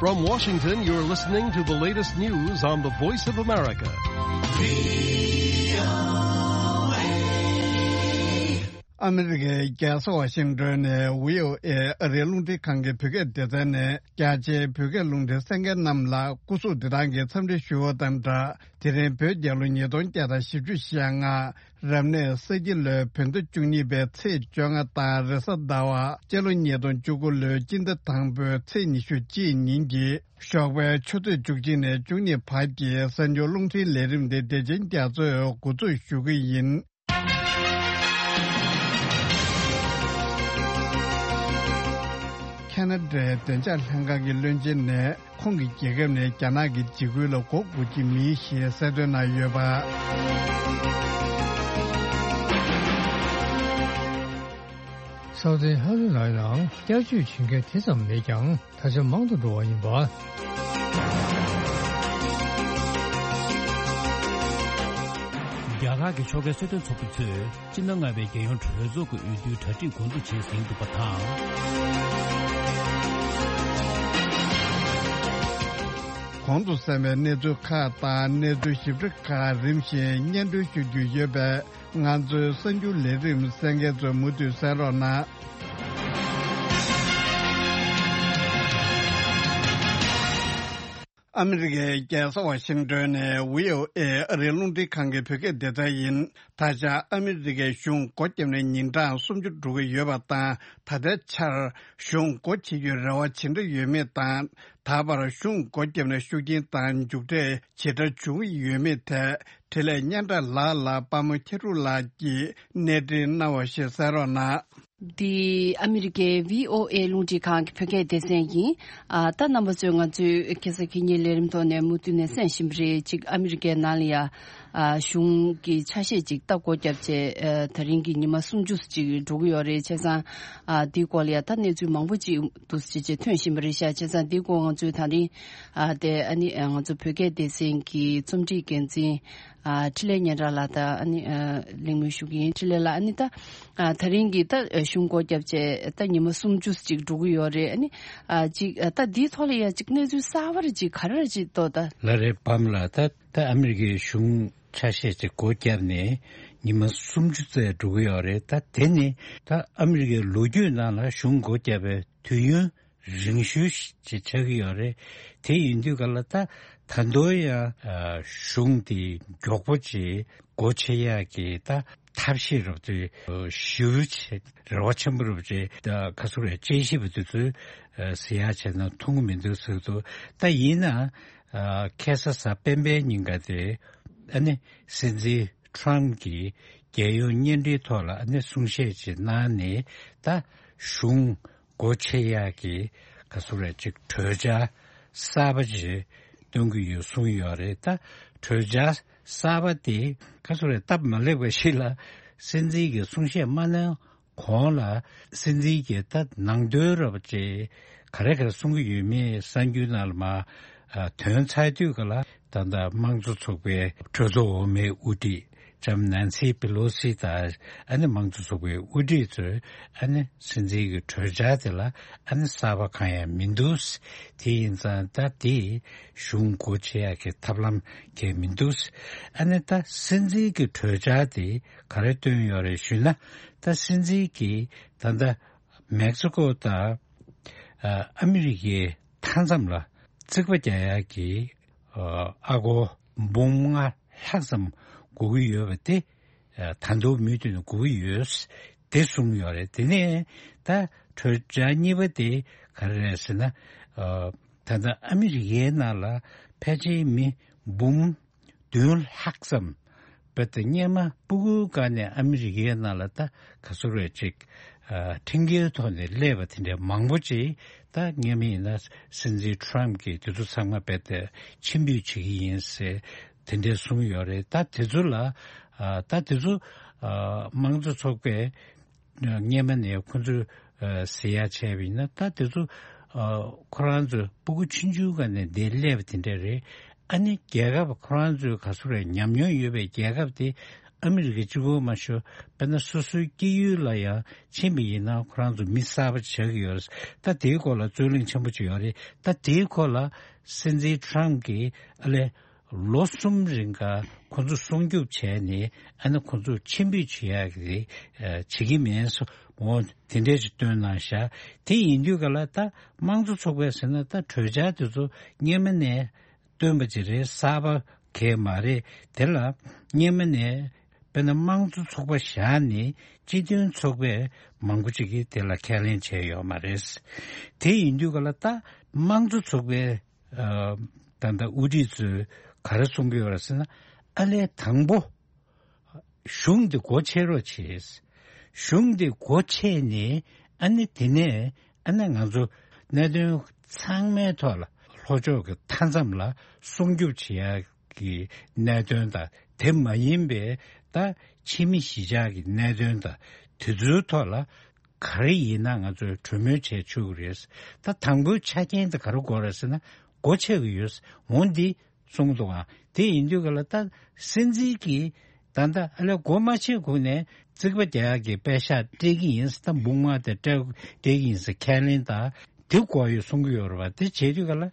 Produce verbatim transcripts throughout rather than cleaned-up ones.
From Washington, you're listening to the latest news on the Voice of America. ཨ་མི་རི་ཀའི་རྒྱལ་ས་ཝ་ཤིང་ཏོན་ནས་བྷི་ཨོ་ཨེ་ཨ་རིའི་རླུང་འཕྲིན་ཁང་གི་བོད་སྐད་སྡེ་ཚན་ནས་རྒྱ་ཆེའི་བོད་སྐད་རླུང་འཕྲིན་གསན་མཁན་རྣམས་ལ་སྐུ་གཟུགས་བདེ་ཐང་གི་འཚམས་འདྲི་ཞུ་བ་དང་སྦྲགས། དེ་རིང་བོད་རྒྱལ་ལོ་ཉིས་སྟོང་བརྒྱ་དང་བཞི་བཅུ་ཞེ་ལྔ། རབ་གནས་ས་ཁྱི་ལོའི་བོད་ཟླ་བཅུ་གཉིས་པའི་ཚེས་བཅོ་ལྔ་དང་རེས་གཟའ་ཟླ་བ། སྤྱི་ལོ་ཉིས་སྟོང་བཅུ་དགུ་ལོའི་སྤྱི་ཟླ་དང་པོའི་ཚེས་ཉི་ཤུ་གཅིག་ཉིན་གྱི་ཞོགས་པའི་ཆུ་ཚོད་བཅུ་གཅིག་ནས་བཅུ་གཉིས་བར་གྱི་གསར་འགྱུར་རླུང་འཕྲིན་ལས་རིམ་དེ་བདེ་ཆེན་རྒྱ་མཚོས་འགོ་འཛུགས་ཞུ་གི་ཡིན། ཁ་ན་ཌའི་བདེ་འཇགས་ལྷན་ཁང་གི་བློན་ཆེན་ནས། ཁོང་གི་རྒྱལ་ཁབ་ནས་རྒྱ་ནག་གི་འཇིགས་སྐུལ་ལ་མགོ་སྒུར་གྱི་མེད་ཞེས་གསལ་སྟོན་གནང་ཡོད་པ། སའུ་ཏི་ཧ་རུ་ནའི་ནང་བསྐྱར་བཅོས་བྱེད་མཁན་དེ་ཙམ་མེད་ཀྱང་ད་ཆ་མང་དུ་འགྲོ་བ་ཡིན་པ། རྒྱ་གར་གྱི་ཕྱོགས་འགལ་གསོལ་སྟོན་ཚོགས་པ་ཚོས། སྤྱི་ཟླ་ལྔ་པའི་རྒྱལ་ཡོངས་གྲོས་ཚོགས་ཀྱི་འོས་བསྡུའི་གྲ་སྒྲིག་འགོ་འཛུགས་བྱས་ཟིན་འདུག་པ་དང་། གོང་དུ་གསན་པའི་གནས་ཚུལ་ཁག་དང་གནས་ཚུལ་ཞིབ་ཕྲ་ཁག་རིམ་བཞིན་སྙན་སྒྲོན་ཞུ་རྒྱུ་ཡོད་པས། ང་ཚོའི་གསར་འགྱུར་ལས་རིམ་གསན་མཁན་ཚོས་མུ་མཐུད་གསན་རོགས་གནང་། ཨ་མི་རི་ཀའི་རྒྱལ་ས་ཝ་ཤིང་ཏོན་ནས་བྷི་ཨོ་ཨེ་ཨ་རིའི་རླུང་འཕྲིན་ཁང་གི་བོད་སྐད་སྡེ་ཚན་ཡིན། ད་ཆ་ཨ་མི་རི་ཀའི་གཞུང་སྒོ་བརྒྱབ་ནས་ཉིན་གྲངས་སུམ་ཅུ་འགྲོ་གི་ཡོད་པ་དང་། ད་ལྟའི་ཆར་གཞུང་སྒོ་ཕྱེ་རྒྱུའི་རེ་བ་ཇི་འདྲ་ཡོད་མེད་དང་། ད་བར་གཞུང་སྒོ་བརྒྱབ་ནས་ཤུགས་རྐྱེན་དང་མཇུག་འབྲས་ཇི་འདྲ་བྱུང་ཡོད་མེད་ཐད་འཕྲིན་ལས་སྙན་གྲགས་ལགས་ལ་དཔའ་མོ་ཁྱི་ཕྲུག་ལགས་ཀྱིས་གནས་འདྲི་གནང་བ་ཞིག་གསན་རོགས་གནང་། འདི་ཨ་མི་རི་ཀའི་བྷི་ཨོ་ཨེ་རླུང་འཕྲིན་ཁང་གི་བོད་སྐད་སྡེ་ཚན་ཡིན། ཨ་ད་རྣམ་པ་ཚོས་ང་ཚོའི་ཁ་སང་ཁ་ཉིན་ལས་རིམ་ཐོག་ནས་མུ་མཐུད་ནས་གསན་བཞིན་པ་རེད། གཅིག་ཨ་མི་རི་ཀའི་ནང་ལ་ཡ་ཨ་གཞུང་གི་ཆ་ཤས་ཅིག་ད་སྒོ་བརྒྱབ་བྱས། ཨ་ད་རིང་གི་ཉི་མ་སུམ་ཅུ་ཅིག་འགྲོ་གི་ཡོད་རེད། བྱས་ཙང་ཨ་འདིའི་སྐོར་ལ་ཡ་ད་གནས་ཚུལ་མང་པོ་ཅིག་འདུག་སེ་བྱས་བྱས་ཐོན་བཞིན་པ་རེད་ཤག་བྱས་ཙང་འདིའི་སྐོར་ང་ཚོས་ད་རིང་ཨ་དེ་ཨ་ནི་ཨ་ང་ཚོ་བོད་སྐད་སྡེ་ཚན་གྱི་རྩོམ་སྒྲིག་འགན་འཛིན། ཨ་འཕྲིན་ལས་སྙན་གྲགས་ལགས་དང་ཨ་ནི་ཨ་གླེང་མོལ་ཞུ་གི་ཡིན། འཕྲིན་ལས་ལགས། ཨ་ནི་ད་ཨ་ད་རིང་གི་ད་གཞུང་སྒོ་བརྒྱབ་བྱས་ད་ཉི་མ་སུམ་ཅུ་ཅིག་འགྲོ་གི་ཡོད་རེད། ཨ་ནི་ཨ་ཅིག་ཨ་ད་འདིའི་ཐོག་ལ་ཡ་ཅིག་གནས་ཚུལ་གསར་པ་རེ་ཅིག་ག་རེ་རེ་ཅིག་ཏོ་ད། ལགས་རེད། བམ་ལགས། ད་ད་ཨ་མི་རི་ཀའི་གཞུང་ཆ་ཤས་ཅིག་སྒོ་བརྒྱབ་ནས་ཉི་མ་སུམ་ཅུ་ཙམ་འགྲོ་གི་ཡོད་རེད། ད་དེ་ནི་ད་ཨ་མི་རི་ཀའི་ལོ་རྒྱུས་ནང་ལ་གཞུང་སྒོ་བརྒྱབ་པའི་དུས་ཡུན་རིང་ཤོས་ཤིག་ཆགས་ཀྱི་ཡོད་རེད། དེ་ཡིན་དུས་ག་ལ་ད་ད་དུང་ཡང་ཨ་གཞུང་དེ་མགྱོགས་པོ་ཅིག་སྒོ་ཕྱེ་ཡག་གི་ད་ཐབས་ཤེས་རབ་ཏུ་ཞེ་པོ་ཅིག་རེ་བ་ཆེན་པོ་རབ་ཅིག་ད་ག་ཚོད་རེད། དཔྱད་ཞིབ་པ་དེ་ཚོས་ཨ་ཟེར་ཡག་བྱས་ན་མཐོང་གི་མི་འདུག་ཟེར་འདུག་ད་ཡིན་ན་ཨ་ཁ་སང་གཟའ་སྤེན་པའི་ཉིན་ཀ་དེ་ཨ་ནི་སྲིད་འཛིན་ཁྲམ་གྱིས་རྒྱལ་ཡོངས་བརྙན་འཕྲིན་ཐོག་ལ་ཨ་ནི་གསུང་བཤད་ཅིག་གནང་ནས་ད་གཞུང་སྒོ་ཕྱེ་ཡག་གི་ག་ཚོད་རེད་ཅིག་གྲོས་འཆར་གསར་པ་ཅིག་བཏོན་གྱི་ཡོད་གསུངས་ཡོད་རེད། ད་གྲོས་འཆར་གསར་པ་དེ་ག་ཚོད་རེད་སྟབས་མ་ལེགས་པ་ཞིག་ལ་སྲིད་འཛིན་གྱི་གསུང་བཤད་མ་གནང་གོང་ལ་སྲིད་འཛིན་གྱིས་ད་ནང་དོན་རབ་ཅིག་ག་རེ་ག་རེ་གསུང་གི་ཡོད་མེད་གསར་འགྱུར་ནང་ལ་མར་ཨ་ཐོན་ཚར་དུས་ག་ལ་ད་ལྟ་དམངས་གཙོ་ཚོགས་པའི་གྲོས་ཚོགས་འོག་མའི་དབུ་ཁྲིད་ལྕམ་ནན་སི་པེ་ལོ་སི་དང་ཨ་ནི་དམངས་གཙོ་ཚོགས་པའི་དབུ་ཁྲིད་ཚོས་ཨ་ནི་སྲིད་འཛིན་གྱི་གྲོས་འཆར་དེ་ལ་ཨ་ནི་གསར་པ་གང་ཡང་མི་འདུག་དེ་ཡིན་ཙང་ད་དེ་གཞུང་སྒོ་ཕྱེ་ཡག་གི་ཐབས་ལམ་གང་ཡང་མི་འདུག་ཨ་ནི་ད་སྲིད་འཛིན་གྱི་གྲོས་འཆར་དེ་ག་རེ་བཏོན་ཡོད་རེད་ཞུས་ན། ད་སྲིད་འཛིན་གྱིས་ད་ལྟ་མེག་སི་ཀོ་དང་ཨ་ཨ་མི་རི་ཀའི་མཐའ་མཚམས་ལ་རྩིག་པ་རྒྱག་ཡག་གི་ཨ་ཨ་སྒོར་འབུམ་ལྔ་ལྷག་ཙམ་དགོས་ཀྱི་ཡོད་པ་དེ་ད་དུང་མུ་མཐུད་ནས་དགོས་ཀྱི་ཡོད་དེ་གསུངས་ཡོད་རེད། དེ་ནས་ད་གྲོས་འཆར་གཉིས་པ་དེ་ག་རེ་རེད་ཟེར་ན། ད་ལྟ་ཨ་མི་རི་ཀའི་ནང་ལ་ཕལ་ཆེར་མི་འབུམ་བདུན་ལྷག་ཙམ་བོད་དེ་སྔོན་མ་སྤུ་གུའི་སྒང་ནས་ཨ་མི་རི་ཀའི་ནང་ལ་ད་ག་ཚོད་རེད་ཅིག་ཨ་ཁྲིམས་འགལ་ཐོག་ནས་སླེབས་པ་དེ་འདྲའི་མང་པོ་ཅིག་ད་སྔོན་མ་ཡིན་ན་སྲིད་འཛིན་ཁྲམ་གྱིས་དེ་ཚོ་ཚང་མ་རྦད་དེ་ཕྱིར་འབུད་བྱེད་ཀྱི་ཡིན་ཟེར་དེ་འདྲའི་གསུངས་ཡོད་རེད། ད་དེ་ཚོ་ལ་ཨ་ད་དེ་ཚོ་ཨ་དམངས་གཙོ་ཚོགས་པས་སྔོན་མ་ནས་ཁོ་ཚོས་ཨ་ཟེར་ཡག་བྱས་པ་ཡིན་ན། ད་དེ་ཚོ་ཨ་ཁོ་རང་ཚོ་སྤུ་གུ་ཆུང་ཆུང་སྒང་ནས་འདིར་སླེབས་པ་དེ་འདྲ་རེད། ཨ་ནི་རྒྱལ་ཁབ་ཁོ་རང་ཚོའི་ག་ཚོད་རེད་ཉམས་མྱོང་ཡོད་པའི་རྒྱལ་ཁབ་དེ་ ཨ་མི་རི་ཀ་གཅིག་པོ་མ་ཤོར་དཔེར་ན་སོ་སོའི་སྐྱེས་ཡུལ་ལ་ཡང་ཕྱིན་པ་ཡིན་ན་ཁོ་རང་ཚོ་མི་གསར་པ་ཆགས་ཀྱི་ཡོད་རེད། ད་དེའི་སྐོར་ལ་རྩོད་གླེང་ཆེན་པོ་ཅིག་ཡོད་རེད། ད་དེའི་སྐོར་ལ་སྲིད་འཛིན་ཊམ་གྱིས་ཨ་ལས་ལོ་གསུམ་རིང་ག་ཁོ་ཚོ་སྲུང་སྐྱོབ་བྱས་ནས་ཨ་ནི་ཁོ་ཚོ་ཕྱིར་འབུད་བྱེད་ཡག་གི་བྱེད་ཀྱི་མེད་སོ་འོ་དེ་འདྲས་ཅིག་བཏོན་གནང་ཤག་དེ་ཡིན་དུས་ག་ལ་ད་དམངས་གཙོ་ཚོགས་པས་ཟེར་ན་ད་གྲོས་འཆར་དེ་ཚོ་སྔོན་མ་ནས་བཏོན་པ་ཅིག་རེད། གསར་པ་གས་མ་རེད། དེ་ལ་སྔོན་མ་ནས་དཔེར་ན་དམངས་གཙོ་ཚོགས་པ་བཞག་ནས་སྤྱི་མཐུན་ཚོགས་པས་མང་པོ་ཅིག་གིས་དེ་ལ་ཁས་ལེན་བྱས་ཡོད་མ་རེད། དེ་ཡིན་དུས་ག་ལ་ད་དམངས་གཙོ་ཚོགས་པའི་ད་ལྟ་དབུ་ཁྲིད་ཚོས་ག་རེ་གསུང་གི་ཡོད་རེད་ཟེར་ན་ཨ་ལས་དང་པོ་གཞུང་འདི་སྒོ་ཕྱེ་རོགས་བྱེད། གཞུང་འདི་སྒོ་ཕྱེ་ནས་ཨ་ནི་དེ་ནས་ཨ་ནི་ང་ཚོ་གནད་དོན་ཚང་མའི་ཐོག་ལ་ལྷོ་ཕྱོགས་ཀྱི་མཐའ་མཚམས་ལ་སྲུང་སྐྱོབ་བྱེད་ཡག་གི་གནད་དོན་དང་དེ་མ་ཡིན་པའི་ད་ཕྱི་མི་གཞིས་ཆགས་ཀྱི་གནད་དོན་དང་དེ་ཚོའི་ཐོག་ལ་ག་རེ་ཡིན་ན་ང་ཚོས་གྲོས་མོལ་བྱས་ཆོག་གི་རེད། ད་དང་པོའི་ཆ་རྐྱེན་དེ་ག་རེ་དགོས་རེད་ཟེར་ན་སྒོ་ཕྱེ་གི་ཡོད། འོ་འདི་གསུངས་འདུག་ཨ། དེ་ཡིན་དུས་ག་ལ་ད་སྲིད་འཛིན་གྱིས་ད་ལྟ་ཨ་ལས་སྒོ་མ་ཕྱེ་གོང་ནས་རྩིག་པ་རྒྱག་ཡག་གི་པད་ཤག་སྤྲད་ཀྱི་ཡིན། ད་འབུམ་ལྔ་དེ་སྤྲད་སྤྲད་ཀྱི་ཡིན་ཟེར་ཁས་ལེན་དང་དེ་དགོས་ཡོད་གསུང་གི་ཡོད་རེད་བ། དེ་བྱེད་དུས་ག་ལ་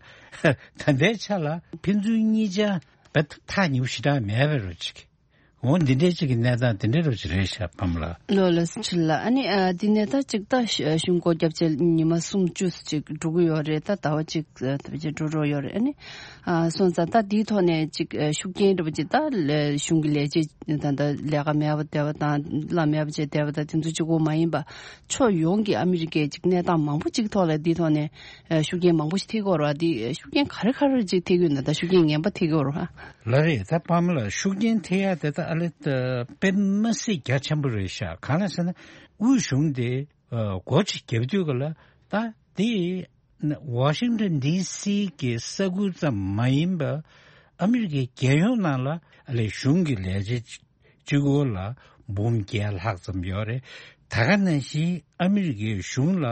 ད་ལྟའི་ཆ་ལ་ཕན་ཚུན་གཉིས་ཆ་བ་ཐག་ཉེ་པོ་ཞེ་དྲག་མེད་པ་རེད་ཅིག་འོ་འདི་འདྲའི་ཅིག་གི་གནས་སྟངས་འདི་འདྲའི་རུ་ཅིག་རེད་ཤག་ཕམ་ལ། ལོ་ལ་སུ་ཆི་ལ་ཨ་ནི་ཨ་འདི་ནས་ད་ཅིག་ད་གཞུང་སྒོ་བརྒྱབ་བྱས་ཉི་མ་སུམ་ཅུ་ཅིག་འགྲོ་གི་ཡོད་རེད། ད་ཟླ་བ་གཅིག་ད་བྱས་འགྲོ་རོགས་ཡོད་རེད། ཨ་ནི་ཨ་སོང་ཙང་ད་འདིའི་ཐོག་ནས་ཅིག་ཨ་ཤུགས་རྐྱེན་འདྲ་པོ་ཅིག་ད་ལས་གཞུང་གི་ལས་བྱེད་ད་ད་ལས་ཀ་མེད་པ་བསྡད་པ་དང་གླ་མེད་པ་བྱས་བསྡད་པ་དང་དེ་ཚོ་གཅིག་པོ་མ་ཡིན་པ་ཕྱོགས་ཡོངས་ཀྱི་ཨ་མི་རི་ཀའི་ཅིག་གནས་སྟངས་མང་པོ་ཅིག་ཐོག་ལ་འདིའི་ཐོག་ནས་ཨ་ཤུགས་རྐྱེན་མང་པོ་ཞིག་ཐེབས་ཀྱི་ཡོད་རེད་བ། འདི་ཤུགས་རྐྱེན་ག་རེ་ག་རེ་ཅིག་ཐེབས་ཀྱི་ཡོད་ན་ད་ཤུགས་རྐྱེན་ངན་པ་ཐེབས་ཀྱི་ཡོད་རེད་བ། ལ་རེད། ད་ཕ་མ་ལ་ཤུགས་རྐྱེན་ཐེབས་ཡ་དེ་ད་ཨ་ལེ་ད་དཔེ་མི་སྲིད་རྒྱ་ཆེན་པོ་རེད་ཤག་གང་ལ་ཟེར་ན་དབུས་གཞུང་དེ་ཨ་སྒོ་ཅིག་བརྒྱབ་དུས་ག་ལ་ད་དེ་ཝ་ཤིང་ཊོན་ཌི་སི་གི་ས་ཁུལ་ཙམ་མ་ཡིན་པ་ཨ་མི་རི་ཀའི་རྒྱལ་ཡོངས་ནང་ལ་ཨ་ལེ་གཞུང་གི་ལས་བྱེད་གཅིག་པོ་ལ་འབུམ་བརྒྱད་ལྷག་ཙམ་ཡོད་རེད། ད་ག་ནང་བཞིན་ཨ་མི་རི་ཀའི་གཞུང་ལ་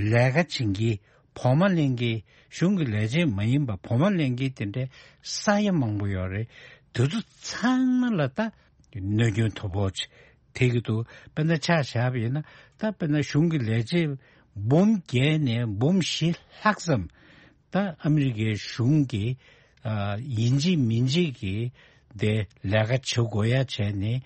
ལས་ཀ་བྱེད་མཁན་བོགས་མ་ལེན་མཁན་གཞུང་གི་ལས་བྱེད་མ་ཡིན་པ་བོགས་མ་ལེན་མཁན་དེ་འདྲའི་ས་ཡ་མང་པོ་ཡོད་རེད། དེ་ཚོ་ཚང་མ་ལ་ད་གནོད་སྐྱོན་དོ་ཕོག་ཅིག་ཐེབས་ཀྱི་འདུག་དཔེར་ན་ཆ་བཞག་པ་ཡིན་ན་ད་དཔེར་ན་གཞུང་གི་ལས་བྱེད་འབུམ་བརྒྱད་ནས་འབུམ་བཞི་ལྷག་ཙམ་ད་ཨ་མི་རི་ཀའི་གཞུང་གི་ཨ་ཡིན་གཅིག་མིན་གཅིག་གི་དེ་ལས་ཀ་བྱེད་དགོས་ཡ་བྱས་ནས་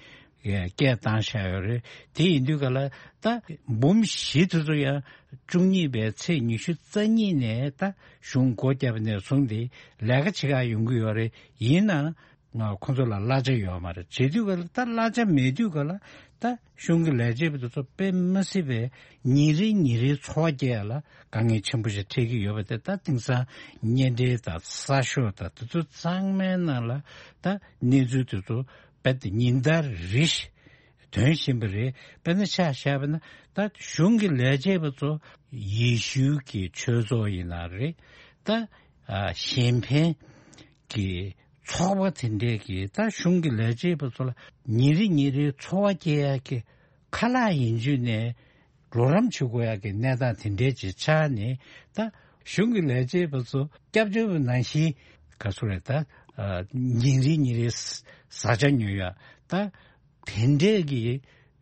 སྐད་བཏང་བཞག་ཡོད་རེད། དེ་ཡིན་དུས་ག་ལ་ད་འབུམ་བཞི་དེ་ཚོ་ཡང་བཅུ་གཉིས་པའི་ཚེས་ཉི་ཤུ་རྩ་གཉིས་ནས་ད་གཞུང་སྒོ་བརྒྱབ་ནས་བཟུང་སྟེ་ལས་ཀ་བྱེད་ག་ཡོང་གི་ཡོད་རེད། ཡིན་ནའང་ཁོང་ཚོ་ལ་གླ་ཆ་ཡོད་མ་རེད། བྱེད་དུས་ག་ལ་ད་གླ་ཆ་མེད་དུས་ག་ལ་ད་གཞུང་གི་ལས་བྱེད་པ་དེ་ཚོ་དཔེ་མི་སྲིད་པའི་ཉིན་རེ་ཉིན་རེའི་འཚོ་བ་སྐྱེལ་ཡ་ལ་དཀའ་ངལ་ཆེན་པོ་ཞིག་འཕྲད་ཀྱི་ཡོད་པ་དེ་ད་དེང་སང་བརྙན་འཕྲིན་དང་གསར་ཤོག་དང་དེ་ཚོ་ཚང་མའི་ནང་ལ་ད་གནས་ཚུལ་དེ་ཚོ་རྦད་དེ་ཉིན་ལྟར་རེ་བཞིན་ཐོན་བཞིན་པ་རེད། དཔེར་ན་ཆ་བཞག་པ་ན་ད་གཞུང་གི་ལས་བྱེད་པ་ཚོ་ཡེ་ཤུའི་གི་ཆོས་ཚོགས་ཡིན་ན་རེད། ད་ཨ་གཞན་ཕན་གྱི་ཚོགས་པ་དེ་འདྲས་ཀྱིས་ད་གཞུང་གི་ལས་བྱེད་པ་ཚོ་ལ་ཉིན་རེ་ཉིན་རེའི་འཚོ་བ་སྐྱེལ་ཡག་གི་ཁ་ལག་ཡིན་རྒྱུ་ནས་ལོག་རམ་བྱེད་དགོས་ཡག་གི་གནས་སྟངས་དེ་འདྲས་ཅིག་ཆགས་ནས་ད་གཞུང་གི་ལས་བྱེད་པ་ཚོ་སྐྱབས་བཅོལ་བ་ནང་བཞིན་ག་ཚོད་རེད་ད་ཉིན་རེ་ཉིན་རེའི་བཟའ་བཅའ་ཉོ་ཡག་ད་དེ་འདྲས་ཀྱི་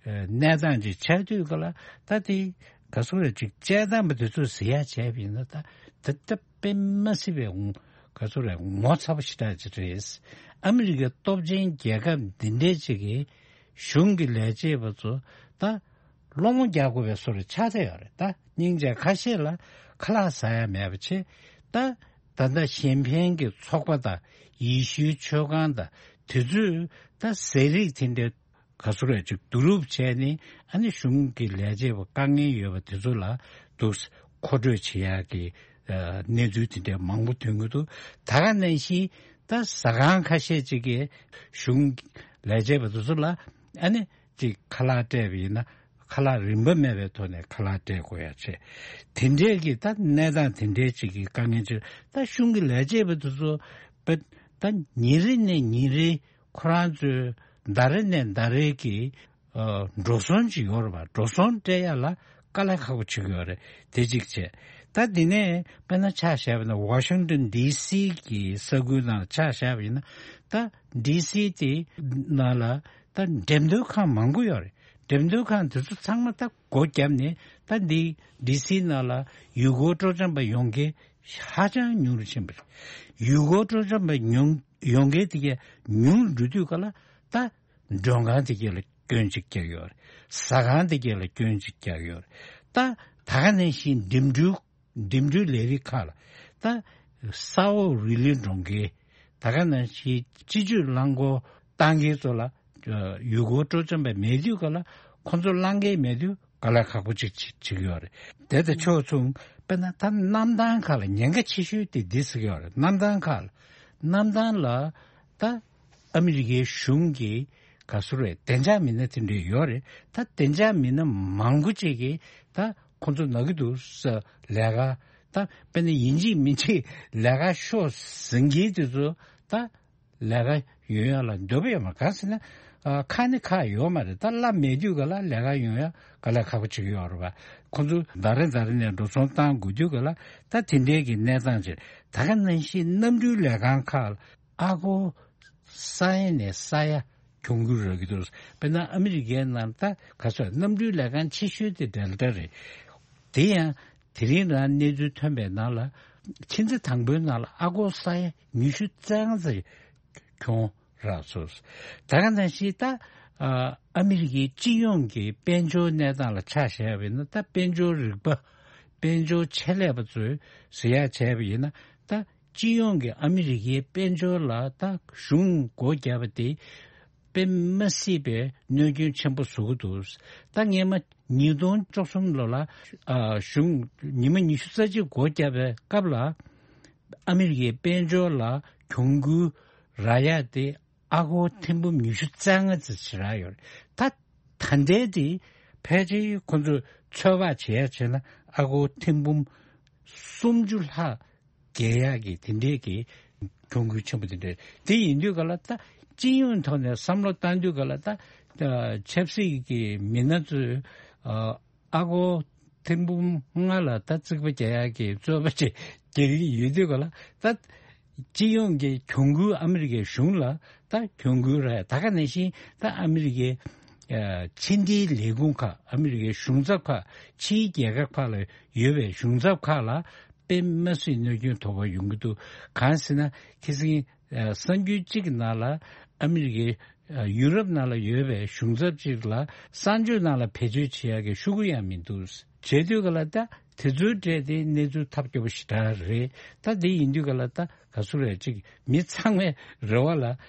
གནས་སྟངས་ཅིག་ཆགས་དུས་ག་ལ་ད་དེ་ག་ཚོད་རེད་ཅིག་དཔྱད་གཏམ་པ་དེ་ཚོས་ཟེར་ཡག་བྱས་པ་ཡིན་ན་ད་དེ་ལྟ་དཔེ་མ་སྲིད་པའི་ངོ་ག་ཚོད་རེད་ངོ་ཚ་པོ་ཞེ་དྲག་ཅིག་རེད། ཨ་མི་རི་ཀའི་སྟོབས་ཆེན་རྒྱལ་ཁབ་འདི་འདྲའི་ཅིག་གིས་གཞུང་གི་ལས་བྱེད་པ་ཚོ་ད་སློང་མོ་རྒྱག་དགོས་པའི་བཟོ་འདྲ་ཆགས་བསྡད་ཡོད་རེད། ད་སྙིང་རྗེ་ཁ་ཤས་ལ་ཁ་ལག་ཟ་ཡ་མེད་པ་བྱས་ད་ད་ལྟ་གཞན་ཕན་གྱི་ཚོགས་པ་དང་ཡེ་ཤུའི་ཆོས་ཁང་དང་དེ་ཚོས་ད་ཟས་རིགས་དེ་འདྲའི་ག་ཚོད་རེད་ཅིག་བསྡུ་རུབ་བྱས་ནས་ཨ་ནི་གཞུང་གི་ལས་བྱེད་པ་དཀའ་ངལ་ཡོད་པ་དེ་ཚོ་ལ་འདུག་མཁོ་སྤྲོད་བྱེད་ཡག་གི་གནས་ཚུལ་དེ་འདྲ་མང་པོ་ཐོན་གྱི་འདུག་ད་ག་ནང་བཞིན་ད་ཟ་ཁང་ཁ་ཤས་ཅིག་གིས་གཞུང་ལས་བྱེད་པ་དེ་ཚོ་ལ་ཨ་ནི་ཅིག་ཁ་ལག་སྤྲད་པ་ཡིན་ན་ཁ་ལག་རིན་པ་མེད་པའི་ཐོག་ནས་ཁ་ལག་སྤྲད་དགོས་ཡ་བྱས། དེ་འདྲས་ཀྱི་ད་གནས་སྟངས་དེ་འདྲས་ཅིག་གི་དཀའ་ངལ་ཅིག་ད་གཞུང་གི་ལས་བྱེད་པ་དེ་ཚོ་ད་ཉིན་རེ་ནས་ཉིན་རེ་ཁོ་རང་ཚོའི་ཟླ་རེ་ནས་ཟླ་རེ་གི་ཨ་འགྲོ་སོང་ཅིག་ཡོད་རེད་པ། འགྲོ་སོང་སྤྲད་ཡ་ལ་དཀའ་ལས་ཁག་པོ་བྱེད་ཀྱི་ཡོད་རེད། དེ་གཅིག་བྱས། ད་དེ་ནས་དཔེར་ན་ཆ་བཞག་པ་ཡིན་ན་ཝ་ཤིང་ཏོན་ཌི་སི་གི་ས་ཁུལ་ནང་ལ་ཆ་བཞག་པ་ཡིན་ན་ད་ཌི་སི་དེ་ནང་ལ་ ད་འགྲེམས་སྟོན་ཁང་མང་པོ་ཡོད་རེད། འགྲེམས་སྟོན་ཁང་དེ་ཚོ་ཚང་མ་ད་སྒོ་བརྒྱབ་ནས་ད་འདི་ཌི་སི་ནང་ལ་ཡུལ་སྐོར་སྤྲོ་འཆམ་པ་ཡོང་མཁན་ཧ་ཅང་ཉུང་རུ་ཕྱིན་པ་རེད། ཡུལ་སྐོར་སྤྲོ་འཆམ་པ་ཉུང་ཡོང་མཁན་དེ་གས་ཉུང་རུ་འགྲོ་དུས་ག་ལ་ད་མགྲོན་ཁང་དེ་གས་ལ་སྐྱོན་གཅིག་རྒྱག་ཡོད་རེད། ཟ་ཁང་དེ་གས་ལ་སྐྱོན་གཅིག་རྒྱག་ཡོད་རེད། ད་ད་ག་ནང་བཞིན་འགྲིམ་འགྲུལ་འགྲིམ་འགྲུལ་ལས་རིགས་ཁག་ལ་ད་ས་འོག་རི་ལི་འགྲོ་མཁན་ད་ག་ནང་བཞིན་སྤྱི་སྤྱོད་རླངས་འཁོར་བཏང་མཁན་ཚོ་ལ་ཡུལ་སྐོར་སྤྲོ་འཆམ་པ་མེད་དུས་ག་ལ་ཁོང་ཚོ་བླང་མཁན་མེད་དུས་ག་ལ་ཁག་པོ་ཅིག་བྱེད་ཀྱི་ཡོད་རེད། དེ་དང་ཕྱོགས་མཚུངས་དཔེར་ན་ད་གནམ་ཐང་ཁག་ལ་ཉེན་ཁ་ཆེ་ཤོས་དེ་འདི་ཟེར་གྱི་ཡོད་རེད། གནམ་ཐང་ཁག་ལ་གནམ་ཐང་ལ་ད་ཨ་མི་རི་ཀའི་གཞུང་གི་ག་ཚོད་རེད། བདེ་འཇགས་མི་སྣ་དེ་འདྲ་ཡོད་རེད། ད་བདེ་འཇགས་མི་སྣ་མང་པོ་ཅིག་གིས་ད་ཁོང་ཚོ་ན་གི་འདུག་ས་ལས་ཀ་ད་དཔེར་ན་ཡིན་གཅིག་མིན་གཅིག་ལས་ཀ་ཤོག་ཟེར་མཁན་དེ་ཚོ་ད་ལས་ཀ་ཡོང་ཡ་ལ་འདོད་པ་ཡོད་མ་རེད། གང་ཟེར་ན་ཨ་ཁ་ནི་ཁག་ཡོད་མ་རེད། ད་གླ་མེད་དུས་ག་ལ་ལས་ཀ་ཡོང་ཡ་ག་ལ་ཁག་པོ་ཅིག་ཡོད་རེད་པ། ཁོང་ཚོ་ཟླ་རེ་ཟླ་རེ་ནས་འགྲོ་སོང་བཏང་དགོས་དུས་ག་ལ་ད་དེ་འདྲའི་གི་གནས་སྟངས་ཅིག་ད་ག་ནང་བཞིན་གནམ་གྲུའི་ལས་ཁང་ཁག་ལ་ཨ་སྒོར་ས་ཡ་ནས་ས་ཡ་གྱོང་གུན་རག་གི་འདུག་དཔེར་ན་ཨ་མི་རི་ཀའི་ནང་ད་ག་ཚོད་གནམ་གྲུའི་ལས་ཁང་ཆེ་ཤོས་དེ་ཌེལ་ཊ་རེད། དེ་ཡང་དེ་རིང་རང་གནས་ཚུལ་ཐོན་པའི་ནང་ལ་ཕྱི་ཟླ་དང་པོའི་ནང་ལ་ཨ་སྒོར་ས་ཡ་ཉི་ཤུ་རྩ་ལྔ་ཙམ་གྱོང་རག་སོང་། ད་ག་ནང་བཞིན་ད་ཨ་མི་རི་ཀའི་སྤྱི་ཡོངས་ཀྱི་དཔལ་འབྱོར་གནས་སྟངས་ལ་ཆ་བཞག་པ་ཡིན་ན་ད་དཔལ་འབྱོར་རིག་པ་དཔལ་འབྱོར་ཆེད་ལས་པ་ཚོས་ཟེར་ཡག་བྱས་པ་ཡིན་ན་ད་སྤྱི་ཡོངས་ཀྱི་ཨ་མི་རི་ཀའི་དཔལ་འབྱོར་ལ་ད་གཞུང་སྒོ་བརྒྱབ་པ་དེ་དཔེ་མ་སྲིད་པའི་གནོད་སྐྱོན་ཆེན་པོ་བཟོ་གི་འདུག་ད་སྔས་མ་ཉིས་སྟོང་བཅུ་གསུམ་ལོ་ལ་ཨ་གཞུང་ཉི་མ་ཉི་ཤུ་རྩ་གཅིག་སྒོ་བརྒྱབ་པའི་སྐབས་ལ་ཨ་མི་རི་ཀའི་དཔལ་འབྱོར་ལ་གྱོང་གུན་རག་ཡག་དེ་ཨ་སྒོར་ཐེར་འབུམ་ཉི་ཤུ་རྩ་ལྔ་ཙམ་ཞིག་རག་ཡོད་རེད། ད་ད་ལྟའི་དེ་ཕལ་ཆེར་ཁོང་ཚོས་ཚོད་དཔག་བྱེད་ཡག་བྱས་ན་ཨ་སྒོར་ཐེར་འབུམ་སུམ་ཅུ་ལྷག་བརྒལ་ཡག་གི་དེ་འདྲའི་གི་གྱོང་གུན་ཆེན་པོ་དེ་འདྲ་དེ་ཡིན་དུས་ག་ལ་ད་སྤྱི་ཡོངས་ཐོག་ནས་བསམ་བློ་བཏང་དུས་ག་ལ་ད་ཆབ་སྲིད་ཀྱི་མི་སྣ་ཚོས་ཨ་སྒོར་ཐེར་འབུམ་ལྔ་ལ་ད་རྩིག་པ་རྒྱག་ཡག་གི་རྩོད་པ་ཅིག་རྒྱག་གི་ཡོད་དུས་ག་ལ་ད་སྤྱི་ཡོངས་ཀྱི་གྱོང་གུན་ཨ་མི་རི་ཀའི་གཞུང་ལ་ད་གྱོང་གུན་རག་ད་ག་ནང་བཞིན་ད་ཨ་མི་རི་ཀའི་ཕྱི་འབྲེལ་ལས་ཁུངས་ཁག་ཨ་མི་རི་ཀའི་གཞུང་ཚབ་ཁག་ཕྱིའི་རྒྱལ་ཁབ་ཁག་ལ་ཡོད་པའི་གཞུང་ཚབ་ཁག་ལ་དཔེ་མ་སྲིད་གནོད་སྐྱོན་དོགས་པ་ཡོང་གི་འདུག་གང་ཟེར་ན་ཁ་སང་གསར་འགྱུར་གཅིག་གི་ནང་ལ་ཨ་མི་རི་ཀའི་ཡུ་རོབ་ནང་ལ་ཡོད་པའི་གཞུང་ཚབ་ཅིག་ལ་གསར་འགྱུར་ནང་ལ་བེད་སྤྱོད་བྱེད་ཡག་གི་ཤོག་གུ་ཡང་མི་འདུག་བྱས་དུས་ག་ལ་ད་དེ་ཚོའི་གྲས་དེ་གནས་ཚུལ་ཐབས་སྐྱོ་པོ་ཞེ་དྲག་རེད། ད་དེ་ཡིན་དུས་ག་ལ་ད་ག་ཚོད་རེད་ཅིག་མི་ཚང་མའི་རེ་བ་ལ་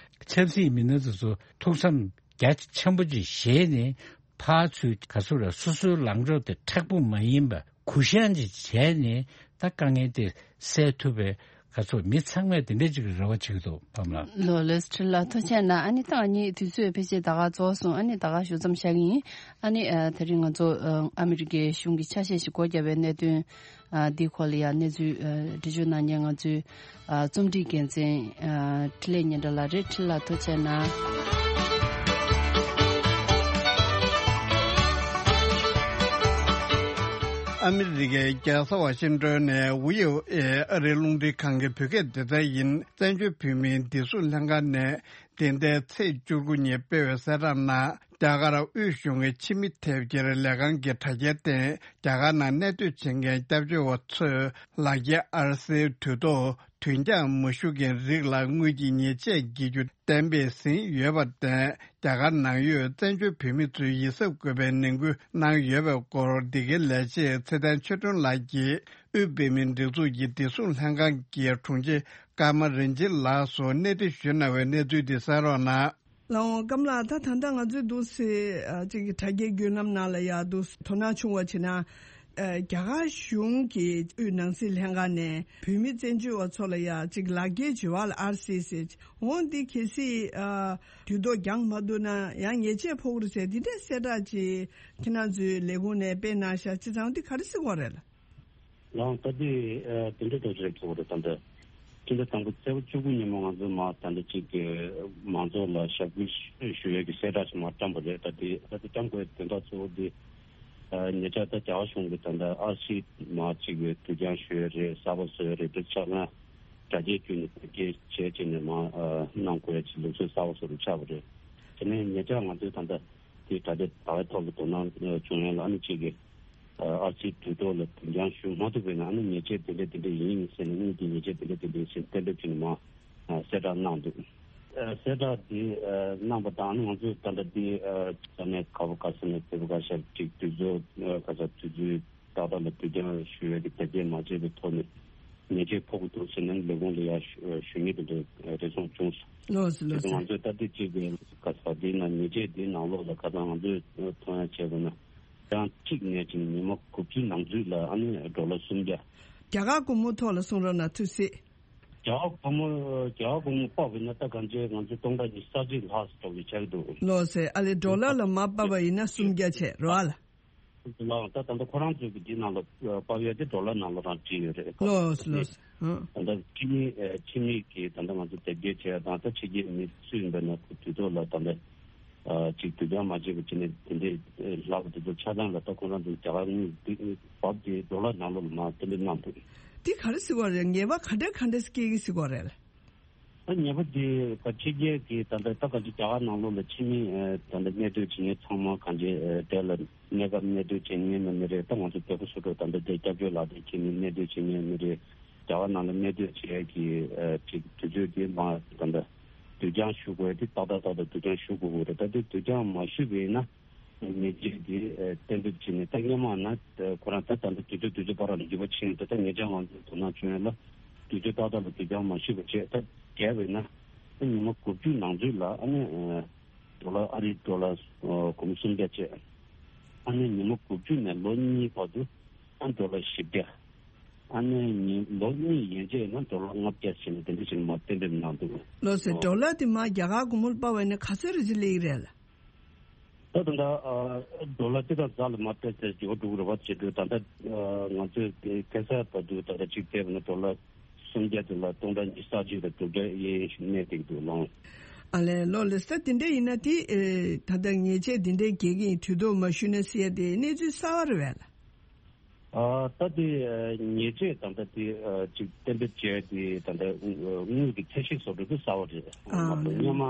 ཆབ་སྲིད་མི་སྣ་ཚོ་ཚོ་ཐུགས་བསམ་རྒྱ་ཆེན་པོ་ཅིག་བཞེས་ནས་ཕར་ཚུར་ག་ཚོད་རེད་སོ་སོའི་ལངས་ཕྱོགས་དེ་མཁྲེགས་པོ་མ་ཡིན་པ་གུ་བཤངས་ཅིག་བྱས་ནས་ད་དཀའ་ངལ་དེ་སེལ་ཐུབ་པའི་ག་ཚོད་མི་ཚང་མས་དེ་འདྲ་ཅིག་རེ་བ་བྱེད་ཀྱི་འདུག་བམ་ལགས། ལོ་ལེགས་ཁྲི་ལ་ཐུགས་རྗེ་གནང་། ཨ་ནི་ད་ང་གཉིས་དུས་ཚོད་ཕལ་ཆེར་ད་ག་རྫོགས་སོང་། ཨ་ནི་ད་ག་ཞུ་མཚམས་བཞག་གི་ཡིན། ཨ་ནི་ཨ་དེ་རིང་ང་ཚོ་ཨ་ཨ་མི་རི་ཀའི་གཞུང་གི་ཆ་ཤས་ཤིག་སྒོ་བརྒྱབ་པའི་གནད་དོན་ཨ་འདི་སྐོར་ལ་ཡང་གནས་ཚུལ་ཨ་འགྲེལ་བརྗོད་གནང་མཁན་ང་ཚོའི་ཨ་རྩོམ་སྒྲིག་འགན་འཛིན་ཨ་འཕྲིན་ལས་སྙན་གྲགས་ལགས་རེད། ཁྲི་ལ་ཐུགས་རྗེ་གནང་། ཨ་མི་རི་ཀའི་རྒྱལ་ས་ཝ་ཤིང་ཏོན་ནས་ཝི་ཨོ་ཨེ་ཨ་རིའི་རླུང་འཕྲིན་ཁང་གི་བོད་སྐད་སྡེ་ཚན་ཡིན། བཙན་བྱོལ་བོད་མིའི་བདེ་སྲུང་ལྷན་ཁང་ནས་འདི་ཟླའི་ཚེས་བཅུ་དགུ་ཉིན་སྤེལ་བའི་གསལ་བསྒྲགས་ནང་། རྒྱ་གར་དབུས་གཞུང་གི་ཕྱི་མི་ཐེབས་འཁྱེར་ལས་ཁང་གི་དྲ་རྒྱའི་སྟེང་རྒྱ་གར་ནང་གནས་སྡོད་བྱེད་མཁན་སྐྱབས་བཅོལ་བ་ཚོས་ལག་འཁྱེར་ཨར་སིའི་དུས་ཐོག་དུས་འགྱངས་མ་ཞུ་མཁན་རིགས་ལ་དངུལ་གྱི་ཉེས་ཆད་འགེལ་རྒྱུ་གཏན་འབེབས་ཟིན་ཡོད་པར་བརྟེན། རྒྱ་གར་ནང་ཡོད་བཙན་བྱོལ་བོད་མི་ཚོས་ཡིད་གཟབ་དགོས་པའི་ནན་སྐུལ་གནང་ཡོད་པའི་སྐོར། འདི་གའི་ལས་བྱེད་ཚེ་བརྟན་ཆོས་སྒྲོན་ལགས་ཀྱིས་དབུས་བོད་མིའི་སྒྲིག་འཛུགས་ཀྱི་བདེ་སྲུང་ལྷན་ཁང་གི་དྲུང་ཆེ་ཀརྨ་རིན་ཆེན་ལགས་སུ་གནས་འདྲི་ཞུས་གནང་བའི་གནས་ཚུལ་འདི་གསན་རོགས་གནང་། ལགས་འོང་། ཀརྨ་ལགས། ད་ད་ལྟ་ང་ཚོའི་འདུག་སེ་ཨ་ཅིག་གི་དྲ་རྒྱའི་བརྒྱུད་ལམ་ནང་ལ་ཡ་འདུག་སེ་དོ་སྣང་བྱུང་བ་བྱས་ན། ཨ་རྒྱ་གར་གཞུང་གི་དབུས་ནང་སྲིད་ལྷན་ཁང་ནས་བོད་མི་བཙན་བྱོལ་བ་ཚོ་ལ་ཡ་ཅིག་ལག་འཁྱེར་བྱེད་པ་ལ་ཨར་སི་ཟེར། འོ་འདི་གལ་སྲིད་ཨ་དུས་ཐོག་འགྱངས་མ་ཐུབ་ན་ཡང་ཉེས་ཆད་ཕོག་གི་རེད་ཟེར། འདི་འདྲའི་གསལ་བསྒྲགས་ཅིག་ཁྱེད་རང་ཚོའི་ལས་ཁུངས་ནས་སྤེལ་གནང་ཤག་བྱས་ཙང་འདི་ག་རེ་ཟེར་དགོས་རེད་ལགས། ལགས་འོང་། ད་དེ་ཨ་དེ་འདྲ་ཐག་ཆོད་རེད་ཐུག་རེད། ད་ལྟ་སྤྱི་ཟླ་དང་པོ་ཚེས་པ་བཅུ་དགུ་ཉིན་མོ་ང་ཚོ་མར་ད་ལྟ་གཅིག་གི་མང་ཚོགས་ལ་ཞབས་སྐུལ་ཞུ་ཡས་ཀྱི་གསལ་བསྒྲགས་ཤིག་མར་བཀྲམ་པ་རེད། ད་དེ་ད་དེ་བཀྲམ་དགོས་དོན་དག་གཙོ་བོ་དེ་ཨ་ཉེ་ཆར་ད་རྒྱ་གར་གཞུང་གིས་ད་ལྟ་ཨར་སི་མར་གཅིག་གི་དུས་འགྱངས་ཞུ་ཡས་རེད། གསར་པ་བཟོ་ཡས་རེད། དེ་ཆ་ཚང་རྒྱ་སྐྱེད་བརྒྱུད་ནས་བོད་སྐད་བྱས་བྱས་ནས་མར་ཨ་གནང་དགོས་ཡས་ཀྱི་ལུགས་སྲོལ་གསར་པ་བཟོ་རུ་ཆགས་པ་རེད། དེ་ནས་ཉེ་ཆར་ང་ཚོས་ད་ལྟ་དེ་དྲ་རྒྱ་དྲ་བའི་ཐོག་ལ་དོ་སྣང་བྱུང་ཡོད་ལ། ཨ་ནི་གཅིག་གིས་ཨར་སི་དུས་ཐོག་ལ་དུས་འགྱངས་ཞུ་མ་ཐུབ་པས་ན། ཨ་ནི་ཉེས་ཆད་དེ་འདྲ་དེ་འདྲ་ཡིན་ཟེར་ནས། དངུལ་གྱི་ཉེས་ཆད་དེ་འདྲ་དེ་འདྲ་ཟེར་གཏན་འབེབས་བྱས་ནས་མར་གསལ་བསྒྲགས་གནང་འདུག་གསལ་བསྒྲགས་དེ་གནང་པ་དང་། ཨ་ནི་ང་ཚོས་ད་ལྟ་དེ་ས་གནས་ག་པ་ག་ས་ནས་བོད་པ་ག་ཤེད་ཅིག་དུས་ཚོད་ག་ས་དུས་ཚོད་ཏག་ཏག་ལ་དུས་འགྱངས་ཞུ་ཡས་ཀྱི་དེབ་སྐྱེལ་མ་བྱས་པའི་ཐོག་ནས་ཉེས་ཆད་ཕོག་གི་འདུག་ཟེར་ནས་ལས་ཁུངས་ལ་ཡར་ཞུ་ཞུ་མཁན་དེ་འདྲ་རེ་ཟུང་བྱུང་སོང་། ལགས་སོ། དེ་ལགས་ཚོ་སོ། ང་ཚོས་ད་ལྟ་གཅིག་གི་ག་ས་དེའི་ནང་ཉེས་ཆད་དེའི་ནང་ལོགས་ལ་ཁ་སང་ང་ཚོས་མཐོང་ཡ་བྱས་པ་ན། གྲངས་གཅིག་ནས་བྱས་ནས་ཉི་མ་དགུ་བཅུ་ནང་ཚུད་ལ་ཨ་ནི་ཌོ་ལར་སུམ་བརྒྱ། རྒྱ་གར་སྒོར་མོ་ཐོག་ལ་གསུང་རོགས་གནང་། ཐུགས་སྲིད། རྒྱ་གར་སྒོར་མོ་རྒྱ་གར་སྒོར་མོ་དཔག་པ་ཡིན་ན་ད་གང་ཅི་ང་ཚོ་སྟོང་ཕྲག་ཉི་ཤུ་རྩ་གཅིག་ལྷག་ཙམ་འགྲོ་གི་ཆགས་ཀྱི་འདུག་ལགས་སོ། ཨ་ལས་ཌོ་ལར་ལ་མར་ཕབ་པ་ཡིན་ན་སུམ་བརྒྱ་བྱས་རེད་བ་ལགས། ལགས། ད་ད་ལྟ་ཁོ་རང་ཚོའི་གི་འདི་ནང་ལ་ཕབ་ཡ་དེ་ཌོ་ལར་ནང་ལ་རང་བྲིས་ཡོད་རེད། ལགས་སོ། ལགས་སོ། ཨ། ད་ལྟ་ཕྱི་མི་ཨ་ཕྱི་མི་གི་ད་ལྟ་ང་ཚོ་དེབ་སྐྱེལ་བྱས་དང་། ད་ཕྱི་རྒྱལ་མི་སུ་ཡིན་པ་ན་ཁོ་དུས་ཐོག་ལ་ད་ལྟ་ཨ་ཅིག་དུས་འགྱངས་མ་བྱས་པ་བྱས་ནས་དེ་འདྲའི་ལྷག་པ་དེ་ཚོ་ཆ་ཚང་ལ་ད་ཁོ་རང་ཚོ་རྒྱ་གར་དངུལ་འདི་བབ་དེ་ཌོ་ལར་ནང་ལོགས་ལ་མར་གཏན་འབེབས་གནང་འདུག་འདི་ག་རེ་ཟེར་བ་རེད། ངེས་པ་ག་འདྲ་ག་འདྲ་སྐྱེ་གི་ཟེར་བ་རེད། ད་ཉེས་པ་དེ་ག་ཕྱི་རྒྱལ་གྱི་ད་ལྟ་ད་ག་ཅིག་རྒྱ་གར་ནང་ལོགས་ལ་ཕྱི་མི་ཨ་ད་ལྟ་གནས་སྡོད་བྱེད་མཁན་ཚང་མ་གང་ཅི་ཨ་དེ་ལ་གནས་སྐབས་གནས་སྡོད་བྱེད་མཁན་ནི་མི་རེད། ད་ང་ཚོ་བོད་པ་སོ་སོ་ད་ལྟ་དེ་སྐྱབས་བཅོལ་ལག་དེབ་ཁྱེར་ནས་གནས་སྡོད་བྱེད་མཁན་མི་རེད། རྒྱ་གར་ནང་ལ་གནས་སྡོད་བྱེད་ཡས་ཀྱི་ཨ་ཅིག་དུས་ཚོད་དེ་མ་ད་ལྟ་དུས་འགྱངས་ཞུ་དགོས་དེ་ཏག་ཏག་ཏག་ཏག་དུས་འགྱངས་ཞུ་དགོས་ཀྱི་རེད། ད་དེ་དུས་འགྱངས་མ་ཞུས་པ་ཡིན་ན། ཉེས་ཆད་དེ་ཨ་གཏན་འབེབས་བྱས་ནས། ད་སྔོན་མ་ན་ཨ་ཁོ་རང་ད་ད་ལྟ་དུས་ཚོད་དུས་ཚོད་བར་ལ་འགྱུར་བ་ཕྱིན་འདུག་ད་ཉེ་ཆར་ང་ཚོས་དོ་སྣང་བྱུང་ཡ་ལ་དུས་ཚོད་ཏག་ཏག་ལ་དུས་འགྱངས་མ་ཞུས་པ་བྱས། ད་བརྒལ་བས་ན་ཨ་ཉི་མ་དགུ་བཅུ་ནང་ཚུད་ལ་ཨ་ནི་ཨ་ཌོ་ལར་ཨ་རིའི་ཌོ་ལར་ཨ་སྒོར་མོ་སུམ་བརྒྱ་བྱས། ཨ་ནི་ཉི་མ་དགུ་བཅུ་ནས་ལོ་གཉིས་བར་དུ་ཨ་ཌོ་ལར་བཞི་བརྒྱ། ཨ་ནི་ཉི་ལོ་གཉིས་ཡན་ཆད་ན་ཌོ་ལར་ལྔ་བརྒྱ་བྱས་ནས་དེ་འདྲ་བྱས་ནས་མར་གཏན་འབེབས་གནང་འདུག་ལགས་སོ། ཨོ། ཌོ་ལར་དེ་མར་རྒྱ་གར་སྒོར་མོ་ལ་ཕབ་པ་ཡིན་ན་ག་ཚོད་རེ་ཅིག་སླེབས་ཀྱི་རེད་ལགས། ད་ད་ལྟ་ཨ་ཌོ་ལར་སྤྱི་ལྟར་རྫ་ལ་མར་བལྟས་ཚེ་འགྱུར་བ་འགྲོ་གི་རེད་པ་བྱེད་དུས། ད་ལྟ་ཨ་ང་ཚོས་དེ་ཁ་སང་བར་དུ་ད་ལྟ་གཅིག་བལྟས་པ་ན་ཌོ་ལར་སུམ་བརྒྱ་དེ་ལ་སྟོང་ཕྲག་ཉི་ཤུ་རྩ་གཅིག་དང་དྲུག་བརྒྱ་གཡས་གཡོན་ཞིག་གནས་བསྡད་ཀྱི་འདུག་ལགས། ཨ་ལས་ལགས། ལགས་སོ། ད་དེ་འདྲ་ཡིན་ན་དེ་ཨེ་ད་ལྟ་ཉེས་ཆད་དེ་འདྲའི་འགེལ་གྱི་ཡིན། དུས་ཐོག་མ་ཞུས་ན་ཟེར་ཡ་དེ་གནས་ཚུལ་གསར་པ་རེད་པས་ལགས། ཨ་ད་དེ་ཨ་ཉེས་ཆད་ད་ལྟ་དེ་ཨ་ཅིག་གཏན་འབེབས་བྱས་དེ་ད་ལྟ་དངུལ་གྱི་ཚད་གཞི་བཟོ་འདྲ་དེ་གསར་པ་རེད། ཨ་མ་གཏོགས་ལགས། སྔོན་མ་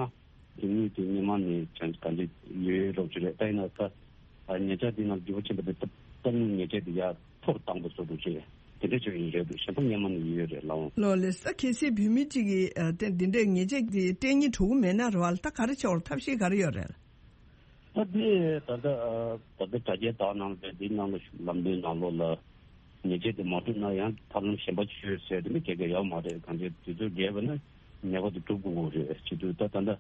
དེ་དངུལ་དེ་སྔོན་མ་ནས་ཅང་གང་ཅི་ཡོད་རོགས་ཅིག་རེད། ད་ཡིན་ན་ད་ཨ་ཉེ་ཆར་དེ་ནང་འགྱུར་བ་ཕྱིན་པ་དེ་ད་ད་དངུལ་ཉེས་ཆད་དེ་ཡར་མཐོ་རུ་བཏང་པ་བཟོ་འདྲ་ཅིག་དེ་འདྲ་ཅིག་ཡིན་རེད་འདུག་གཞན་པ་སྔོན་མ་ནས་ཡོད་རེད་ལགས། ལགས་ལགས་སོ། གལ་སྲིད་བོད་མི་གཅིག་གིས་ཨ་དེ་འདི་འདྲའི་ཉེས་ཆད་དེ་སྤྲད་སྙིང་བྲོ་གི་མེད་ན་རེད་པ་ལགས། ད་ག་རེ་བྱེད་དགོས་རེད། ཐབས་ཤེས་ག་རེ་ཡོད་རེད་ལགས། ད་དེ་ད་ལྟ་ཨ་ད་ལྟ་དྲ་རྒྱའི་དག་སྣང་རེད། དེའི་ནང་ལ་ལམ་སྟོན་ནང་ལོགས་ལ་ཉེས་ཆད་དེ་མ་གྲུབ་ན་ཡང་ཐབས་ལམ་གཞན་པ་བྱོས་ཟེར་དེ་ནི་ག་གེ་ཡོད་མ་རེད། གང་ཅི་དུས་ཚོད་བརྒལ་བ་ན་ཉེས་པ་དེ་སྒྲུབ་དགོས་རེད། བྱེད་དུས་ད་ད་ལྟ་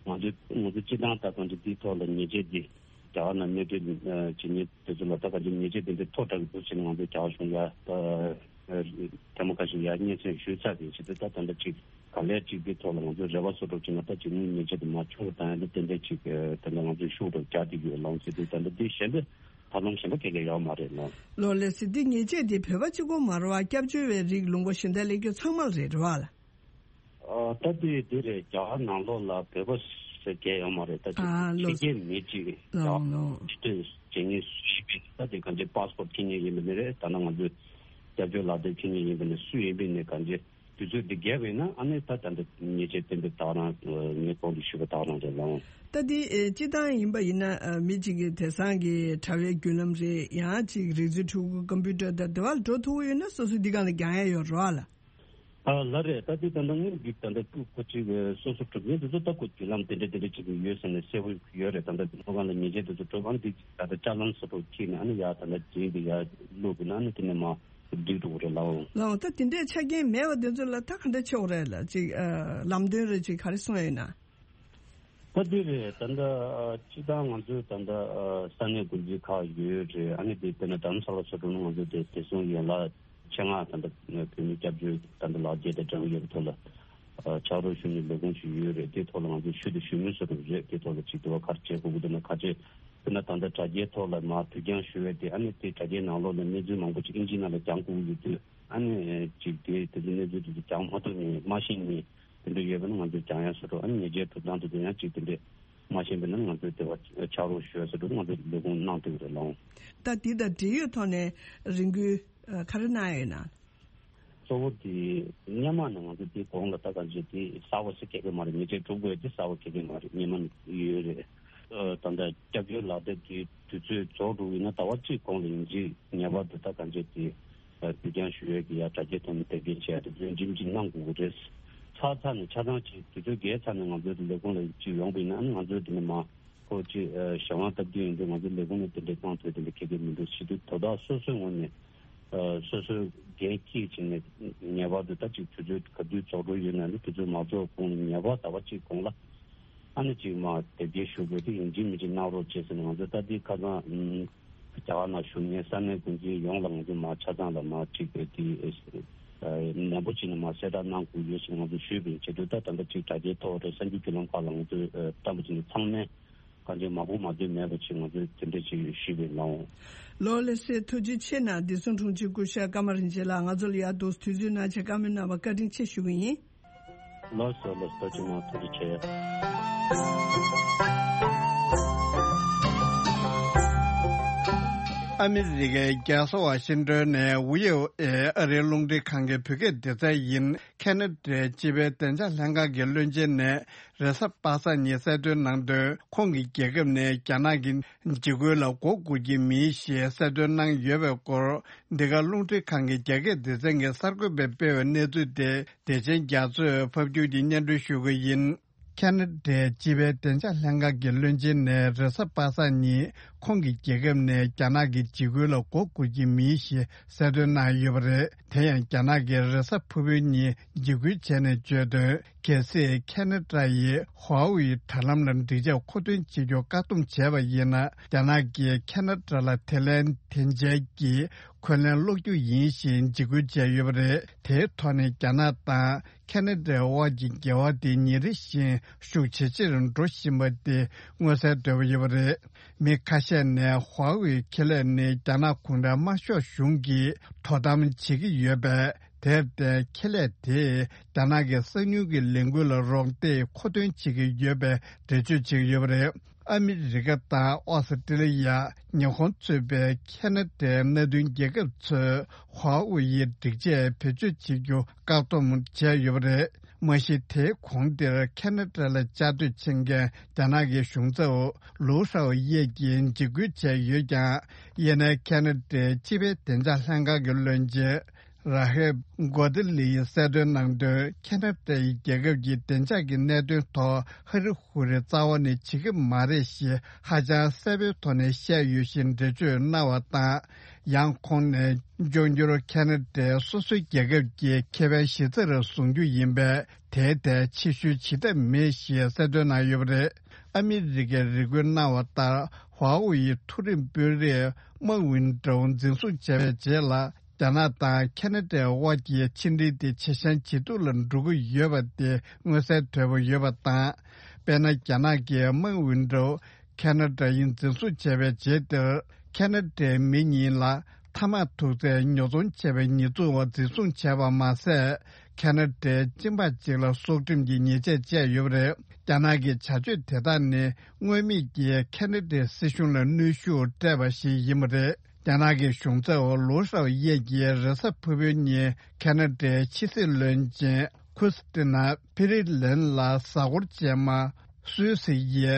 ང་ཚོ་ང་ཚོ་སྤྱི་བཏང་ད་གང་ཅི་དེའི་ཐོག་ལ་ཉེས་ཆད་དེ་རྒྱ་གར་ནང་གནས་སྡོད་ཨ་བྱེད་མཁན་དེ་ཚོ་ལ་ད་གང་ཅི་ཉེས་ཆད་དེ་འདྲ་མཐོ་དྲགས་ཀྱི་འདུག་ཟེར་ནས་ང་ཚོ་རྒྱ་གར་གཞུང་ལ་ད་ཨ་ཐེངས་མ་ཁ་ཤས་ཡར་སྙན་སེང་ཞུས་ཚར་རེད། བྱེད་དུས་ད་ད་ལྟ་ཅིག་ག་ལེར་ཅིག་དེ་ཐོག་ལ་ང་ཚོས་རེ་བ་བཟོ་འདྲ་བྱས་ན་ད་ཅིག་དངུལ་ཉེས་ཆད་དེ་མར་ཆུང་རུ་བཏང་ཡ་ལ་ཏན་ཏན་ཅིག་ཨ་ད་ལྟ་ང་ཚོས་ཤུགས་རུ་རྒྱག་བསྡད་ཀྱི་ཡོད་ལགས་ཟེར་དུས། ད་ལྟ་དེ་གཞན་པའི་ཐབས་ལམ་གཞན་པ་ག་གེ་ཡོད་མ་རེད་ལགས། ལགས་ལགས་སོ། འདི་ཉེས་ཆད་དེ་བོད་པ་གཅིག་པོ་མ་རེད་པ། སྐྱབས་བཅོལ་བའི་རིགས་ལུང་པ་གཞན་དག་སླེབས་རྒྱུ་ཚང་མ་ལ་རེད་རེད་པ་ལགས། ཨ་ད་དེ་དེ་རེད། རྒྱ་གར་ནང་ལོགས་ལ་བོད་པ་ཟེར་མཁན་ཡོད་མ་རེད། ད་ཅིག་ཨ་ཕྱི་ལོ་རྒྱལ་མི་གཅིག་རེད། ལོ་ཡང་ལོ་ཕྱི་སྡོད་བྱེད་མཁན་སུ་ཡིན་པའི་ད་དེ་གང་ཅི་པཱ་སི་པོར་ཊི་འཁྱེར་མཁན་ཡིན་པ་ནི་རེད། ད་ནང་ང་ཚོའི་སྐྱབས་བཅོལ་ལག་དེབ་འཁྱེར་མཁན་ཡིན་པ་ནི་སུ་ཡིན་པའི་ནི་གང་ཅི་དུས་ཚོད་འདི་བརྒལ་བས་ན་ཨ་ནི་ད་ད་འདི་ཉེས་ཆད་གཏན་འབེབས་བཏང་རང་ངས་གོང་དུ་ཞུས་པ་བཏང་རང་རེད་ལགས། ད་འདི་ཨེ་སྤྱི་བཏང་ཡིན་པ་ཡིན་ན་ཨ་མི་གཅིག་གི་དེང་སང་གི་དྲ་བའི་བརྒྱུད་ལམ་རེད། ཡང་གཅིག་རིག་མཛོད་ཕྲུ་གུ་ཀམ་པུ་ཊར་དང་དེ་བར་འགྲོ་ཐུབ་ཀྱི་ཡོད་ན་སོ་སོ་འདི་སྒང་ལ་རྒྱག་ཡ་ཡོད་རེད་པ་ལགས། ཨ་ལགས་རེད། ད་འདི་ད་ལྟ་དངུལ་འདི་ད་ལྟ་ཁོ་ཁོ་ཅིག་སོ་སོ་གྲུབ་ཀྱི་འདུག་ད་ཁོ་བརྒྱུད་ལམ་དེ་འདྲ་དེ་འདྲ་ཅིག་ཡོད་ཟེར་ནས་གསལ་པོ་ཡོད་རེད། ད་ལྟ་ཁོ་གང་ལ་ཉེས་ཆད་དེ་ཚོ་གྲུབ། ཨ་ནི་འདི་ད་ལྟ་ཅ་ལན་སོ་སོ་ཁྱེར་ནས་ཨ་ནི་ཡར་ད་ལྟ་རྗེས་འདི་ཡར་བླུགས་དགོས་ན་ཨ་ནི་དེ་ནས་མར་བསྡུས་འགྲོ་གི་རེད་ལགས། ལགས་འོང་། ད་དེ་འདྲའི་ཆ་རྐྱེན་མེད་པ་དེ་ཚོ་ལ་ད་ག་འདྲ་བྱེད་དགོས་རེད་ལགས། ཅིག་ཨ་ལམ་སྟོན་རེ་ཅིག་ག་རེ་གསུངས་ཡོད་ན། ད་འདི་རེད། ད་ལྟ་ཨ་སྤྱི་བཏང་ང་ཚོའི་ད་ལྟ་ཨ་ས་གནས་འགོ་འཛིན་ཁག་ཡོད་རེད། ཨ་ནི་དེ་དཔེར་ན་དྷ་རམ་ས་ལ་སོགས་འགྲོ་ན་ང་ཚོ་དེ་བདེ་སྲུང་ཡན་ལག་ཆེད་མངགས་ད་ལྟ་བོད་མི་སྐྱབས་བཅོལ་ད་ལྟ་ལག་འཁྱེར་དང་སྦྲགས་ཡོད་པའི་ཐོག་ལ་ཨ་ཕྱག་རོགས་ཞུ་མཁན་ལས་ཁུངས་ཤིག་ཡོད་རེད། དེ་ཐོག་ལ་ང་ཚོས་ཞུ་དང་ཞུ་མུས་བཟོ་འདྲ་རེད། དེ་ཐོག་ལ་ཅིག་དེ་བ་ག་རེ་བྱེད་དགོས་ཀྱི་འདུག་ན་ག་ཚོད། དཔེར་ན་ད་ལྟ་དྲ་རྒྱའི་ཐོག་ལ་མར་དུས་འགྱངས་ཞུ་བའི་དེ་ཨ་ནི་དེ་དྲ་རྒྱའི་ནང་ལོགས་ནས་གནས་ཚུལ་མང་པོ་ཅིག་ཨིན་ཇིའི་ནང་ལ་རྒྱག་དགོས་ཀྱི་ཡོད་དུས། ཨ་ནི་ཅིག་དེ་དེ་ཚོ་གནས་ཚུལ་དེ་ཚོ་རྒྱག་མ་ཐུབ་ནས་མ་ཤེས་ནས་དེ་འདྲ་ཡོད་པ་ན་ང་ཚོས་རྒྱག་ཡ་བཟོ་འདྲ། ཨ་ནི་ཉེས་ཆད་གྲུབ་སྟངས་དེ་ཚོ་ཡང་ཅིག་དེ་འདྲས་མ་ཤེས་པ་ན་ང་ཚོས་དེ་བ་ཕྱག་རོགས་ཞུ་ཡ་བཟོ་འདྲ་ང་ཚོས་ལས་ཁུངས་གནང་ཐུབ་ཀྱི་རེད་ལགས། ད་འདི་དང་འབྲེལ་ཡོད་ཐོག་ནས་རེ་སྐུལ་ཨ་ག་རེ་གནང་ཡོད་ན། གཙོ་བོ་དེ་སྔོན་མ་ནས་ང་ཚོ་དེ་གོང་ལ་ད་གང་བྱས་དེ་གསར་པ་ཞིག་ག་གེ་མ་རེད། ཉེས་ཆད་སྒྲུབ་དགོས་དེ་གསར་པ་ག་གེ་མ་རེད། སྔོན་མ་ནས་ཡོད་རེད། ཨ། ད་ལྟ་སྐྱབས་བཅོལ་ལག་དེབ་དེ་དུས་ཚོད་རྫོགས་འགྲོ་གི་ཡིན་ན་ཟླ་བ་གཅིག་གོང་ལ་ཡིན་གཅིག་ངེས་པར་དུ་ད་གང་བྱས་དེ་ཨ། དུས་འགྱངས་ཞུ་ཡས་ཀྱི་ཡ་དྲ་རྒྱའི་ཐོག་ནས་དེབ་སྐྱེལ་བྱས་ཏེ་འཛིན་གྲྭ་གཅིག་གནང་དགོས་ཀྱི་རེད། ཚར་ཚར་ནས་ཆ་ཚང་གཅིག་དུས་ཚོད་བརྒལ་ཚར་ནས་ང་ཚོའི་ལས་ཁུངས་ལ་གཅིག་ཡོང་པ་ཡིན་ན་ཨ་ནི་ང་ཚོའི་དེ་ནས་མ་ཁོ་གཅིག་ཨ། གཞན་དབང་སྟབས་བདེ་ཡིན་དུས་ང་ཚོའི་ལས་ཁུངས་ནས་དེ་འདྲའི་གཏོང་ཐུབ་དེ་འདྲ་ཁེ་ཕན་མི་འདུག་ཟེར་དུས། དོ་བདག་སོ་སོའི་ངོས་ནས་ཨ། སོ་སོའི་འགན་འཁྱེར་བྱས་ནས་ངེས་པར་དུ་ད་གཅིག་དུས་ཚོད་ག་དུས་རྫོགས་འགྲོ་ཡོད་ན་ནི་དུས་ཚོད་མ་རྫོགས་གོང་ལ་ངེས་པར་ཟླ་བ་གཅིག་གོང་ལ་ཨ་ནི་གཅིག་མ་དེབ་སྐྱེལ་ཞུ་དགོས་དེ་ཡིན་གཅིག་མིན་གཅིག་གནང་རོགས་བྱེད་ཟེར་ནས་ང་ཚོ་ད་ལྟའི་ཁ་སང་ཨུམ། རྒྱ་གར་ནང་བཞུགས་མཁན་ས་གནས་འགོ་འཛིན་ཡོངས་ལ་ང་ཚོ་མ་ཆ་ཚང་ལ་མ་གཅིག་པའི་དེ་ནན་པོ་བྱས་ནས་མ་གསལ་བསྒྲགས་གནང་དགོས་ཡོད་ཟེར་ང་ཚོ་ཞུས་པ་ཡིན། བྱེད་དུས་ད་ད་ལྟ་གཅིག་དྲ་རྒྱའི་ཐོག་རེད། གསར་འགྱུར་བརྒྱུད་ལམ་ཁག་ལ་ང་ཚོས་བཏང་པ་བྱས་ནས་ཚང་མས་གང་ཅི་མ་གོ་མ་ཐོས་མེད་པ་བྱས་ང་ཚོས་དེ་འདྲ་ཅིག་ཞུས་པ་ཡིན་ལགས། ལགས་ལགས་སེ། ཐུགས་རྗེ་ཆེ་གནང་། བདེ་སྲུང་དྲུང་ཆེ་སྐུ་ཞབས་ཀརྨ་རིན་ཆེན་ལགས། ང་ཚོ་ལ་ཡར་འདུག་དུས་ཚོད་གནང་ཆེད་བཀའ་མོལ་གནང་བར་བཀའ་དྲིན་ཆེ་ཞུ་གི་ཡིན། ལགས་སོ་ལགས་སོ། ཐུགས་རྗེ་གནང་། ཐུགས་རྗེ་ཆེ། ཨ་མི་རི་ཀའི་རྒྱལ་ས་ཝ་ཤིང་ཏོན་ནས་ཝི་ཨོ་ཨེ་ཨ་རིའི་རླུང་འཕྲིན་ཁང་གི་བོད་སྐད་སྡེ་ཚན་ཡིན། ཁེ་ན་ཌའི་སྤྱི་པའི་བདེ་འཇགས་ལྷན་ཁང་གི་བློན་ཆེན་ནས་རེས་གཟའ་པ་སངས་ཉིན་གསལ་སྟོན་གནང་དོན། ཁོང་གི་རྒྱལ་ཁབ་ནས་རྒྱ་ནག་གི་འཇིགས་སྐུལ་ལ་མགོ་སྒུར་གྱི་མིན་ཞེས་གསལ་སྟོན་གནང་ཡོད་པའི་སྐོར། འདི་ག་རླུང་འཕྲིན་ཁང་གི་རྒྱ་སྐད་སྡེ་ཚན་གྱི་གསར་འགོད་པས་སྤེལ་བའི་གནས་ཚུལ་དེ་བདེ་ཆེན་རྒྱ་མཚོས་ཕབ་སྒྱུར་གྱིས་སྙན་སྒྲོན་ཞུ་གི་ཡིན། ཁེ་ན་ཌའི་སྤྱི་པའི་བདེ་འཇགས་ལྷན་ཁང་གི་བློན་ཆེན་ནས་རེས་གཟའ་པ་སངས་ཉིན་ཁོང་གི་རྒྱལ་ཁབ་ནས་རྒྱ་ནག་གི་འཇིགས་སྐུལ་ལ་མགོ་སྒུར་གྱི་མིན་ཞེས་གསལ་སྟོན་གནང་ཡོད་པ་རེད། དེ་ཡང་རྒྱ་ནག་གིས་རེས་གཟའ་ཕུར་བུའི་ཉིན་འཇིགས་སྐུལ་བྱས་ནས་བརྗོད་དོན། གལ་སྲིད་ཁེ་ན་ཌ་ཡིས་ཧྭ་ཝུའེ་དྲ་ལམ་ལ་འགྲིག་ཆས་མཁོ་འདོན་བྱེད་རྒྱུར་བཀག་སྡོམ་བྱས་པ་ཡིན་ན། རྒྱ་ནག་གིས་ཁེ་ན་ཌ་ལ་དེ་ལན་དེ་འཇལ་གྱིས་འཁོན་ལན་སློག་རྒྱུ་ཡིན་ཞེས་འཇིགས་སྐུལ་བྱས་ཡོད་པ་རེད། དེའི་ཐོག་ནས་རྒྱ་ནག་དང་ཁེ་ན་ཌའི་དབར་གྱི་འགལ་བ་དེ་ཉིན་རེ་བཞིན་ཤུགས་ཇེ་ཆེར་འགྲོ་བཞིན་པ་དེ་མངོན་གསལ་དོད་པོ་ཡོད་པ་རེད། མི་ཁ་ཤས་ནས་ཧྭ་ཝུའེ་ཁེ་ལས་ནི་རྒྱ་ནག་གུང་ཁྲན་དམར་ཤོག་གཞུང་གིས་དོ་དམ་བྱེད་ཀྱི་ཡོད་པས། དེར་བརྟེན་ཁེ་ལས་དེས་རྒྱ་ནག་གི་གསང་མྱུལ་གྱི་ལས་འགུལ་ལ་རོགས་འདེགས་མཁོ་འདོན་བྱེད་ཀྱི་ཡོད་པའི་འགྲེལ་བརྗོད་བྱེད་ཀྱི་ཡོད་པ་རེད། ཨ་མི་རི་ཀ་དང་ཨོ་སི་ཀྲི་ལི་ཡ། ཉི་ཧོང་གཙོས་པའི་ཁེ་ན་ཌའི་མནའ་མཐུན་རྒྱལ་ཁབ་ཚོས་ཧྭ་ཝུའེ་ཡི་སྒྲིག་ཆས་བེད་སྤྱོད་བྱེད་རྒྱུ་བཀག་སྡོམ་བྱས་ཡོད་པ་རེད། མ་གཞི་དེའི་གོང་དེར་ཁེ་ན་ཌ་ལ་བཅའ་སྡོད་བྱེད་མཁན་རྒྱ་ནག་གི་གཞུང་ཚབ་ལུའུ་ཧྲའོ་ཡེ་ཀྱིས་འཇིགས་སྐུལ་བྱས་ཡོད་ཀྱང་། ཡེ་ནས་ཁེ་ན་ཌའི་སྤྱི་པའི་བདེ་འཇགས་ལྷན་ཁང་གི་བློན་ཆེན་ར་ཧེབ་གོ་ཏི་ལི་ཡིས་གསལ་སྟོན་གནང་དོན། ཁེ་ན་ཌ་ཡི་རྒྱལ་ཁབ་ཀྱི་བདེ་འཇགས་ཀྱི་གནད་དོན་ཐོག་ཧ་རི་ཧུ་རི་རྩ་བ་ནས་བྱེད་ཀྱི་མ་རེད་ཞེས་ཧ་ཅང་གསལ་པོའི་ཐོག་ནས་བཤད་ཡོད་ཞེས་འགྲེལ་བརྗོད་གནང་བ་དང་། ཡང་ཁོང་ནས་འབྱུང་འགྱུར་ཁེ་ན་ཌས་སོ་སོའི་རྒྱལ་ཁབ་ཀྱི་ཁེ་ཕན་གཞི་རྩར་བཟུང་རྒྱུ་ཡིན་པས། དེའི་ཐད་ཕྱིར་བཤོལ་བྱེད་ཐབས་མེད་ཞེས་གསལ་སྟོན་གནང་ཡོད་པ་རེད། ཨ་མི་རི་ཀས་རེ་སྐུལ་གནང་བ་ལྟར། ཧྭ་ཝུའེ་ཡི་མཐོ་རིམ་དཔོན་རིགས་མཱ་ཝིན་ཀྲོའུ་འཛིན་བཟུང་བྱས་པའི་རྗེས་ལ། རྒྱ་ནག་དང་ཁེ་ན་ཌའི་དབར་གྱི་ཕྱི་འབྲེལ་དེ་ཇེ་ཞན་ཇེ་སྡུག་ལ་འགྲོ་གི་ཡོད་པ་དེ་མངོན་གསལ་དོད་པོ་ཡོད་པ་དང་། དཔེར་ན། རྒྱ་ནག་གིས་མཱ་ཝིན་ཀྲོའུ་ཁེ་ན་ཌ་ཡིས་འཛིན་བཟུང་བྱས་པའི་རྗེས་དེར། ཁེ་ན་ཌའི་མི་གཉིས་ལ་ཐ་མག་ཐུག་སའི་ཉོ་ཚོང་བྱས་པའི་ཉེས་འཛུགས་འོག་འཛིན་བཟུང་བྱས་པ་མ་ཟད། ཁེ་ན་ཌའི་གཅིན་པ་གཅིག་ལ་སྲོག་ཁྲིམས་ཀྱི་ཉེས་ཆད་བཅད་ཡོད་པ་རེད། རྒྱ་ནག་གི་བྱ་སྤྱོད་དེ་དག་ནི་སྔོན་མེད་ཀྱི་ཁེ་ན་ཌའི་སྲིད་གཞུང་ལ་གནོན་ཤུགས་སྤྲད་པ་ཞིག་ཡིན་པ་རེད། རྒྱ་ནག་གི་གཞུང་ཚབ་ལུའུ་ཧྲའོ་ཡེ་ཀྱིས་རེས་གཟའ་ཕུར་བུའི་ཉིན་ཁེ་ན་ཌའི་ཕྱི་སྲིད་བློན་ཆེན་ཁུ་སི་ཏི་ན་ཕི་རི་ལན་ལ་གཟའ་འཁོར་རྗེས་མ་སུད་སི་ཡི་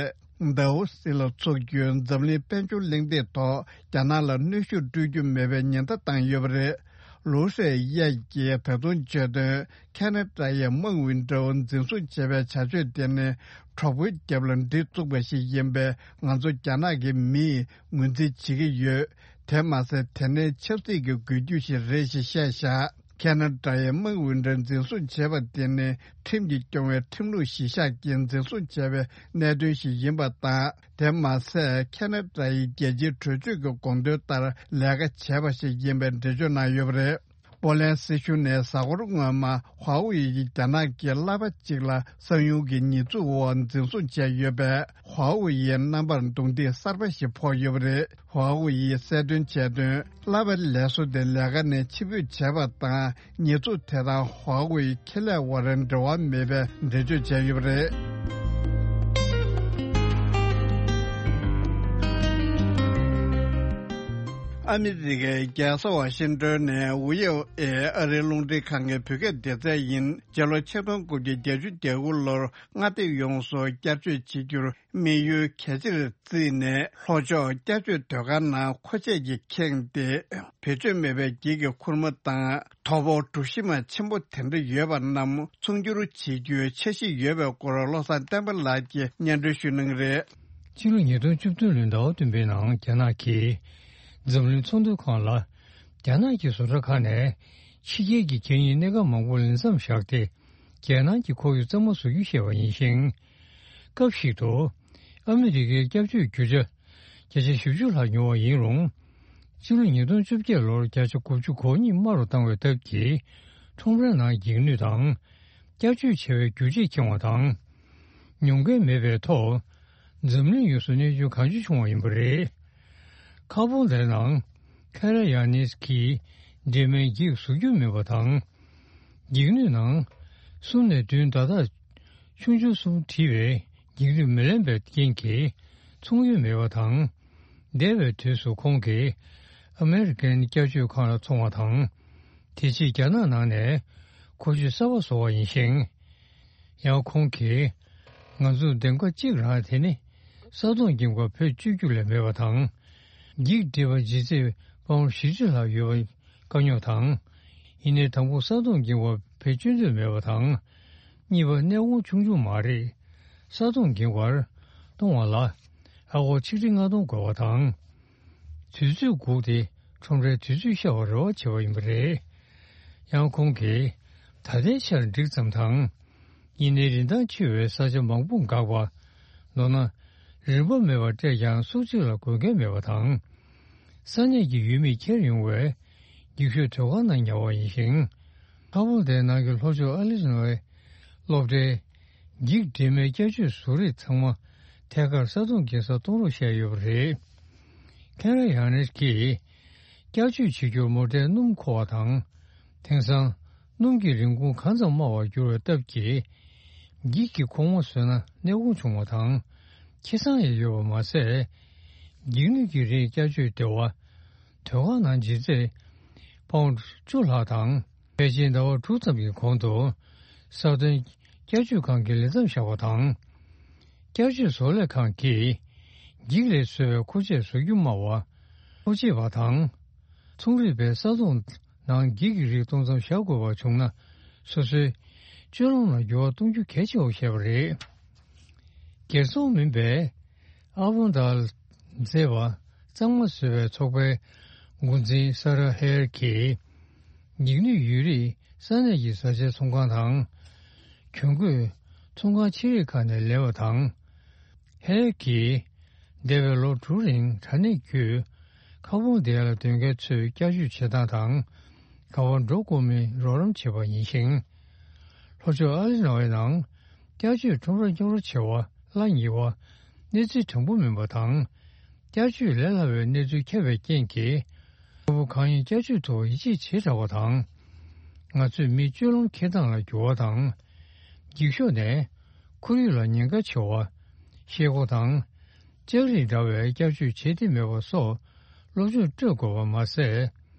ཌའོ་སི་ལ་འཚོགས་རྒྱུའི་འཛམ་གླིང་དཔལ་འབྱོར་གླེང་སྟེགས་ཐོག་རྒྱ་ནག་ལ་གནོན་ཤུགས་སྤྲོད་རྒྱུ་མེད་པའི་ཉེན་བརྡ་བཏང་ཡོད་པ་རེད། ལུའུ་ཧྲའོ་ཡེ་ཀྱིས་ད་དུང་བརྗོད་དོན། ཁེ་ན་ཌ་ཡིས་མཱ་ཝིན་ཀྲོའུ་འཛིན་བཟུང་བྱས་པའི་བྱ་སྤྱོད་དེ་ནི་གྲོགས་པོའི་རྒྱབ་ལ་གྲི་བཙུགས་པ་ཞིག་ཡིན་པས། ང་ཚོ་རྒྱ་ནག་གི་མིས་ངོས་འཛིན་བྱེད་ཀྱི་ཡོད། དེ་མ་ཟད། དེ་ནི་ཆབ་སྲིད་ཀྱི་འགུལ་སྐྱོད་ཞིག་རེད་ཞེས་བཤད་བཞག་ཁེ་ན་ཌ་ཡིས་མཱ་ཝིན་ཀྲོའུ་འཛིན་བཟུང་བྱས་པ་དེ་ནི་ཁྲིམས་ཀྱིས་སྐྱོང་བའི་ཁྲིམས་ལུགས་གཞིར་བཞག་གིས་འཛིན་བཟུང་བྱས་པའི་གནད་དོན་ཞིག་ཡིན་པ་དང་། དེ་མ་ཟད། ཁེ་ན་ཌ་ཡི་རྒྱལ་སྤྱིའི་གྲོས་ཆོད་ཀྱི་དགོངས་དོན་ལྟར་ལས་ཀ་བྱས་པ་ཞིག་ཡིན་པའི་འགྲེལ་བརྗོད་གནང་ཡོད་པ་རེད། པོ་ལན་སྲིད་གཞུང་ནས་གཟའ་འཁོར་སྔོན་མ་ཧྭ་ཝུའེ་ཡི་རྒྱ་ནག་གི་གླ་པ་གཅིག་ལ་གསང་ཉུལ་གྱི་ཉེས་འཛུགས་འོག་འཛིན་བཟུང་བྱས་ཡོད་པས། ཧྭ་ཝུའེ་ཡི་རྣམ་པར་རྡུང་རྡེག་གསར་པ་ཞིག་ཕོག་ཡོད་པ་རེད། ཧྭ་ཝུའེ་ཡིས་གསལ་སྟོན་བྱས་དོན། གླ་པའི་ལས་བཟོ་དེ་ལས་ཀ་ནས་ཕྱིར་འབུད་བྱས་པ་དང་། ཉེས་འཛུགས་དེ་དང་ཧྭ་ཝུའེ་ཁེ་ལས་དབར་འབྲེལ་བ་མེད་པའི་འགྲེལ་བརྗོད་བྱས་ཡོད་པ་རེད། ཨ་མི་རི་ཀའི་རྒྱལ་ས་ཝ་ཤིང་ཏོན་ནས་ཝི་ཨོ་ཨེ་ཨ་རིའི་རླུང་འཕྲིན་ཁང་གི་བོད་སྐད་སྡེ་ཚན་ཡིན། སྤྱི་ལོ་ཆིག་སྟོང་དགུ་བརྒྱ་བརྒྱད་ཅུ་གྱ་དགུ་ལོར་མངའ་སྡེ་ཡོངས་སུ་བསྐྱར་བཅོས་བྱེད་རྒྱུར་དམིགས་ཡུལ་གལ་ཆེར་བརྩིས་ནས། ལྷོ་ཕྱོགས་བསྐྱར་བཅོས་སྡོད་སྒར་ནང་མཁོ་ཆས་ཀྱིས་ཁེངས་ཏེ། བེད་སྤྱོད་མེད་པའི་འགྱིག་གི་ཁུར་མ་དང་། དོ་པོ་གྲུ་བཞི་མ་ཆེན་པོ་དེ་འདྲ་ཡོད་པ་རྣམས་ཚོང་སྒྱུར་བྱེད་རྒྱུའི་འཆར་གཞི་ཡོད་པའི་སྐོར། བློ་བཟང་བསྟན་པ་ལགས་ཀྱིས་སྙན་སྒྲོན་ཞུ་གནང་གི་རེད། ཕྱི་ལོ་ཉིས་སྟོང་བཅུ་བདུན་ལོའི་ཟླ་བ་བདུན་པའི་ནང་རྒྱ་ནག་གིས་འཛམ་གླིང་ཚོང་དོན་ཁང་ལ། རྒྱ་ནག་གི་བཟོ་གྲྭ་ཁག་ནས་ཕྱི་རྒྱལ་གྱི་གད་སྙིགས་སྣ་ཁ་མང་པོ་ལས་མཚམས་བཞག་སྟེ། རྒྱལ་ནང་གི་ཁོར་ཡུག་གཙང་མ་བཟོ་རྒྱུ་བཤད་པ་ཡིན་ཞིང་། སྐབས་ཤིག་ཏུ་ཨ་མི་རི་ཀའི་སྐྱབས་བཅོལ་རྒྱུ་ཆ་བརྒྱ་ཆ་བཞི་བཅུ་ལྷག་ཉོ་བ་ཡིན་རུང་། ཕྱི་ལོ་ཉིས་སྟོང་བཅོ་བརྒྱད་ལོར་བརྒྱ་ཆ་དགུ་བཅུ་གོ་གཉིས་དམའ་རུ་བཏང་བའི་སྟབས་ཀྱིས། ཁྲོམ་རའི་ནང་འགྱིག་སྣོད་དང་། བསྐྱར་བཅོས་བྱ་བའི་རྒྱུ་ཆས་ཁེངས་པ་དང་། ཉོ་མཁན་མེད་པའི་ཐོག་འཛམ་གླིང་ཡོངས་སུ་གནོད་སྐྱོན་གང་ཆེ་བྱུང་བ་ཡིན་པ་རེད། ཁ་བོང་དེའི་ནང་ཁེ་ར་ཡ་ནིས་ཀྱིས་འབྲེལ་མའི་འགྱིག་བཟོ་རྒྱུ་མེད་པ་དང་། འགྱིག་སྣོད་ནང་གསུམ་ནས་བདུན་བརྡ་རྟགས་ཆུང་ཆུང་གསུམ་བྲིས་པའི་འགྱིག་སྣོད་མི་ལེན་པའི་རྐྱེན་གྱིས་ཚོང་གཡོལ་མེད་པ་དང་། འདས་པའི་དུས་སུ་ཁོང་གིས་ཨ་མེ་རི་ཀན་བསྐྱར་བཅོས་ཁང་ལ་འཚོང་བ་དང་། དེ་རྗེས་རྒྱ་ནག་ནང་ནས་མཁོ་ཆས་གསར་པ་བཟོ་བ་ཡིན་ཞིང་། ཡང་ཁོང་གིས། ང་ཚོར་འདེམས་ཀ་གཅིག་རང་དེ་ནི་ས་དོང་འགེངས་པར་བེད་སྤྱོད་རྒྱུ་ལས་མེད་པ་དང་། འགྱིག་སྒྲིལ་བ་ལྗིད་ཚད་པའུན་བཞི་བཅུ་ལྷག་ཡོད་པ་དཀའ་རྙོག་དང་། ཡིན་ནའི་དང་པོ་ས་དོང་འགེངས་པར་བེད་སྤྱོད་འདོད་མེད་པ་དང་། གཉིས་པ་གནས་ཁོངས་ཆུང་ཆུང་མ་རེད། ས་དོང་འགེངས་པར་གཏོང་བ་ལ་ཨ་སྒོར་ཆིག་ཁྲི་ལྔ་སྟོང་དགོས་པ་དང་། དུས་ཚོད་སྒུག་སྟེ་ཁྲོམ་རའི་དུས་ཚོད་ཤར་བར་རེ་བ་བྱེད་པ་ཡིན་པ་རེད། ཡང་ཁོང་གིས་ད་ལྟའི་ཆར་འགྲིག་ཙམ་དང་། ཡིན་ནའི་རིན་ཐང་ཆེ་བའི་ས་ཆ་མང་པོ་འགག་པ། མདོར་ན། རིན་པ་མེད་པར་སྤྲད་ཀྱང་སུག་གཅིག་ལ་དགོས་མཁན་མེད་པ་དང་། ས་གནས་ཀྱི་ཡུལ་མིས་འཁྱེར་ཡོང་བའི་འགྱིག་ཤོག་སྡོད་སྒར་ནང་ཉར་བ་ཡིན་ཞིང་། ཁ་བོང་དེའི་ནང་གི་ལྷོ་ཕྱོགས་ཨ་ལི་ནོའི་སློབ་གྲྭའི་འགྱིག་སྒྲིལ་མའི་བསྐྱར་བཅོས་བཟོ་རིགས་ཚང་མ་ཐད་ཀར་ས་དོང་འགེངས་སར་གཏོང་རོགས་བཤད་ཡོད་པ་རེད། ཁེ་ར་ཡང་ནེར་གྱིས། བསྐྱར་བཅོས་བྱེད་རྒྱུར་མོ་ཊའི་སྣུམ་མཁོ་བ་དང་། དེང་སང་སྣུམ་གྱི་རིན་གོང་གང་ཙམ་དམའ་བར་གྱུར་བའི་སྟབས་ཀྱིས། འགྱིག་གི་ཁོག་མ་བཟོས་ན་གནས་དགོངས་བྱུང་བ་དང་། ཁེ་བཟང་ཡང་ཡོད་པ་མ་ཟད། འགྱིག་སྣོད་ཀྱི་རིགས་བསྐྱར་བཅོས་སྡེ་བ་དོ་ཁང་ནང་ལྗིད་ཚད་པའུན་བཅུ་ལྷག་དང་། ཕལ་ཆེར་ཟླ་བ་དྲུག་ཙམ་གྱི་གོང་དུ་ས་དོན་བསྐྱར་བཅོས་ཁང་གི་ལས་མཚམས་བཞག་པ་དང་། བསྐྱར་བཅོས་བཟོ་ལས་ཁང་གིས་འགྱིག་ལས་བཟོས་པའི་མཁོ་ཆས་བཟོ་རྒྱུ་སྨྲ་བ། མཁོ་ཆེ་བ་དང་། ཚོང་རིག་པས་ས་དོང་ནང་འགྱིག་གི་རིགས་གཏོང་མཚམས་བཞག་དགོས་པ་བྱུང་ན། སོ་སོའི་སྤྱོད་ལམ་ལ་འགྱུར་བ་གཏོང་རྒྱུ་གལ་ཆེ་བ་བཤད་པ་རེད། སྒེར་ཚོང་མིན་པའི་ཨ་བོང་དལ་མཛེས་པ་གཙང་མ་བཟོ་བའི་ཚོགས་པའི་འགོ་འཛིན་ས་ར་ཧེར་གྱིས། འགྱིག་སྣོད་ཡོད་རིགས་ས་གནས་ཀྱི་བཟའ་བཅའི་ཚོང་ཁང་དང་། གྱོན་གོས་ཚོང་ཁང་ཆེ་རིགས་ཁག་ནས་ལེན་པ་དང་། ཧེར་གྱིས། འདས་པའི་ལོ་དྲུག་རིང་དྲ་གནས་བརྒྱུད། ཁ་བོང་དེ་ལ་སྡོད་མཁན་ཚོས་བསྐྱར་བཅོས་བྱེད་སྟངས་དང་། ག་པར་འགྲོ་དགོས་མིན་རོགས་རམ་བྱས་པ་ཡིན་ཞིང་། ལྷོ་ཕྱོགས་ཨ་ལི་ནོའི་ནང་། བསྐྱར་བཅོས་ཁྲོམ་ར་རྙོག་དྲ་ཆེ་བ་གླ་ཉེ་བ། གནས་ཚུལ་དྲང་པོ་མིན་པ་དང་། བསྐྱར་བཅོས་ལས་སླ་བའི་གནས་ཚུལ་ཁྱབ་པའི་རྐྱེན་གྱིས། ཕྲུ་གུ་གང་ཡིན་བསྐྱར་བཅོས་ཐོག་ཡིད་ཆེས་བྱེ་དྲགས་པ་དང་། ང་ཚོས་མིའི་སྤྱོད་ལམ་འཁྱེར་སྟངས་ལ་འགྱུར་བ་དང་། འགྱིག་ཤོག་ནས་ཁོར་ཡུག་ལ་ཉེན་ཁ་ཆེ་བ། ཤེལ་སྒོ་དང་། ལྕགས་རིགས་འདྲ་བའི་བསྐྱར་བཅོས་བྱེད་བདེ་མེད་པ་སོགས་སློབ་སྦྱོང་སྤྲོད་དགོས་པ་མ་ཟད།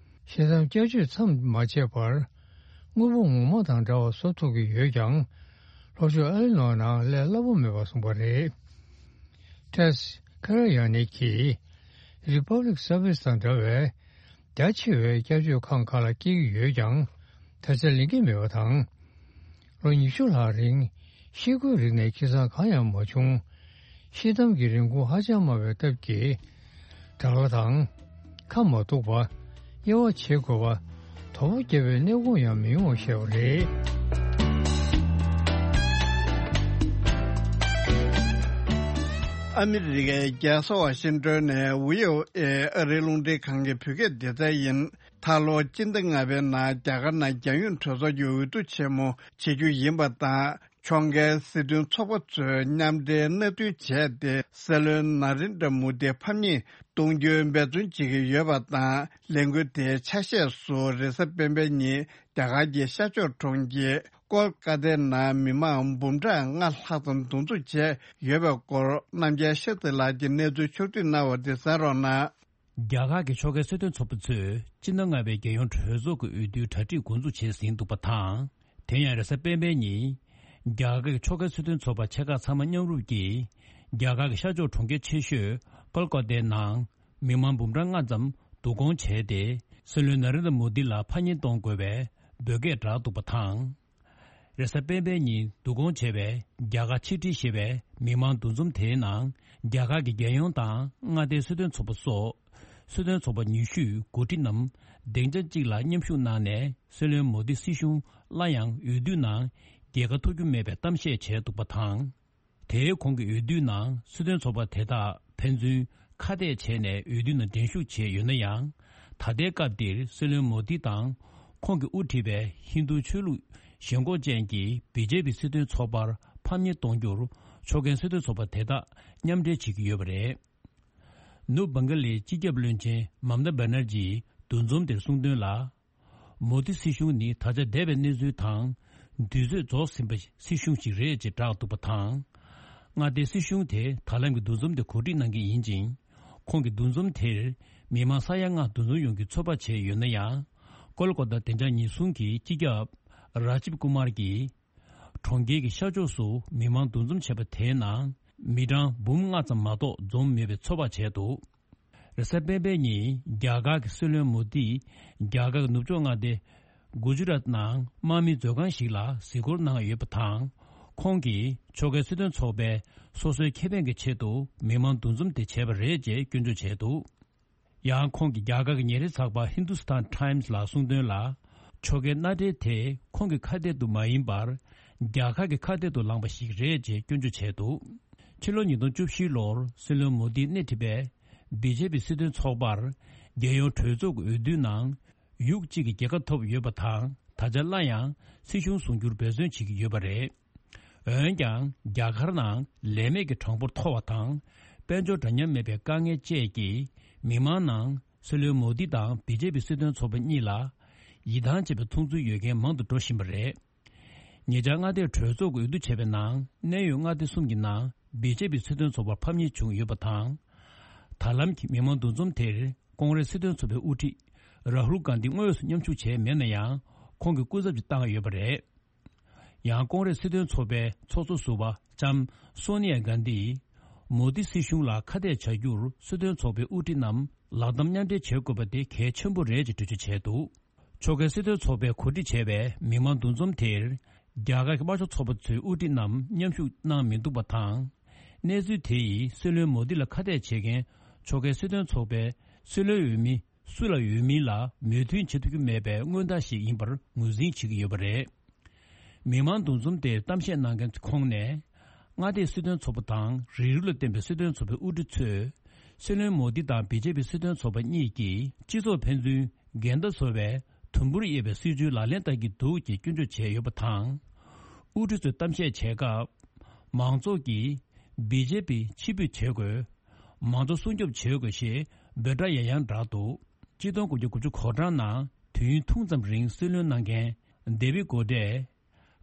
ཤེལ་དམ་བསྐྱར་བཅོས་མཚམས་མ་ཆད་པར། དངོས་པོ་ངོ་མ་དང་འདྲ་བ་བཟོ་ཐུབ་ཀྱི་ཡོད་ཀྱང་། ལྷོ་ཕྱོགས་ཨ་ལི་ནོ་ནང་ལས་སླ་པོ་མེད་པ་གསུངས་པ་རེད། ཏེས་ཁ་ར་ཡ་ནི་གིས། Republic Service དང་འདྲ་བའི་རྒྱ་ཆེ་བའི་བསྐྱར་བཅོས་ཁང་ཁག་ལ་སྐྱེལ་གྱི་ཡོད་ཀྱང་། ད་ཆ་ལེན་གྱི་མེད་པ་དང་། ལོ་ཉི་ཤུ་ལྷག་རིང་ཤེལ་སྒོའི་རིགས་ནས་ཁེ་བཟང་གང་ཡང་མ་བྱུང་། ཤེལ་དམ་གྱི་རིན་གོང་ཧ་ཅང་དམའ་བའི་སྟབས་ཀྱིས། དྲག་སླ་དང་། ཁ་མ་གཏུགས་པ། དབྱེ་བ་འབྱེད་དགོས་པ། དོ་པོ་བརྒྱབ་པའི་གནས་སྐོར་ཡང་མི་ཡོང་བ་བཤད་པ་རེད། ཨ་མི་རི་ཀའི་རྒྱལ་ས་ཝ་ཤིང་ཏོན་ནས་ཝི་ཨོ་ཨེ་ཨ་རིའི་རླུང་འཕྲིན་ཁང་གི་བོད་སྐད་སྡེ་ཚན་ཡིན། ད་ལོ་སྤྱི་ཟླ་ལྔ་པའི་ནང་རྒྱ་གར་ནང་རྒྱལ་ཡོངས་གྲོས་ཚོགས་ཀྱི་འོས་བསྡུ་ཆེན་མོ་བྱེད་རྒྱུ་ཡིན་པ་དང་། ཕྱོགས་འགལ་སྲིད་དོན་ཚོགས་པ་ཚོས་མཉམ་འབྲེལ་མནའ་མཐུན་བྱས་ཏེ། སྲིད་བློན་ན་རེན་དྲ་མོ་དིའི་ཕམ་ཉེས་གཏོང་རྒྱུའི་འབད་བརྩོན་བྱེད་ཀྱི་ཡོད་པ་དང་། ལས་འགུལ་དེའི་ཆ་ཤས་སུ་རེས་གཟའ་སྤེན་པའི་ཉིན་རྒྱ་གར་གྱི་ཤར་ཕྱོགས་གྲོང་ཁྱེར་ཀོལ་ཀ་ཏའི་ནང་མི་མང་འབུམ་ཕྲག་ལྔ་ལྷག་ཙམ་འདུ་འཛོམས་བྱས་ཡོད་པའི་སྐོར། རྣམ་རྒྱལ་ཤཱསྟྲི་ལགས་ཀྱིས་གནས་ཚུལ་ཕྱོགས་བསྡུས་གནང་བ་དེ་གསན་རོགས་གནང་། རྒྱ་གར་གྱི་ཕྱོགས་འགལ་སྲིད་དོན་ཚོགས་པ་ཚོས་སྤྱི་ཟླ་ལྔ་པའི་རྒྱལ་ཡོངས་གྲོས་ཚོགས་ཀྱི་འོས་བསྡུའི་གྲ་སྒྲིག་འགོ་འཛུགས་བྱས་ཟིན་འདུག་པ་དང་། དེ་ཡང་རེས་གཟའ་སྤེན་པའི་ཉིན། རྒྱ་གར་གྱི་ཕྱོགས་འགལ་སྲིད་དོན་ཚོགས་པ་ཆེ་ཁག་ཚང་མ་མཉམ་རུབ་ཀྱིས། རྒྱ་གར་གྱི་ཤར་ཕྱོགས་གྲོང་ཁྱེར་ཆེ་ཤོས་ཀོལ་ཀོ་ཏའི་ནང་། མི་མང་འབུམ་གྲངས་ལྔ་ཙམ་བསྡུ་སྐོང་བྱས་ཏེ། སྲིད་བློན་ན་རེན་དྲ་མོ་དི་ལ་ཕམ་ཉེས་གཏོང་དགོས་པའི་འབོད་སྐད་བསྒྲགས་འདུག་པ་དང་། རེས་གཟའ་སྤེན་པའི་ཉིན་བསྡུ་སྐོང་བྱས་པའི་རྒྱ་གར་ཕྱི་དྲིལ་ཞེས་པའི་མི་མང་འདུ་འཛོམས་དེའི་ནང་། རྒྱ་གར་གྱི་རྒྱལ་ཡོངས་དང་མངའ་སྡེའི་སྲིད་དོན་ཚོགས་པ་སོགས། སྲིད་དོན་ཚོགས་པ་ཉི་ཤུས་འགོ་ཁྲིད་རྣམས་སྡིངས་ཆ་གཅིག་ལ་མཉམ་ཞུགས་གནང་ནས། སྲིད་བློན་མོ་དི་སྲིད་གཞུང་སླར་ཡང་འོས་བསྡུའི་ནང་རྒྱལ་ཁ་ཐོབ་རྒྱུ་མེད་པའི་གཏམ་བཤད་བྱས་འདུག་པ་དང་། དེའི་གོང་གི་འོས་བསྡུའི་ནང་སྲིད་དོན་ཚོགས་པ་དེ་དག་ཕན་ཚུན་ཁ་གཏད་བྱས་ནས་འོས་བསྡུའི་ནང་འགྲན་ཞུགས་བྱས་ཡོད་ན་ཡང་། ད་ལྟའི་སྐབས་འདིར་སྲིད་བློན་མོ་དི་དང་ཁོང་གིས་དབུ་ཁྲིད་པའི་ཧིན་རྡུ་ཆོས་ལུགས་ཞེན་ཁོག་ཅན་གྱི་བི་ཇེ་པི་སྲིད་དོན་ཚོགས་པར་ཕམ་ཉེས་གཏོང་རྒྱུར་ཕྱོགས་འགལ་སྲིད་དོན་ཚོགས་པ་དེ་དག་མཉམ་འབྲེལ་བྱེད་ཀྱི་ཡོད་པ་རེད། ནུབ་བང་ག་ལའི་སྤྱི་ཁྱབ་བློན་ཆེན་མམ་ཏཱ་བྷ་ནར་ཇིས་འདུ་འཛོམས་དེར་གསུངས་དོན་ལ། མོ་དི་སྲིད་གཞུང་ནི་ད་ཆ་འདས་པའི་གནས་ཚུལ་དང་། དུས་ཚོད་རྫོགས་ཟིན་པའི་སྲིད་གཞུང་ཞིག་རེད་ཅེས་བསྒྲགས་འདུག་པ་དང་། མངའ་སྡེའི་སྲིད་གཞུང་དེ་ད་ལམ་གྱི་འདུ་འཛོམས་དེ་གོ་སྒྲིག་གནང་གི་ཡིན་ཅིང་། ཁོང་གིས་འདུ་འཛོམས་དེར་མི་མང་ས་ཡ་ལྔ་འདུ་འཛོམས་ཡོང་རྒྱུའི་ཚོད་དཔག་བྱས་ཡོད་ན་ཡང་། ཀོལ་ཀོ་ཏ་བདེ་འཇགས་ཉེན་སྲུང་གི་སྤྱི་ཁྱབ་ར་ཇིབ་ཀུ་མར་གྱིས། གྲོང་ཁྱེར་གྱི་ཤར་ཕྱོགས་སུ་མི་མང་འདུ་འཛོམས་བྱས་པ་དེའི་ནང་མི་གྲངས་འབུམ་ལྔ་ཙམ་མ་གཏོགས་འཛོམས་མེད་པའི་ཚོད་དཔག་བྱས་འདུག་རེས་གཟའ་སྤེན་པའི་ཉིན་རྒྱ་གར་གྱི་སྲིད་བློན་མོ་དིས་རྒྱ་གར་གྱི་ནུབ་ཕྱོགས་མངའ་སྡེ་གུ་ཇུ་རཱཏ་ནང་དམག་མིའི་མཛོད་ཁང་ཞིག་ལ་གཟིགས་སྐོར་གནང་ཡོད་པ་དང་། ཁོང་གིས་ཕྱོགས་འགལ་སྲིད་དོན་ཚོགས་པས་སོ་སོའི་ཁེ་ཕན་གྱི་ཆེད་དུ་མི་མང་འདུ་འཛོམས་དེ་བྱས་པ་རེད་ཅེས་སྐྱོན་བརྗོད་བྱས་འདུག་ཡང་ཁོང་གིས་རྒྱ་གར་གྱི་ཉིན་རེའི་ཚགས་པར་Hindustan Times ལ་གསུངས་དོན་ལ། ཕྱོགས་འགལ་མནའ་འབྲེལ་དེ་ཁོང་གི་ཁ་གཏད་དུ་མ་ཡིན་པར། རྒྱ་གར་གྱི་ཁ་གཏད་དུ་ལངས་པ་ཞིག་རེད་ཅེས་སྐྱོན་བརྗོད་བྱས་འདུག་ཕྱི་ལོ་ཉིས་སྟོང་བཅུ་བཞི་ལོར་སྲིད་བློན་མོ་དིས་སྣེ་ཁྲིད་པའི་བི་ཇེ་པི་སྲིད་དོན་ཚོགས་པར་རྒྱལ་ཡོངས་གྲོས་ཚོགས་ཀྱི་འོས་བསྡུའི་ནང་ཡུག་གཅིག་གི་རྒྱལ་ཁ་ཐོབ་ཡོད་པ་དང་། ད་ཆ་སླར་ཡང་སྲིད་གཞུང་བཟུང་རྒྱུར་འབད་བརྩོན་བྱེད་ཀྱི་ཡོད་པ་རེད། འོན་ཀྱང་རྒྱ་གར་ནང་ལས་མེད་ཀྱི་གྲངས་འབོར་མཐོ་བ་དང་། དཔལ་འབྱོར་འདྲ་མཉམ་མེད་པའི་དཀའ་ངལ་བཅས་ཀྱིས་མི་མང་ནང་སྲིད་བློན་མོ་དི་དང་བི་ཇེ་པི་སྲིད་དོན་ཚོགས་པ་གཉིས་ལ་ཡིད་ཐང་ཆད་པའི་མཐོང་ཚུལ་ཡོད་མཁན་མང་དུ་འགྲོ་བཞིན་པ་རེད། ཉེ་ཆར་མངའ་སྡེའི་གྲོས་ཚོགས་ཀྱི་འོས་བསྡུ་བྱས་པའི་ནང་གནད་ཡོད་མངའ་སྡེ་གསུམ་གྱི་ནང་བི་ཇེ་པི་སྲིད་དོན་ཚོགས་པར་ཕམ་ཉེས་བྱུང་ཡོད་པ་དང་། ད་ལམ་གྱི་མི་མང་འདུ་འཛོམས་དེར་ཀོང་རེས་སྲིད་དོན་ཚོགས་པའི་དབུ་ཁྲིད་རཱ་ཧུལ་གྷན་དྷི་དངོས་སུ་མཉམ་ཞུགས་བྱས་མེད་ན་ཡང་། ཁོང་གིས་སྐུ་ཚབ་ཅིག་བཏང་ཡོད་པ་རེད། ཡང་ཀོང་རེས་སྲིད་དོན་ཚོགས་པའི་ཚོགས་གཙོ་ཟུར་པ་ལྕམ་སོ་ནི་ཡ་གྷན་དྷིས། མོ་དི་སྲིད་གཞུང་ལ་ཁ་གཏད་བྱ་རྒྱུར་སྲིད་དོན་ཚོགས་པའི་དབུ་ཁྲིད་རྣམས་ལག་གདམ་མཉམ་འབྲེལ་བྱེད་དགོས་པ་དེ་གལ་ཆེན་པོ་རེད་ཅེས་འགྲེལ་བརྗོད་བྱས་འདུག་ཕྱོགས་འགལ་སྲིད་དོན་ཚོགས་པས་གོ་སྒྲིག་བྱས་པའི་མི་མང་འདུ་འཛོམས་དེར། རྒྱ་གར་གྱི་དམར་ཤོག་ཚོགས་པ་ཚོའི་དབུ་ཁྲིད་རྣམས་མཉམ་ཞུགས་གནང་མི་འདུག་པ་དང་། གནས་ཚུལ་དེ་ཡིས་སྲིད་བློན་མོ་དི་ལ་ཁ་གཏད་བྱེད་མཁན་ཕྱོགས་འགལ་སྲིད་དོན་ཚོགས་པའི་སྲིད་བློན་འོས་མི་སུ་ལ་ཡོད་མིན་ལ་མོས་མཐུན་བྱེད་ཐུབ་ཀྱི་མེད་པའི་མངོན་རྟགས་ཤིག་ཡིན་པར་ངོས་འཛིན་བྱེད་ཀྱི་ཡོད་པ་རེད། མི་མང་འདུ་འཛོམས་དེར་གཏམ་བཤད་གནང་མཁན་ཚོའི་ཁོངས་ནས། མངའ་སྡེའི་སྲིད་དོན་ཚོགས་པ་དང་རིགས་རུས་ལ་བརྟེན་པའི་སྲིད་དོན་ཚོགས་པའི་དབུ་ཁྲིད་ཚོས། སྲིད་བློན་མོ་དི་དང་བི་ཇེ་པི་སྲིད་དོན་ཚོགས་པ་གཉིས་ཀྱིས་སྤྱི་ཚོགས་ཕན་ཚུན་འགལ་ཟླ་བཟོ་བའི་དུམ་བུར་དབྱེ་བའི་སྲིད་བྱུས་ལག་ལེན་བསྟར་གྱི་འདུག་ཅེས་སྐྱོན་བརྗོད་བྱས་ཡོད་པ་དང་། དབུ་ཁྲིད་ཚོས་གཏམ་བཤད་བྱེད་སྐབས། མང་ཚོགས་ཀྱིས་བི་ཇེ་པི་ཕྱིར་འབུད་བྱེད་དགོས། མང་གཙོ་སྲུང་སྐྱོབ་བྱེད་དགོས་ཞེས་འབོད་སྒྲ་ཡང་ཡང་བསྒྲགས་འདུག་ཆིག་སྟོང་དགུ་བརྒྱ་དགུ་བཅུ་གོ་གྲངས་ནང་དུས་ཡུན་ཐུང་ཙམ་རིང་སྲིད་བློན་གནང་མཁན་ཌེ་བིད་གོ་ཏྲས།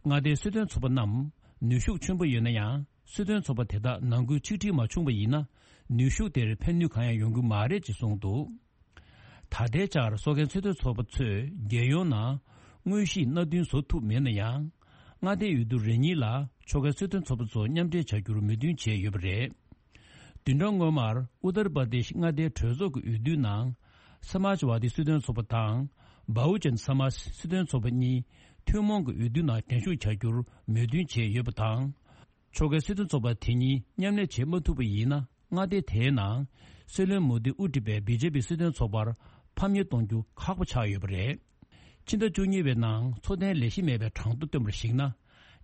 མངའ་སྡེའི་སྲིད་དོན་ཚོགས་པ་རྣམས་ནུས་ཤུགས་ཆེན་པོ་ཡོད་ན་ཡང་། སྲིད་དོན་ཚོགས་པ་དེ་དག་ནང་ཁུལ་ཆིག་སྒྲིལ་མ་བྱུང་བ་ཡིན་ན། ནུས་ཤུགས་དེར་ཕན་ནུས་གང་ཡང་ཡོང་གི་མ་རེད་ཅེས་གསུངས་འདུག་ད་ལྟའི་ཆར་སོ་ཁའི་སྲིད་དོན་ཚོགས་པ་ཚོས་རྒྱལ་ཡོངས་ནང་དངོས་གཞིའི་མནའ་མཐུན་བཟོ་ཐུབ་མེད་ན་ཡང་། མངའ་སྡེའི་འོས་བསྡུ་རེ་གཉིས་ལ་ཕྱོགས་འགལ་སྲིད་དོན་ཚོགས་པ་ཚོ་མཉམ་འབྲེལ་བྱ་རྒྱུར་མོས་མཐུན་བྱས་ཡོད་པ་རེད། བདུན་ཕྲག་སྔོན་མར་ཨུ་ཏར་པར་དེཤ་མངའ་སྡེའི་གྲོས་ཚོགས་ཀྱི་འོས་བསྡུའི་ནང་། སམཱཇ་ཝ་དི་སྲིད་དོན་ཚོགས་པ་དང་། བྷ་ཧུ་ཇན་སམཱཇ་སྲིད་དོན་ཚོགས་པ་གཉིས་ཐུན་མོང་གི་འོས་བསྡུའི་ནང་འགྲན་ཞུགས་བྱ་རྒྱུར་མོས་མཐུན་བྱས་ཡོད་པ་དང་། ཕྱོགས་འགལ་སྲིད་དོན་ཚོགས་པ་དེ་གཉིས་མཉམ་ལས་བྱེད་མ་ཐུབ་པ་ཡིན་ན། མངའ་སྡེ་དེའི་ནང་སྲིད་བློན་མོ་དི་དབུ་ཁྲིད་པའི་བི་ཇེ་པི་སྲིད་དོན་ཚོགས་པར་ཕམ་ཉེས་གཏོང་རྒྱུ་ཁག་པོ་ཆགས་ཡོད་པ་རེད། ཕྱི་ཟླ་བཅུ་གཉིས་པའི་ནང་འཚོ་རྟེན་ལས་གཞི་མེད་པའི་གྲངས་ཐོ་བཏོན་པར་གཞིགས་ན།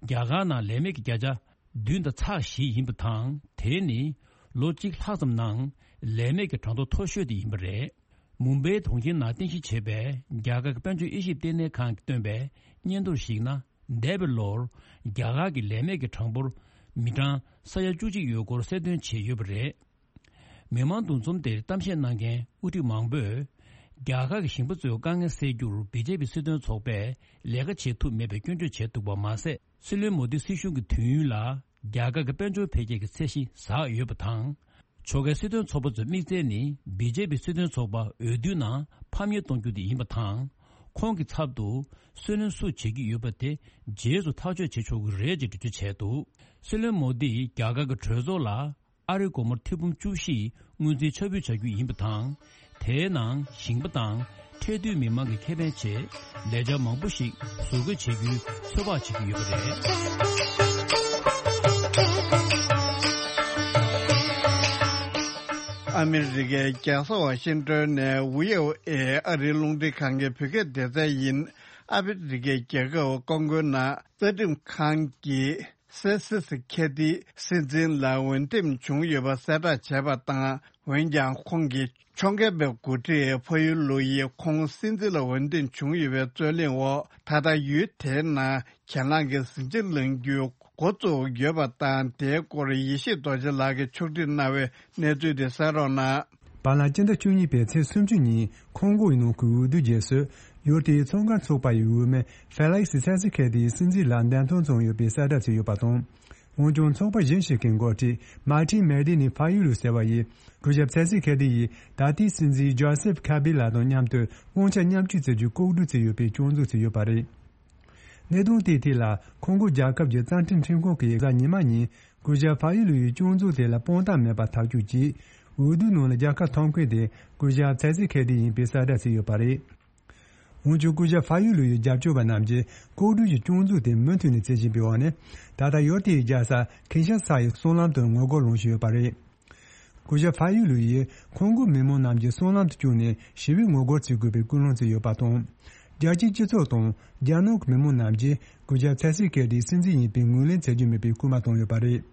རྒྱ་གར་ནང་ལས་མེད་ཀྱི་བརྒྱ་ཆ་བདུན་དང་ཚེག་བཞི་ཡིན་པ་དང་། དེ་ནི་ལོ་གཅིག་ལྷག་ཙམ་ནང་ལས་མེད་ཀྱི་གྲངས་ཐོ་མཐོ་ཤོས་དེ་ཡིན་པ་རེད། མུམ་བྷེའི་གྲོང་ཁྱེར་ནང་རྟེན་གཞི་བྱས་པའི་རྒྱ་གར་གྱི་དཔལ་འབྱོར་དབྱེ་ཞིབ་ལྟེ་གནས་ཁང་གིས་བཏོན་པའི་སྙན་ཐོར་གཞིགས་ན། འདས་པའི་ལོར་རྒྱ་གར་གྱི་ལས་མེད་ཀྱི་གྲངས་འབོར་མི་གྲངས་ས་ཡ་བཅུ་གཅིག་ཡོད་སྐོར་གསལ་སྟོན་བྱས་ཡོད་པ་རེད། མི་མང་འདུ་འཛོམས་དེར་གཏམ་བཤད་གནང་མཁན་དབུ་ཁྲིད་མང་པོས། རྒྱ་གར་གྱི་ཞིང་པ་ཚོའི་དཀའ་ངལ་སེལ་རྒྱུར་བི་ཇེ་པི་སྲིད་དོན་ཚོགས་པས་ལས་ཀ་བྱེད་ཐུབ་མེད་པའི་སྐྱོན་བརྗོད་བྱས་འདུག་པ་མ་ཟད། སྲིད་བློན་མོ་དི་སྲིད་གཞུང་གི་དུས་ཡུན་ལ་རྒྱ་གར་གྱི་དཔལ་འབྱོར་འཕེལ་རྒྱས་ཀྱི་ཚད་གཞི་ཟགས་ཡོད་པ་དང་། ཕྱོགས་འགལ་སྲིད་དོན་ཚོགས་པ་ཚོའི་དམིགས་བསལ་ནི་བི་ཇེ་པི་སྲིད་དོན་ཚོགས་པ་འོས་བསྡུའི་ནང་ཕམ་ཉེས་གཏོང་རྒྱུ་དེ་ཡིན་པ་དང་། ཁོང་གི་ཚབ་ཏུ་སུའུ་ལེན་སུ་བྱེད་ཀྱི་ཡོད་པ་དེ་རྗེས་སུ་ཐག་གཅོད་བྱེད་ཆོག་གི་རེད་ཅེས་འགྲེལ་བརྗོད་བྱས་འདུག་སྲིད་བློན་མོ་དིས་རྒྱ་གར་གྱི་གྲོས་ཚོགས་ལ་ཨ་རིའི་སྒོར་མོ་ཐེར་འབུམ་བཅུ་བཞི་སྔོན་རྩིས་ཆ་འབུལ་བྱ་རྒྱུ་ཡིན་པ་དང་། དེའི་ནང་ཞིང་པ་དང་ཁྲལ་སྡུད་མི་མང་གི་ཁེ་ཕན་ཆེད་ལས་འཆར་མང་པོ་ཞིག་ཟུར་འགོད་བྱེད་རྒྱུའི་ཚོད་དཔག་བྱེད་ཀྱི་ཡོད་པ་རེད། ཨ་མི་རི་ཀའི་རྒྱལ་ས་ཝ་ཤིང་ཏོན་ནས་བྷི་ཨོ་ཨེ་ཨ་རིའི་རླུང་འཕྲིན་ཁང་གི་བོད་སྐད་སྡེ་ཚན་ཡིན། ཨ་མི་རི་ཀའི་རྒྱལ་ཁབ་ཀོང་ཀོའི་ནང་རྩ་ཁྲིམས་ཁང་གིས་སེ་སི་སི་ཁེ་ཏི་སྲིད་འཛིན་ལ་འོས་འདེམས་བྱུང་ཡོད་པ་གསལ་བསྒྲགས་བྱས་པ་དང་། འོན་ཀྱང་ཁོང་གི་ཕྱོགས་འགལ་བའི་འགོ་ཁྲིད་ཕ་ཡུལ་ལུ་ཡིས་ཁོང་སྲིད་འཛིན་ལ་འོས་འདེམས་བྱུང་ཡོད་པའི་རྩོད་གླེང་འོག་ད་ལྟ་ཡུལ་དེའི་ནང་གྱེན་ལངས་ཀྱི་ཟིང་ཆ་ལངས་རྒྱུའི་འགོ་བཙུགས་ཡོད་པ་དང་། དེའི་སྐོར་ཡེ་ཤེས་རྡོ་རྗེ་ལགས་ཀྱིས་ཕྱོགས་སྒྲིག་གནང་བའི་གནས་ཚུལ་དེ་གསན་རོགས་གནང་། བར་ལམ་སྤྱི་ཟླ་བཅུ་གཉིས་པའི་ཚེས་སུམ་ཅུ་ཉིན་ཁོང་གོ་ཡི་ནང་གི་འོས་བསྡུ་རྗེས་སུ་ཡུལ་དེའི་ཚོང་ཁང་ཚོགས་པ་ཡི་འོས་མི་ཧྥེ་ལེག་སི་ཚེ་སི་ཁེ་ཏིའི་སྲིད་འཛིན་ལ་འདེམས་ཐོན་བྱུང་ཡོད་པའི་གསལ་བསྒྲགས་བྱས་ཡོད་པ་དང་། འོན་ཀྱང་ཚོགས་པ་གཞན་ཞིག་གི་འགོ་ཁྲིད་མཱ་ཏི་མེ་ཏི་ནི་ཕ་ཡུལ་ལུ་ཟེར་བ་ཡིས་སྐུ་ཞབས་ཚེ་སི་ཁེ་ཏི་ཡིས་ད་ལྟའི་སྲིད་འཛིན་ཇོ་སེབ་ཁ་བི་ལགས་དང་མཉམ་དུ་དབང་ཆ་མཉམ་སྤྱོད་བྱེད་རྒྱུའི་ལྐོག་གྲོས་བྱས་ཡོད་པའི་སྐྱོན་འཛུགས་བྱས་ཡོད་པ་རེད། གནད་དོན་དེའི་ཐད་ལ་ཁོང་གོ་རྒྱལ་ཁབ་ཀྱི་རྩ་ཁྲིམས་ཁྲིམས་ཁང་གིས་གཟའ་ཉི་མ་ཉིན་སྐུ་ཞབས་ཕ་ཡུལ་ལུའི་སྐྱོན་འཛུགས་དེ་ལ་དཔང་རྟགས་མེད་པར་ཐག་གཅོད་ཀྱིས་འོས་བསྡུ་ནང་ལ་རྒྱལ་ཁ་ཐོབ་མཁན་དེ་སྐུ་ཞབས་ཚེ་སི་ཁེ་ཏི་ཡིན་པའི་གསལ་བསྒྲགས་བྱས་ཡོད་པ་རེད། འོན་ཀྱང་སྐུ་ཞབས་ཕ་ཡུལ་ལུའི་རྒྱབ་སྐྱོར་བ་རྣམས་ཀྱིས་ལྐོག་གྲོས་ཀྱི་སྐྱོན་འཛུགས་དེ་མུ་མཐུད་ནས་བྱེད་བཞིན་པའི་འོག་ནས། ད་ལྟ་ཡུལ་དེའི་རྒྱལ་ས་ཁིན་ཤ་ས་ཡི་གསང་ལམ་དུ་ངོ་རྒོལ་ལངས་བཞིན་ཡོད་པ་རེད། སྐུ་ཞབས་ཕ་ཡུལ་ལུའུ་ཡིས་ཁོང་གོ་མི་མང་རྣམས་ཀྱིས་གསང་ལམ་དུ་བཅུག་ནས་ཞི་བའི་ངོ་རྒོལ་བྱེད་དགོས་པའི་སྐུལ་སློང་བྱས་ཡོད་པ་དང་། རྒྱལ་སྤྱིའི་སྤྱི་ཚོགས་དང་རྒྱ་ནག་གི་མི་མང་རྣམས་ཀྱིས་སྐུ་ཞབས་ཚེ་སི་ཁེ་ཏིའི་སྲིད་འཛིན་ཡིན་པའི་ངོས་ལེན་བྱེད་རྒྱུ་མེད་པའི་སྐུལ་མ་བཏང་ཡོད་པ་རེད།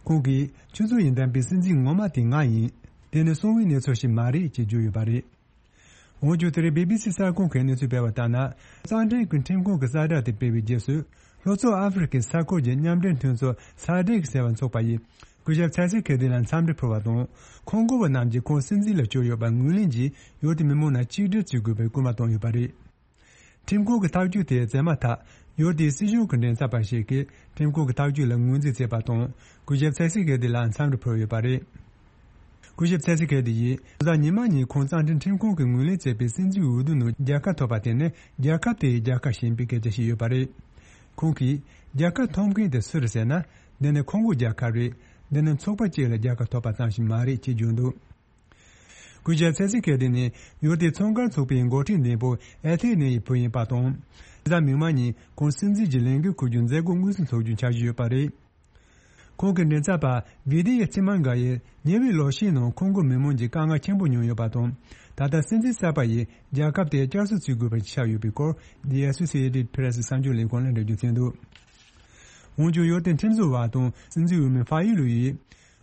ཁོང་གིས་ཆུ་ཚོད་ཡིན་ལྡན་པའི་སྲིད་འཛིན་ངོ་མ་དེ་ང་ཡིན། དེ་ནི་གསང་བའི་གནས་ཚུལ་ཞིག་མ་རེད་ཅེས་བརྗོད་ཡོད་པ་རེད། འོན་ཀྱང་དེ་རིང་བི་བི་སི་གསར་ཁང་གིས་གནས་ཚུལ་སྤེལ་བ་ལྟར་ན། རྩ་ཁྲིམས་ཀྱི་ཁྲིམས་ཁང་གི་གསལ་བསྒྲགས་དེ་སྤེལ་བའི་རྗེས་སུ། ལྷོ་ཕྱོགས་ཨ་ཧྥེ་རི་ཁའི་ས་ཁུལ་གྱི་མཉམ་འབྲེལ་མཐུན་ཚོགས་སཱ་ཌེག་ཟེར་བ་ཚོགས་པ་ཡིས་སྐུ་ཞབས་ཚེ་སི་ཁེ་ཏི་ལ་འཚམས་འདྲི་ཕུལ་བ་དང་། ཁོང་གོ་བ་རྣམས་ཀྱིས་ཁོང་སྲིད་འཛིན་ལ་བཅོལ་ཡོད་པར་ངོས་ལེན་གྱིས་ཡུལ་དེའི་མི་མང་རྣམས་གཅིག་སྒྲིལ་བྱེད་དགོས་པའི་སྐུལ་མ་བཏང་ཡོད་པ་རེད། ཁྲིམས་ཁང་གི་ཐག་གཅོད་དེ་མཛད་མ་ཐག་ཡུལ་དེའི་སྲིད་གཞུང་གི་མགྲིན་ཚབ་པ་ཞིག་གིས་ཁྲིམས་ཁང་གི་ཐག་གཅོད་ལ་ངོས་འཛིན་བྱས་པ་དང་། སྐུ་ཞབས་ཚེ་སི་ཁེ་ཏི་ལ་འཚམས་འདྲི་ཕུལ་ཡོད་པ་རེད། སྐུ་ཞབས་ཚེ་སི་ཁེ་ཏི་ཡིས་གཟའ་ཉི་མ་ཉིན་ཁོང་རྩ་ཁྲིམས་ཁྲིམས་ཁང་གིས་ངོས་ལེན་བྱས་པའི་སྲིད་འཛིན་འོས་བསྡུ་ནང་རྒྱལ་ཁ་ཐོབ་པ་དེ་ནི་རྒྱལ་ཁབ་དེ་ཡི་རྒྱལ་ཁ་ཞིག་ཡིན་པའི་སྐད་ཆ་བཤད་ཡོད་པ་རེད། ཁོང་གིས་རྒྱལ་ཁ་ཐོབ་མཁན་དེ་སུ་རེད་ཟེར་ན། འདི་ནི་ཁོང་གི་རྒྱལ་ཁ་རེད། འདི་ནི་ཚོགས་པ་གཅིག་ལ་རྒྱལ་ཁ་ཐོབ་པ་ཙམ་ཞིག་མ་རེད་ཅེས་བརྗོད་འདུག་སྐུ་ཞབས་ཚེ་སི་ཁེ་ཏི་ནི་ཡུལ་དེའི་ཚོང་མཁན་ཚོགས་པའི་འགོ་ཁྲིད་འདས་པོ་ཨེ་ཐེ་ནེ་ཡི་བུ་ཡིན་པ་དང་། གཟའ་མིག་དམར་ཉིན་ཁོང་སྲིད་འཛིན་གྱི་ལས་འགན་འཁུར་རྒྱུའི་མཛད་སྒོ་དངོས་སུ་འཚོགས་རྒྱུའི་འཆར་གཞི་ཡོད་པ་རེད། ཁོང་གི་མགྲིན་ཚབ་པ་བི་དི་ཡ་ཚི་མན་ག་ཡིས་ཉེ་བའི་ལོ་ཤས་ནང་ཁོང་གི་མི་མང་གི་དཀའ་ངལ་ཆེན་པོ་མྱོང་ཡོད་པ་དང་། ད་ལྟ་སྲིད་འཛིན་གསར་པ་ཡིས་རྒྱལ་ཁབ་དེ་བསྐྱར་གསོ་བྱེད་དགོས་པ་ཆགས་ཡོད་པའི་སྐོར་The Associated Press གསར་འགྱུར་ལས་ཁང་ལ་འགྲེལ་བརྗོད་བྱས་འདུག་འོན་ཀྱང་ཡུལ་དེའི་ཁྲིམས་བཟོ་བ་དང་སྲིད་འཛིན་འོས་མི་ཕ་ཡུལ་ལུའུ་ཡིས།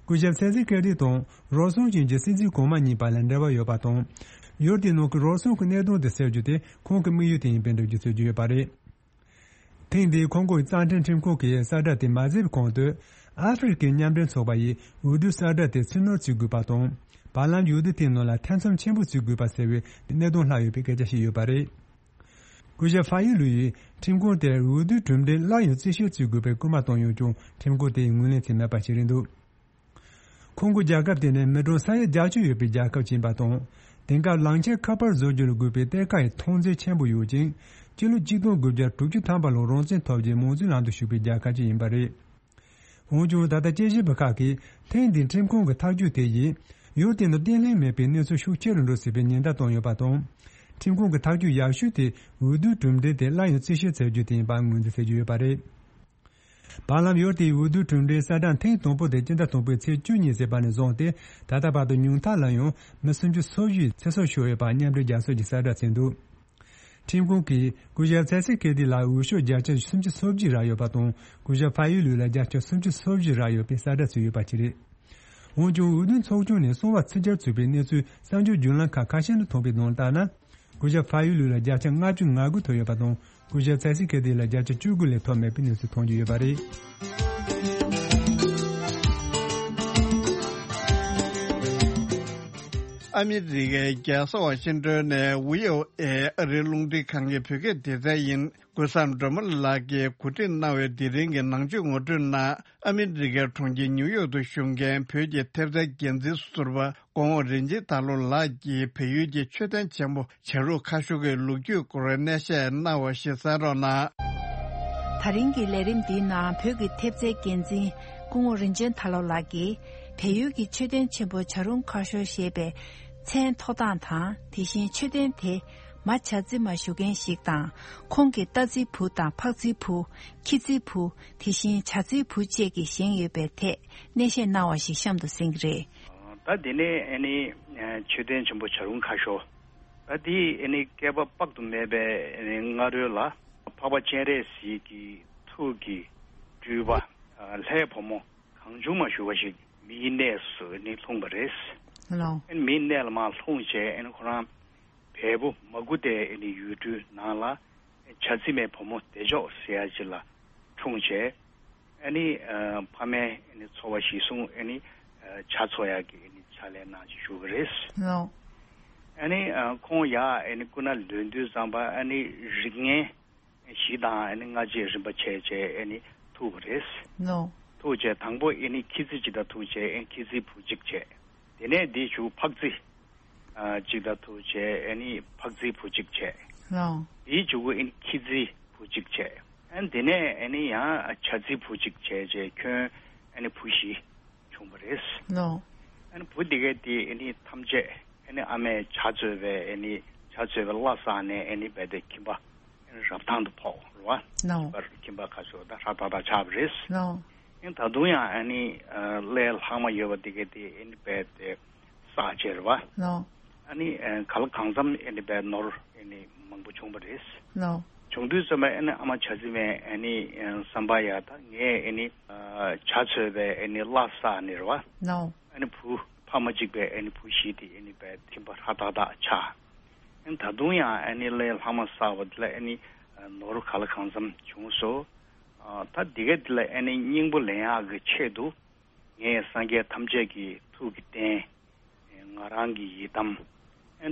སྐུ་ཞབས་ཚེ་སི་ཁེ་ཏི་དང་རོགས་ཚོང་ཅན་གྱི་སྲིད་འཛིན་གོང་མ་གཉིས་བར་ལ་འབྲེལ་བ་ཡོད་པ་དང་། ཡུལ་དེའི་ནང་གི་རོགས་ཚོང་གི་གནད་དོན་དེ་སེལ་རྒྱུ་དེ་ཁོང་གི་དམིགས་ཡུལ་དེ་ཡིན་པའི་འགྲེལ་བརྗོད་བྱེད་ཀྱི་ཡོད་པ་རེད། ཐེངས་འདིའི་ཁོང་གོའི་རྩ་ཁྲིམས་ཁྲིམས་ཁང་གི་གསལ་བསྒྲགས་དེ་མ་ཟིན་གོང་དུ། ཨ་ཧྥེ་རི་ཁའི་མཉམ་འབྲེལ་ཚོགས་པ་ཡིས་འོས་བསྡུའི་གསལ་བསྒྲགས་དེ་ཕྱིར་ནོར་བྱེད་དགོས་པ་དང་། བར་ལམ་འོས་བསྡུ་དེའི་ནང་ལ་ཐེ་ཚོམ་ཆེན་པོ་བྱེད་དགོས་པ་ཟེར་བའི་གནད་དོན་ལྷག་ཡོད་པའི་སྐད་ཆ་བཤད་ཡོད་པ་རེད། སྐུ་ཞབས་ཕ་ཡུལ་ལུའུ་ཡིས་ཁྲིམས་ཁང་དེར་འོས་བསྡུའི་གྲུབ་འབྲས་སླར་ཡང་རྩིས་ཞིབ་བྱེད་དགོས་པའི་སྐུལ་མ་བཏང་ཡོད་ཀྱང་ཁྲིམས་ཁང་དེས་ངོས་ལེན་བྱས་མེད་པ་ཞིག་རེད་འདུག་ཁོང་གི་རྒྱལ་ཁབ་དེ་ནི་མི་གྲངས་ས་ཡ་བརྒྱད་ཅུ་ཡོད་པའི་རྒྱལ་ཁབ་ཅིག་ཡིན་པ་དང་། དེང་སྐབས་ལམ་ཆེན་ཁ་པར་བཟོ་རྒྱུར་དགོས་པའི་གཏེར་ཁ་ཡི་མཐོང་ཚད་ཆེན་པོ་ཡོད་ཅིང་། སྤྱི་ལོ་ཆིག་སྟོང་དགུ་བརྒྱ་དྲུག་ཅུ་ཐམ་པ་ལོར་རང་བཙན་ཐོབ་རྗེས་མང་གཙོའི་ལམ་དུ་ཞུགས་པའི་རྒྱལ་ཁབ་ཅིག་ཡིན་པ་རེད། འོན་ཀྱང་ད་ལྟ་དཔྱད་ཞིབ་པ་ཁག་གིས་ཐེངས་འདིའི་ཁྲིམས་ཁང་གི་ཐག་གཅོད་དེ་ཡིས་ཡུལ་དེ་ནང་བརྟན་ལྷིང་མེད་པའི་གནས་ཚུལ་ཤུགས་ཆེ་རུ་འགྲོ་སྲིད་པའི་ཉེན་བརྡ་བཏང་ཡོད་པ་དང་། ཁྲིམས་ཁང་གི་ཐག་གཅོད་ཡག་ཤོས་དེ་འོས་བསྡུའི་གྲུབ་འབྲས་དེ་སླར་ཡང་རྩིས་ཞིབ་བྱ་རྒྱུ་དེ་ཡིན་པར་ངོས་འཛིན་བྱེད་ཀྱི་ཡོད་པ་རེད། བར་ལམ་ཡུལ་དེའི་འོས་བསྡུའི་གྲུབ་འབྲས་གསལ་བསྒྲགས་ཐེངས་དང་པོ་དེ་སྤྱི་ཟླ་དང་པོའི་ཚེས་བཅུ་གཉིས་ཚེས་པ་ནས་བཟུང་སྟེ་ད་ལྟ་བར་དུ་ཉུང་མཐའ་ལ་ཡང་མི་སུམ་ཅུ་སོ་བཞི་ཚེ་སྲོག་ཤོར་ཡོད་པ་མཉམ་འབྲེལ་རྒྱལ་ཚོགས་ཀྱིས་གསལ་བསྒྲགས་བྱས་འདུག་ཁྲིམས་ཁང་གིས་སྐུ་ཞབས་ཚེ་སི་ཁེ་ཏི་ལ་འོས་ཤོག་བརྒྱ་ཆ་སུམ་ཅུ་སོ་བཞི་རག་ཡོད་པ་དང་། སྐུ་ཞབས་ཕ་ཡུལ་ལུའུ་ལ་བརྒྱ་ཆ་སུམ་ཅུ་སོ་བཞི་རག་ཡོད་པའི་གསལ་བསྒྲགས་བྱས་ཡོད་པ་ཞིག་རེད། འོན་ཀྱང་འོས་བསྡུ་ཚོགས་ཆུང་ནས་གསང་བ་ཕྱི་གྱར་བྱུང་བའི་གནས་ཚུལ་གསར་འགྱུར་བརྒྱུད་ལམ་ཁག་ཁ་ཤས་ནས་ཐོན་པའི་ནང་ལྟར་ན། སྐུ་ཞབས་ཕ་ཡུལ་ལུའུ་ལ་བརྒྱ་ཆ་ལྔ་བཅུ་ང་དགུ་ཐོབ་ཡོད་པ་དང་། སྐུ་ཞབས་ཚེ་སི་ཁེ་ཏི་ལ་བརྒྱ་ཆ་བཅུ་དགུ་ལས་ཐོབ་མེད་པའི་གནས་ཚུལ་ཐོན་གྱི་ཡོད་པ་རེད། ཨ་མི་རི་ཀའི་རྒྱལ་ས་ཝ་ཤིང་ཏོན་ནས་ཝི་ཨོ་ཨེ་ཨ་རིའི་རླུང་འཕྲིན་ཁང་གི་བོད་སྐད་སྡེ་ཚན་ཡིན། ཀུན་བཟང་སྒྲོལ་མ་ལགས་ཀྱིས་གོ་སྒྲིག་གནང་བའི་དེ་རིང་གི་ནང་ཆོས་ངོ་སྤྲོད་ནང་ཨ་མི་རི་ཀའི་གྲོང་ཁྱེར་ཉིའུ་ཡོག་ཏུ་བཞུགས་མཁན་བོད་ཀྱི་ཐེབས་རྩའི་འགན་འཛིན་ཟུར་པ་སྐུ་ངོ་རིན་ཆེན་དར་ལོ་ལགས་ཀྱིས་བལ་ཡུལ་གྱི་མཆོད་རྟེན་ཆེན་པོ་བྱ་རུང་ཁ་ཤོར་གྱི་ལོ་རྒྱུས་སྐོར་གནས་བཤད་གནང་བ་ཞིག་གསན་རོགས་གནང་། ད་རིང་གི་ལས་རིམ་འདིའི་ནང་བོད་ཀྱི་ཐེབས་རྩའི་འགན་འཛིན་སྐུ་ངོ་རིན་ཆེན་དར་ལོ་ལགས་ཀྱིས་བལ་ཡུལ་གྱི་མཆོད་རྟེན་ཆེན་པོ་བྱ་རུང་ཁ་ཤོར་ཞེས་པའི་མཚན་ཐོགས་སྟངས་དང་། དེ་བཞིན་མཆོད་རྟེན་དེ་མ་བྱ་རྫི་མ་བཞུགས་མཁན་ཞིག་དང་། ཁོང་གི་རྟ་རྫིའི་བུ་དང་ཕག་རྫིའི་བུ། ཁྱི་རྫིའི་བུ། དེ་བཞིན་བྱ་རྫིའི་བུ་བཅས་ཀྱིས་བཞེངས་ཡོད་པའི་ཐད་གནས་བཤད་གནང་བ་ཞིག་གཤམ་དུ་གསན་གྱི་རེད། ད་དེ་ནས་ཨ་ནི་མཆོད་རྟེན་ཆེན་པོ་བྱ་རུང་ཁ་ཤོར། ད་དེ་ཨ་ནི་བསྐལ་པ་དཔག་ཏུ་མེད་པའི་ཨ་ནི་སྔ་རོལ་ལ་འཕགས་པ་སྤྱན་རས་གཟིགས་ཀྱི་ཐུགས་ཀྱི་སྤྲུལ་པ་ལྷའི་བུ་མོ་གང་བྱུང་མ་བཞུགས་པ་ཞིག་མིའི་གནས་སུ་ནི་ལྷུང་བ་རེད། ལགས། མིའི་གནས་ལ་མར་ལྷུང་བྱས་ཁོ་རང་བལ་པོ་མ་གུ་ཏའི་ཡུལ་གྲུའི་ནང་ལ་བྱ་རྫི་མའི་བུ་མོ་བདེ་མཆོག་ཟེར་ཡ་ཅིག་ལ་འཁྲུངས་བྱས། ཨ་ནི་ཕ་མའི་ཨ་ནི་འཚོ་བ་གཞིར་བཟུང་ཨ་ནི་བྱ་འཚོ་ཡག་གི་ཨ་ནི་ཕྱག་ལས་གནང་བྱས་བཞུགས་པ་རེད། ལགས། ཨ་ནི་ཁོང་ཡར་ཨ་ནི་སྐུ་ན་ལོན་དུས་ཙམ་པ་ཨ་ནི་རིགས་ངན་བཞི་དང་ཨ་ནི་ལྔ་བཅས་རིམ་པ་བྱས་བྱས་ཨ་ནི་ཐུག་པ་རེད། ལགས། ཐུག་བྱས་དང་པོ་ཨ་ནི་ཁྱི་རྫི་གཅིག་དང་ཐུག་བྱས་ཨ་ནི་ཁྱི་རྫིའི་བུ་གཅིག་བྱས། དེ་ནས་འདི་བྱུང་ཕག་རྫི་གཅིག་དང་ཐུག་བྱས་ཨ་ནི་ཕག་རྫིའི་བུ་གཅིག་བྱས། ལགས། དེའི་མཇུག་གུ་ཨ་ནི་ཁྱི་རྫིའི་བུ་གཅིག་བྱས། ཨ་ནི་དེ་ནས་ཨ་ནི་ཡང་བྱ་རྫིའི་བུ་གཅིག་བྱས་བྱས་ཁྱོན་ཨ་ནི་བུ་བཞི་བྱུང་བ་རེད། ལགས། ཨ་ནི་བུ་དེ་གས་དེ་ཨ་ནི་ཐམས་ཅད་ཨ་ནི་ཨ་མས་བྱ་འཚོས་པའི་ཨ་ནི་བྱ་འཚོས་པའི་བླ་བསགས་ནས་ཨ་ནི་རྦད་དེ་ཁྱིམ་པ་ཨ་ནི་རབ་ཐང་དུ་ཕོག་རེད་བ། ལགས། ཁྱིམ་པ་ཁ་ཤོར་ད་ཧྲ་ཏག་ཏག་ཆགས་པ་རེད། ལགས། ཨ་ནི་ད་དུང་ཡང་ཨ་ནི་ལྷའི་ལྷག་མ་ཡོད་པ་དེ་གས་དེ་ཨ་ནི་རྦད་དེ་བསགས་བྱས་རེད་བ། ལགས། ཨ་ནི་ག་ལ་གང་འཚམ་ཨ་ནི་རྦད་ནོར་ཨ་ནི་མང་པོ་བྱུང་བ་རེད། ལགས། བྱུང་དུས་ཙམ་པ་ཨ་ནི་ཨ་མ་བྱ་རྫི་མས་ཨ་ནི་བསམ་པ་ཡ་ད་ངས་ཨ་ནི་བྱ་འཚོས་པའི་ཨ་ནི་བླ་བསགས་ནས་རེད་བ། ལགས། ཨ་ནི་བུ་ཕ་མ་གཅིག་པའི་ཨ་ནི་བུ་བཞི་དེ་ཨ་ནི་རྦད་ཁྱིམ་པ་ཧྲ་ཏག་ཏག་ཆགས། ཨ་ནི་ད་དུང་ཡང་ཨ་ནི་ལྷའི་ལྷག་མ་བསགས་པ་དེ་ལ་ཨ་ནི་ནོར་ག་ལ་གང་འཚམ་བྱུང་སོང་། ད་འདི་ག་འདི་ལ་ཨ་ནི་སྙིང་པོ་ལེན་ཡག་གི་ཆེད་དུ་ངས་སངས་རྒྱས་ཐམས་ཅད་ཀྱི་ཐུགས་ཀྱི་རྟེན། ང་རང་གི་ཡི་དམ།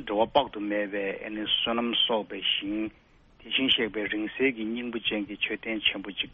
འགྲོ་བ་དཔག་ཏུ་མེད་པའི་ཨ་ནི་བསོད་ནམས་གསོག་པའི་ཞིང་། དེ་བཞིན་གཤེགས་པའི་རིང་བསྲེལ་གྱི་སྙིང་པོ་ཅན་གྱི་མཆོད་རྟེན་ཆེན་པོ་གཅིག་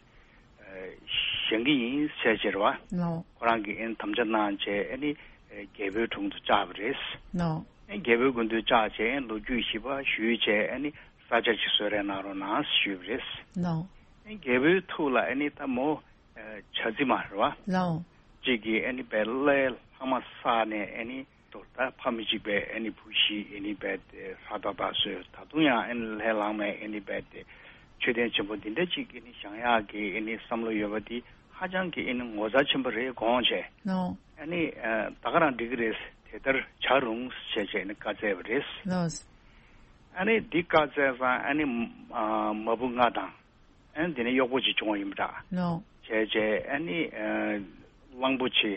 བཞེངས་ཀྱི་ཡིན་ཟེར་བྱས་རེད་བ། ལགས། ཁོ་རང་གིས་ཨ་ནི་དམ་བཅའ་གནང་བྱས་ཨ་ནི་རྒྱལ་པོའི་དྲུང་དུ་བཅར་བ་རེད། ལགས། རྒྱལ་པོའི་མགོན་དུ་བཅར་བྱས་ལོ་རྒྱུས་ཞིབ་པ་ཞུས་བྱས་ཨ་ནི་ས་ཆ་ཅིག་གསོལ་རས་གནང་རོགས་གནང་ཞུས་པ་རེད། ལགས། རྒྱལ་པོའི་ཐུགས་ལ་ཨ་ནི་ད་མོ། བྱ་རྫི་མ་རེད་བ། ལགས། གཅིག་གིས་ཨ་ནི་བལ་ལྷའི་ལྷག་མ་བསགས་ནས་ཨ་ནི་ད་ཕ་མ་གཅིག་པའི་ཨ་ནི་བུ་བཞི་ཨ་ནི་བལ་དེ་ཧྲ་ཏག་ཏག་བཟོས། ད་དུང་ཡང་ཨ་ནི་ལྷའི་ལྷག་མས་ཨ་ནི་བལ་དེ་མཆོད་རྟེན་ཆེན་པོ་འདི་འདྲ་གཅིག་ཨ་ནི་བཞེངས་ཡག་གི་ཨ་ནི་བསམ་བློ་ཡོད་པ་འདི་ཧ་ཅང་གི་ཨ་ནི་ངོ་མཚར་ཆེན་པོ་རེད་དགོངས་བྱས། ལགས། ཨ་ནི་ད་ག་རང་འགྲིག་གི་རེད། དེ་ལྟར་བྱ་རུང་ཞེས་བྱས་ཨ་ནི་བཀའ་སྩལ་བ་རེད། ལགས། ཨ་ནི་འདི་བཀའ་སྩལ་ཙང་ཨ་ནི་མ་བུ་ལྔ་དང་། ཨ་ནི་དེ་ནས་གཡོག་པོ་གཅིག་བྱུང་བ་ཡིན་པ་འདྲ། ལགས། བྱས་བྱས་ཨ་ནི་གླང་པོ་ཆེ་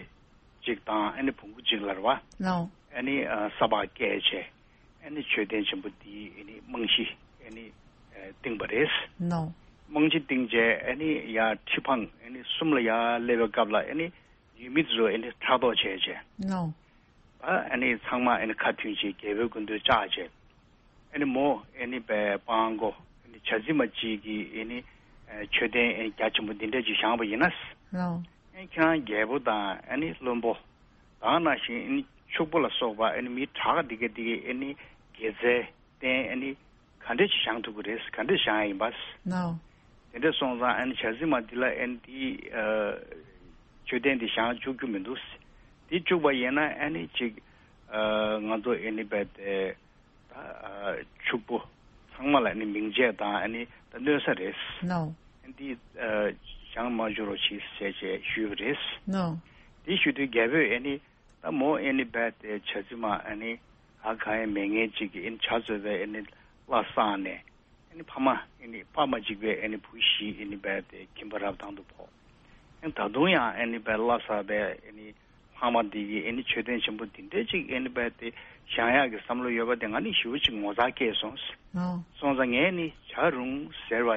གཅིག་དང་ཨ་ནི་བོང་གུ་གཅིག་ལ་རེད་བ། ལགས། ཨ་ནི་ས་ཕག་བཀལ་བྱས་ཨ་ནི་མཆོད་རྟེན་ཆེན་པོ་འདིའི་ཨ་ནི་རྨང་གཞི་ཨ་ནི་བཏིང་བ་རེད། ལགས། རྨང་གཞི་བཏིང་བྱས་ཨ་ནི་ཡར་ཁྲི་འཕང་ཨ་ནི་གསུམ་ལ་ཡར་སླེབས་པའི་སྐབས་ལ་ཨ་ནི་ཡུལ་མི་ཚོ་ཨ་ནི་ཕྲག་དོག་བྱས་བྱས། ལགས། ཨ་ནི་ཚང་མ་ཨ་ནི་ཁ་མཐུན་བྱས་རྒྱལ་པོའི་མགོན་དུ་བཅར་བྱས། ཨ་ནི་མོ་ཨ་ནི་པའི་སྤྲང་པོ་ཨ་ནི་བྱ་རྫི་མ་གཅིག་གིས་ཨ་ནི་མཆོད་རྟེན་ཨ་ནི་རྒྱ་ཆེན་པོ་འདི་འདྲ་ཅིག་བཞེངས་པ་ཡིན་ན། ལགས། ཨ་ནི་ཁྱེད་རང་རྒྱལ་པོ་དང་ཨ་ནི་བློན་པོ་དེ་ནང་བཞིན་ཨ་ནི་ཕྱུག་པོ་ལ་སོགས་པ་ཨ་ནི་མི་དྲག་འདི་ག་འདི་གའི་ཨ་ནི་དགེ་རྩའི་རྟེན་ཨ་ནི་ག་འདྲ་ཅིག་བཞེངས་ཐུབ་ཀྱི་རེད། ག་འདྲ་བཞེངས་ཡ་ཡིན་པ། ལགས། དེ་འདྲ་སོང་ཙང་ཨ་ནི་བྱ་རྫི་མ་འདི་ལ་ཨ་ནི་འདི་མཆོད་རྟེན་འདི་བཞེངས་བཅུག་རྒྱུ་མི་འདུག་འདི་བཅུག་པ་ཡིན་ན་ཨ་ནི་ཅིག་ང་ཚོ་ཨ་ནི་རྦད་དེ་ད་ཕྱུག་པོ་ཚང་མ་ལ་ཨ་ནི་མིང་ཆད་དང་ཨ་ནི་ད་གནོད་ས་རེད། ལགས། འདི་བཞེངས་མ་བཅུག་རོགས་གྱིས་ཟེར་བྱས་ཞུས་པ་རེད། ལགས། འདི་ཞུ་དུས་རྒྱལ་པོས་ཨ་ནི་ད་མོ་ཨ་ནི་རྦད་དེ་བྱ་རྫི་མ་ཨ་ནི་ཨ་གང་ཡང་མེད་མཁན་ཅིག་གིས་ཨ་ནི་བྱ་འཚོས་པའི་ཨ་ནི་བླ་བསགས་ནས། ཨ་ནི་ཕ་མ་ཨ་ནི་ཕ་མ་གཅིག་པའི་ཨ་ནི་བུ་བཞི་ཨ་ནི་རྦད་དེ་ཁྱིམ་པ་རབ་དང་དུ་ཕོག་ཨ་ནི་ད་དུང་ཡང་ཨ་ནི་རྦད་བླ་བསགས་པའི་ཨ་ནི་ལྷག་མ་འདི་གི་ཨ་ནི་མཆོད་རྟེན་ཆེན་པོ་འདི་འདྲ་ཅིག་ཨ་ནི་རྦད་དེ་བཞེངས་ཡག་གི་བསམ་བློ་ཡོད་པ་དེ་ང་ནི་ཞེ་པོ་ཅིག་ངོ་མཚར་སྐྱེས་སོང་། ཨོ། སོང་ཙང་ངས་ནི་བྱ་རུང་ཟེར་བ་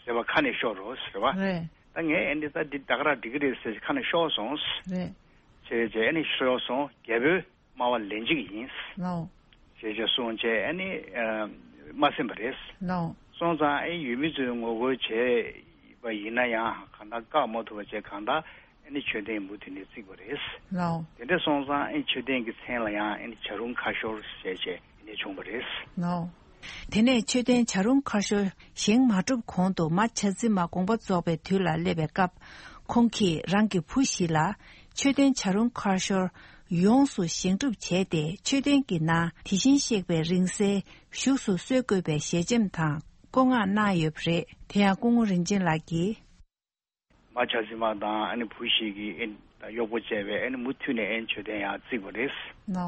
ཟེར་བ་ཁ་ནས་ཤོར་རོ་ཟེར་བ། རེད། ད་ངས་ཨ་ནི་ད་འདི་ད་ག་རང་འགྲིག་གི་རེད་ཟེར་ཁ་ནས་ཤོར་སོང་། རེད། བྱས་བྱས་ཨ་ནི་ཤོར་སོང་རྒྱལ་པོས། སྨྲ་བ་ལན་གཅིག་ཡིན། ལའོ། ཞེས་བྱས་གསུངས་བྱས་ཨ་ནི་ཨ་མ་གསན་པ་རེད། ལའོ། སོང་ཙང་ཨེ་ཡུལ་མི་ཚོས་ངོ་རྒོལ་བྱས་པ་ཡིན་ན་ཡང་གང་ལྟར་བཀག་མ་ཐུབ་པ་བྱས། གང་ལྟར་ཨ་ནི་མཆོད་རྟེན་མུ་མཐུད་ནས་བརྩིགས་པ་རེད། ལའོ། དེ་འདྲ་སོང་ཙང་ཨེ་མཆོད་རྟེན་གྱི་མཚན་ལ་ཡང་ཨ་ནི་བྱ་རུང་ཁ་ཤོར་ཞེས་བྱས་ཨ་ནི་བྱུང་བ་རེད། ལའོ། དེ་ནས་མཆོད་རྟེན་བྱ་རུང་ཁ་ཤོར་བཞེངས་མ་གྲུབ་གོང་དུ་མ་བྱ་རྫི་མ་དགོངས་པ་རྫོགས་པའི་དུས་ལ་སླེབས་པའི་སྐབས། ཁོང་གིས་རང་གི་བུ་བཞི་ལ་མཆོད་རྟེན་བྱ་རུང་ཁ་ཤོར་ཡོངས་སུ་བཞེངས་གྲུབ་བྱས་ཏེ། མཆོད་རྟེན་གྱི་ནང་དེ་བཞིན་གཤེགས་པའི་རིང་བསྲེལ་བཞུགས་སུ་གསོལ་དགོས་པའི་ཞལ་ཆེམས་དང་བཀའ་མངགས་གནང་ཡོད་པ་རེད། དེ་ཡང་སྐུ་ངོ་རིན་ཆེན་ལགས་ཀྱིས། མ་བྱ་རྫི་མ་དང་ཨ་ནི་བུ་བཞི་གི་ཨ་ནི་གཡོག་པོ་བཅས་པས་ཨ་ནི་མུ་མཐུད་ནས་ཨ་ནི་མཆོད་རྟེན་ཡར་བརྩིགས་པ་རེད། ལའོ།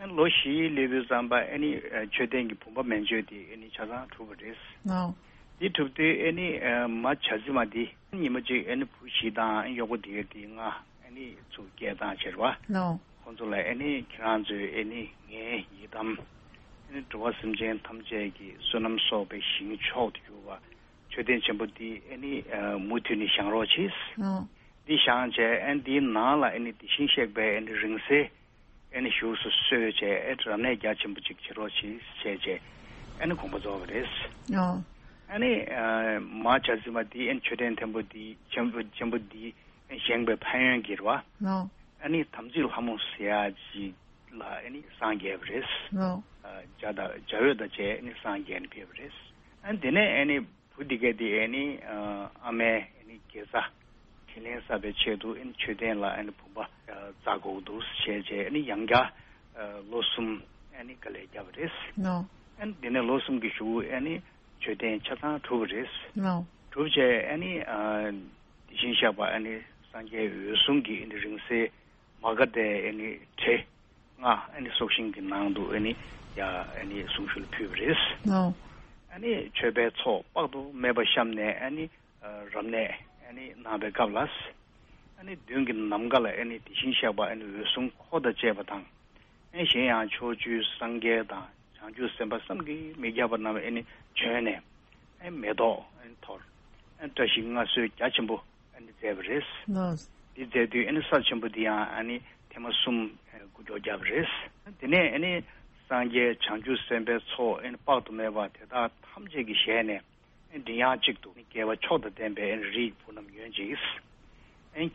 ཨ་ནི་ལོ་བཞིའི་སླེབས་དུས་ཙམ་པ་ཨ་ནི་མཆོད་རྟེན་གྱི་བུམ་པ་མན་ཆད་དེ་ཨ་ནི་ཆ་ཚང་གྲུབ་པ་རེད། ལའོ། དེ་གྲུབ་དུས་ཨ་ནི་མ་བྱ་རྫི་མ་དེ་ཉི་མ་གཅིག་ཨ་ནི་བུ་བཞི་དང་ཨ་ནི་གཡོག་པོ་དེ་ག་དེ་ལྔ་ཨ་ནི་ཚུར་སྐད་བཏང་བྱས་པ། ལའོ། ཁོང་ཚོ་ལ་ཨ་ནི་ཁྱེད་རང་ཚོས་ཨ་ནི་ངའི་ཡི་དམ་ཨ་ནི་འགྲོ་བ་སེམས་ཅན་ཐམས་ཅད་ཀྱི་བསོད་ནམས་གསོག་པའི་ཞིང་མཆོག་ཏུ་གྱུར་པ། མཆོད་རྟེན་ཆེན་པོ་འདི་ཨ་ནི་ཨ་མུ་མཐུད་ནས་བཞེངས་རོགས་གྱིས། ཨོ། འདི་བཞེངས་བྱས་ཨ་ནི་འདིའི་ནང་ལ་ཨ་ནི་དེ་བཞིན་གཤེགས་པའི་ཨ་ནི་རིང་བསྲེལ་ཨ་ནི་བཞུགས་སུ་གསོལ་བྱས། ཨ་ནི་རབ་གནས་རྒྱ་ཆེན་པོ་ཅིག་བྱེད་རོགས་གྱིས་བྱས་བྱས་ཨ་ནི་དགོངས་པ་རྫོགས་པ་རེད། ཨོ། ཨ་ནི་ཨ་མ་བྱ་རྫི་མ་འདི་ཨ་ནི་མཆོད་རྟེན་ཐེམ་པོ་འདི་ཆེན་པོ་ཆེན་པོ་འདི་བཞེངས་པའི་ཕན་ཡོན་གྱིས་རེད་བ། ཨོ། ཨ་ནི་དམ་ཚིག་ལྷ་མོ་ཟེར་ཡ་ཅིག་ལ་ཨ་ནི་སངས་རྒྱས་པ་རེད། ཨོ། ཨ་འཇའ་དང་འཇའ་འོད་དང་བཅས་ཨ་ནི་སངས་རྒྱས་ནས་ཕེབས་པ་རེད། ཨ་ནི་དེ་ནས་ཨ་ནི་བུ་འདི་ག་དེ་ཨ་ནི་ཨ་ཨ་མའི་ཨ་ནི་དགེ་རྩ་དྲིན་ལན་གསབ་པའི་ཆེད་དུ་ཨ་ནི་མཆོད་རྟེན་ལ་ཨ་ནི་བུམ་པ་ཨ་བཙག་དགོས་འདུག་བྱས་བྱས་ཨ་ནི་ཡང་བསྐྱར་ཨ་ལོ་གསུམ་ཨ་ནི་དཀའ་ལས་བརྒྱབ་པ་རེད། ཨོ། ཨ་ནི་དེ་ནས་ལོ་གསུམ་གྱི་གཞུག་ཨ་ནི་མཆོད་རྟེན་ཆ་ཚང་གྲུབ་པ་རེད། ཨོ། གྲུབ་བྱས་ཨ་ནི་ཨ་དེ་བཞིན་གཤེགས་པ་ཨ་ནི་སངས་རྒྱས་འོད་སྲུང་གི་ཨ་ནི་རིང་བསྲེལ་མ་ག་དྷའི་ཨ་ནི་བྲེ་ལྔ་ཨ་ནི་སྲོག་ཤིང་གི་ནང་དུ་ཨ་ནི་ཡ་ཨ་ནི་གསུང་ཞུ་ལ་ཕུལ་བ་རེད། ཨོ། ཨ་ནི་མཆོད་པའི་ཚོགས་དཔག་ཏུ་མེད་པ་བཤམས་ནས་ཨ་ནི་ཨ་རབ་གནས་ཨ་ནི་གནང་བའི་སྐབས་ལ། ཨ་ནི་མདུན་གྱི་ནམ་མཁའ་ལ་ཨ་ནི་དེ་བཞིན་གཤེགས་པ་ཨ་ནི་འོད་སྲུང་འཁོར་དང་བཅས་པ་དང་། ཨ་གཞན་ཡང་ཕྱོགས་བཅུའི་སངས་རྒྱས་དང་བྱང་ཆུབ་སེམས་དཔའ་བསམ་གྱིས་མི་ཁྱབ་པ་རྣམས་ཨ་ནི་བྱོན་ནས་ཨ་མེ་ཏོག་ཨ་ནི་འཐོར། ཨ་བཀྲ་ཤིས་མངའ་གསོལ་རྒྱ་ཆེན་པོ་ཨ་ནི་མཛད་པ་རེད། ལགས། འདི་མཛད་དུས་ཨ་ནི་ས་ཆེན་པོ་འདི་ཡང་ཨ་ནི་ཐེངས་མ་གསུམ་ཨ་འགུལ་སྐྱོད་བརྒྱབ་པ་རེད། དེ་ནས་ཨ་ནི་སངས་རྒྱས་བྱང་ཆུབ་སེམས་དཔའི་ཚོགས་ཨ་ནི་དཔག་ཏུ་མེད་པ་དེ་དག་ཐམས་ཅད་ཀྱི་ཞལ་ནས། མགྲིན་དབྱངས་གཅིག་ཏུ་དགེ་བ་མཆོག་དང་ལྡན་པའི་རིགས་བུ་རྣམས་ཡོད་ཅིག་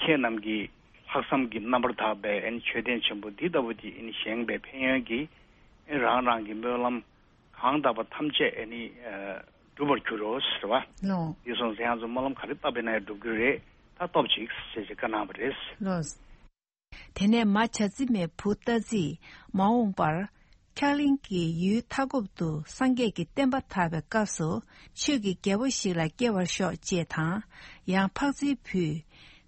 ཁྱེད་རྣམས་ཀྱིས་ལྷག་བསམ་གྱི་རྣམ་པར་དག་པའི་མཆོད་རྟེན་ཆེན་པོ་འདི་ལྟ་བུ་ཅིག་བཞེངས་པའི་ཕན་ཡོན་གྱིས་རང་རང་གི་སྨོན་ལམ་གང་དག་པ་ཐམས་ཅད་འགྲུབ་པར་འགྱུར་རོ་ཟེར་བ། ལོ། འདི་སོང་ཙང་ཁྱེད་རང་ཚོ་སྨོན་ལམ་ག་རེ་བཏབ་པ་ཡིན་ན་ཡང་འགྲུབ་ཀྱི་རེད། ད་སྟོབས་ཅིག་ཟེར་ཞེས་བཀའ་གནང་བ་རེད། ལོ། དེ་ནས་མ་བྱ་རྫི་མའི་བུ་རྟ་རྫིས་མ་འོངས་པར་འཁྱག་གླིང་གི་ཡུལ་མཐའ་འཁོབ་ཏུ་སངས་རྒྱས་ཀྱི་བསྟན་པ་དར་བའི་སྐབས་སུ་ཆོས་ཀྱི་རྒྱལ་པོ་ཞིག་ལ་སྐྱེ་བར་ཤོག་ཅེས་དང་། ཡང་འཕགས་རྫིའི་བུས།